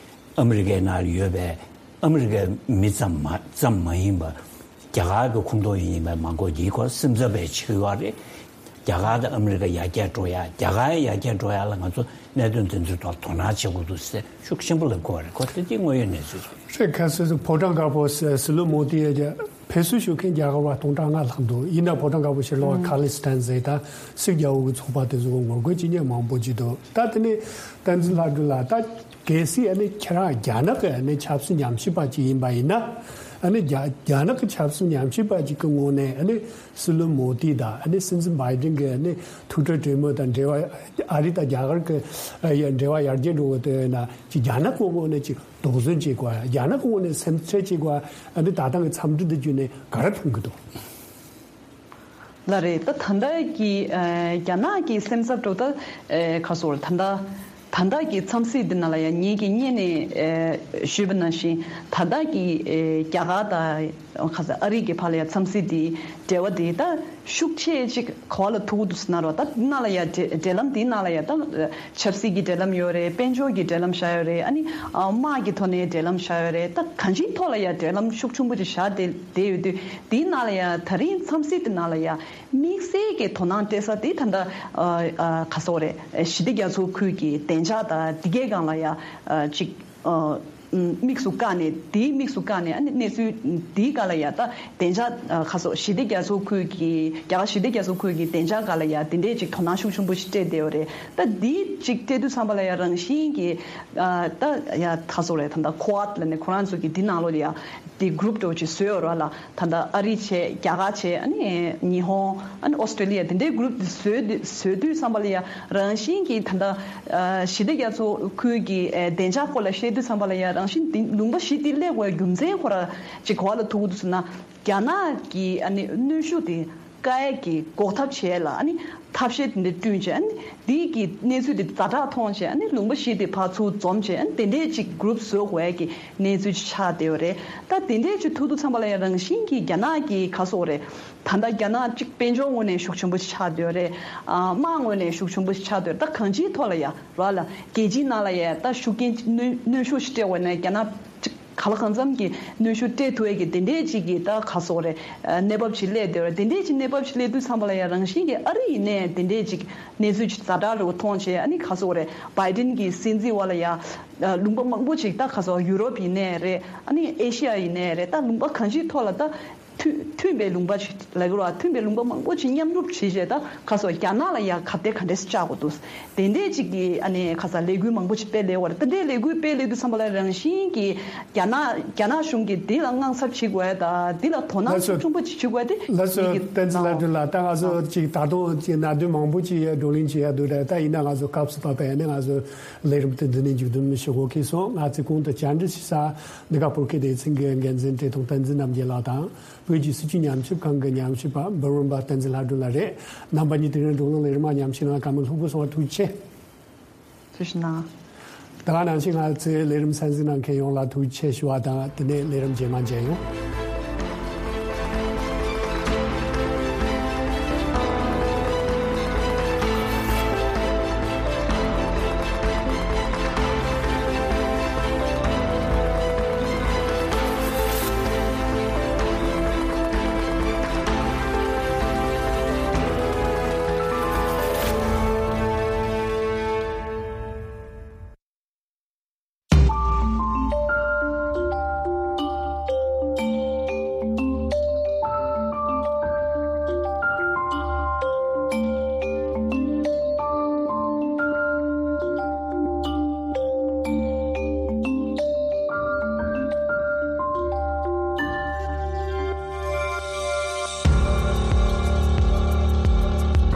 ཨ་མི་རི་ཀའི་ནང་ཡོད་པའི་ཨ་མི་རི་ཀའི་མི་ཙམ་མ་ཙམ་མ་ཡིན་པ། རྒྱ་གར་གྱི་ཁོངས་གཏོགས་ཡིན་པའི་མང་པོ་འདིའི་སྐོར་སེམས་འཚབ་པའི་བྱེད་ཀྱི་ཡོད་རེད། རྒྱ་གར་དང་ཨ་མི་རི་ཀ་ཡར་རྒྱས་འགྲོ་ཡ། རྒྱ་གར་ཡར་རྒྱས་འགྲོ་ཡ་ལ་ང་ཚོ་གནད་དོན་དེ་ཚོའི་ཐོག་དོ་སྣང་བྱེད་དགོས་འདུག་ཟེར་ཤུགས་ཆེན་པོ་ལབ་དགོས་རེད། ཁོ་དེ་དེ་དངོས་ཡོད་གནས་ཚུལ་རེད། རེད། ཁ་སང་ཕོ་བྲང་དཀར་པོ་སྲིད་བློན་མོ་དི་ཡ་ཕེབས་བསུ་ཞུ་མཁན་རྒྱ་གར་བ་སྟོང་ཕྲག་ལྔ་ལྷག་འདུག་ཡིན་ན་ཕོ་བྲང་དཀར་པོ་ཕྱི་ལོགས་ཁ་ལི་སི་ཐན་ཟེར་ད་སིག་རྒྱལ་པོ་གི་ཚོགས་པ་དེ་ཚོ་ངོ་རྒོལ་བྱེད་མཁན་མང་པོ་ཅིག་འདུག་ད་དེ་ནས་བསྟན་འཛིན་ལྷ་སྒྲོན་ལགས། ད་གལ་སྲིད་ཨ་ནི་ཁྱེད་རང་རྒྱ་ནག་གི་ཨ་ནི་ཆབ་སྲིད་ཉམས་ཞིབ་པ་ཅིག་ཡིན་པ་ཡིན་ན། ཨ་ནི་རྒྱ་རྒྱ་ནག་གི་ཆབ་སྲིད་ཉམས་ཞིབ་པ་ཅིག་གི་ངོས་ནས་ཨ་ནི་སྲིད་བློན་མོ་དི་དང་ཨ་ནི་སྲིད་འཛིན་བྷའི་ཌེན་གྱི་ཨ་ནི་ཐུག་འཕྲད་གྲོས་མོལ་དང་འབྲེལ་བ། ཨ་རི་དང་རྒྱ་གར་གྱི་ཨ་ཡ་འབྲེལ་བ་ཡར་རྒྱས་འགྲོ་གི་དེ་ཡིན་ན་ཅིག་རྒྱ་ནག་གི་ངོས་ནས་ཅིག་དོགས་ཟོན་བྱེད་དགོས། རྒྱ་ནག་གི་ངོས་ནས་སེམས་ཁྲལ་བྱེད་དགོས། ཨ་ནི་ད་ཐེངས་ཀྱི་འཚམས་འདྲི་འདི་བརྒྱུད་ནས་ག་རེ་མཐོང་གི་འདུག་ལགས་རེད། ད་ད་ལྟ་གི་ཨ་རྒྱ་ནག་གི་སེམས་འཚབ་འགྲོ་ད་ཨ་ག་སོ་རེད། ད་ལྟ་ད་ལྟ་གི་འཚམས་གཟིགས་འདི་ནང་ལ་ཡང་ངེད་ཀྱིས་སྔོན་ནས་ཨ་ཞུས་པ་ནང་བཞིན་ད་ལྟ་གི་ཨ་རྒྱ་གར་དང་ག་ས་ཨ་རི་གི་བར་ལ་ཡང་འཚམས་གཟིགས་འདི་འབྲེལ་བ་འདི་ད་ཤུགས་ཆེ་ཅིག་ག་བ་ལ་ཐུག་འདུག་ཟེར་ན་རོ། ད་འདི་ནང་ལ་ཡང་འབྲེལ་འབྲེལ་ལམ་འདིའི་ནང་ལ་ཡང་ད་ཆབ་སྲིད་ཀྱི་འབྲེལ་ལམ་ཡོད་རེད། དཔལ་འབྱོར་གྱི་འབྲེལ་ལམ་བཞག་ཡོད་རེད། ཨ་ནི་ཨ་དམག་གི་ཐོག་ནས་འབྲེལ་ལམ་བཞག་ཡོད་རེད། ད་གང་ཅིའི་ཐོག་ལ་ཡང་འབྲེལ་ལམ་ཤུགས་ཆེན་པོ་ཅིག་བཞག་བསྡད་བསྡད་ཡོད་དུས་འདིའི་ནང་ལ་ཡང་ད་རིང་འཚམས་གཟིགས་འདི་ནང་ལ་ཡང་དམིགས་བསལ་གྱི་དོ་སྣང་སྤྲད་ས་དེ་ད་ལྟ་ཨ་ཨ་ག་སོག་རེད། ཞི་བདེ་རྒྱ་མཚོ་ཁུལ་གྱི་བདེ་འཇགས་དང་འདི་གའི་སྒང་ལ་ཡང་ཨ་ཅིག་ཨ་དམིགས་སུ་བཀར་ནས། དེའི་དམིགས་སུ་བཀར་ནས་ཨ་ནི་གནས་ཚུལ་འདིའི་སྒང་ལ་ཡང་ད་བདེ་འཇགས་ཨ་ག་སོག་ཞི་བདེ་རྒྱ་མཚོ་ཁུལ་གྱི་རྒྱ་གར་ཞི་བདེ་རྒྱ་མཚོ་ཁུལ་གྱི་བདེ་འཇགས་སྒང་ལ་ཡང་དེ་འདྲས་ཅིག་དོ་སྣང་ཤུགས་ཆེན་པོ་ཞིག་སྤྲད་བསྡད་ཡོད་རེད། ད་འདི་ཅིག་སྤྲད་དུས་ཙམ་པ་ལ་ཡང་རང་བཞིན་གྱིས་ཨ་ད་ཡ་ག་སོག་རེད། ད་ལྟ་ཁོ་ཝཱཌ་ལབ་ནས་ཁོ་རང་ཚོ་གི་འདི་ནང་ལོགས་ལ་ཡང་དེ་གུ་རུབ་འདྲ་བོ་ཅིག་བཟོས་ཡོད་རེད་ལ། ད་ལྟ་ཨ་རི་བྱས། རྒྱ་གར་བྱས། ཨ་ནི་ཉི་ཧོང་། ཨ་ནི་ཨོ་སི་ཀྲོ་ལི་ཡ། དེ་འདྲའི་གུ་རུབ་དེ་བཟོས་དུས་བཟོས་དུས་ཙམ་པ་ལ་ཡང་རང་བཞིན་གྱིས་ད་ལྟ་ཨ་ཞི་བདེ་རྒྱ་མཚོ་ཁུལ་གྱི་ཨ་བདེ་འཇགས་སྐོར་ལ་བཤད་དུས་ཙམ་པ་ལ་ཡང་རང་བཞིན་དེ་ལུང་པ་བཞི་དེ་སླེབས་དགོས་རྒྱུ་མཚན་ཁོ་ར་ཅིག་ག་བ་ལ་ཐུག་གི་འདུག་ཟེར་ན། རྒྱ་ནག་གི་ཨ་ནི་གནོན་ཤུགས་དེ་བཀག་ཡས་ཀྱི་འགོག་ཐབས་བྱས་ལ། ཨ་ནི་ཐབས་ཤེས་དེ་འདྲ་བསྐྲུན་བྱས། ཨ་ནི་འདི་གི་གནས་ཚུལ་དེ་ཛ་དྲག་མཐོང་བྱས། ཨ་ནི་ལུང་པ་བཞི་དེ་ཕར་ཚུར་འཛོམས་བྱས། ཨ་ནི་དེ་འདྲས་ཅིག་གུ་རུབ་བཟོ་དགོས་ཡས་ཀྱི་གནས་ཚུལ་ཅིག་ཆགས་བསྡད་ཡོད་རེད། ད་དེ་འདྲས་ཅིག་ཐུག་དུས་ཙམ་པ་ལ་ཡང་རང་བཞིན་གྱིས་རྒྱ་ནག་གི་ག་སོག་རེད། ད་ལྟ་རྒྱ་ནག་ཅིག་དཔལ་འབྱོར་ངོས་ནས་ཤུགས་ཆེན་པོ་ཞིག་ཆགས་བསྡད་ཡོད་རེད། ཨ་དམག་ངོས་ནས་ཤུགས་ཆེན་པོ་ཞིག་ཆགས་བསྡད་ཡོད་རེད། ད་གང་ཅིའི་ཐོག་ལ་ཡང་རོགས་ལ་རྒྱལ་སྤྱིའི་ནང་ལ་ཡང་ད་ཤུགས་རྐྱེན་གནོན་གནོན་ཤུགས་ཤིག་སྤྲད་དགོས་ན་རྒྱ་ནག་ཅིག་ག་ལ་གང་འཚམ་གྱི་གནོན་ཤུགས་སྤྲད་ཐུབ་ཡས་ཀྱི་དེ་འདྲས་ཅིག་གི་ད་ག་སོག་རེད། ཨ་གནས་བབ་ཅིག་སླེབས་བསྡད་ཡོད་རེད། དེ་འདྲས་ཅིག་གནས་བབ་ཅིག་སླེབས་དུས་ཙམ་པ་ལ་ཡང་རང་བཞིན་གྱིས་ཨ་རི་ཡིན་ནའི་དེ་འདྲས་ཅིག་གནས་ཚུལ་ཅིག་ཛ་དྲག་རེད་པ་མཐོང་བྱས། ཨ་ནི་ག་སོག་རེད། བྷའི་ཌེན་གྱི་སྲིད་འཛིན་འོག་ལ་ཡང་ཨ་ལུང་པ་མང་པོ་ཅིག་ད་ག་སོག་ཡུ་རོབ་ཡིན་ནའི་རེད། ཨ་ནི་ཨེ་ཤི་ཡ་ཡིན་ནའི་རེད། ད་ལུང་པ་གང་ཅིའི་ཐོག་ལ་ད་མཐུན་མཐུན་པའི་ལུང་པ་ཅིག་ལབ་དགོས་རེད་པ། མཐུན་པའི་ལུང་པ་མང་པོ་ཅིག་མཉམ་རུབ་བྱས་བྱས་ད་ག་སོག་རྒྱ་ནག་ལ་ཡང་ག་དེ་ག་འདྲས་བཅག་དགོས་འདུག་དེ་འདྲས་ཅིག་གི་ཨ་ནི་ག་ས་ལས་འགུལ་མང་པོ་ཅིག་སྤེལ་སླེབས་པ་རེད། ད་འདྲའི་ལས་འགུལ་སྤེལ་སླེབས་དུས་ཙམ་པ་ལ་རང་བཞིན་གྱིས་རྒྱ་ནག་རྒྱ་ནག་གཞུང་གིས་འདི་ལ་དངངས་འཚབ་བྱེད་དགོས་ཡ་དང་། འདི་ལ་དོ་སྣང་ལགས་སོ། ཤུགས་ཆེན་པོ་ཅིག་བྱེད་དགོས་ཡ་དེ་ལགས་སོ། ངེད་ཀྱི་བསྟན་འཛིན་ལྷ་སྒྲོན་ལགས། ད་ང་ཚོ་ཅིག་ད་དུང་ཅིག་གནད་དོན་མང་པོ་ཅིག་བགྲོ་གླེང་བྱེད་ཡ་འདུག་རེད། ད་ཡིན་ན་ང་ཚོ་སྐབས་སུ་བབས་པ་ཡིན་ན་ང་ཚོ་ལས་རིམ་དེ་འདི་ནས་མཇུག་བསྡོམས་ཞུ་དགོས་ཁེལ་སོང་། ང་ཚོའི་གོང་དུ་བཅར་འདྲི་ཞུ་ས་འདི་ག་བོད་སྐད་སྡེ་ཚན་གྱི་འགན་འཛིན་བཀྲས་མཐོང་བསྟན་འཛིན་རྣམ་རྒྱལ་ལགས་དང་། བོད་ཀྱི་སྲིད་བྱུས་ཉམས་ཞིབ་ཁང་གི་ཉམས་ཞིབ་པ་འབུམ་རམས་པ་བསྟན་འཛིན་ལྷ་སྒྲོན་ལགས་རེད། རྣམ་པ་གཉིས་དེ་རིང་འགྲོ་ལུགས་ལས་རིམ་མ་ཉམས་ཞིབ་གནང་བཀའ་མོལ་ལྷུག་པོ་གསུང་བར་ཐུགས་རྗེ་ཆེ། ཐུགས་རྗེ་གནང་། ད་ག་ནང་བཞིན་ང་ཚོའི་ལས་རིམ་གསན་གཟིགས་གནང་མཁན་ཡོངས་ལ་ཐུགས་རྗེ་ཆེ་ཞུ་བ་དང་དེ་ནས་ལས་རིམ་རྗེས་མ་མཇལ་ཡོང་།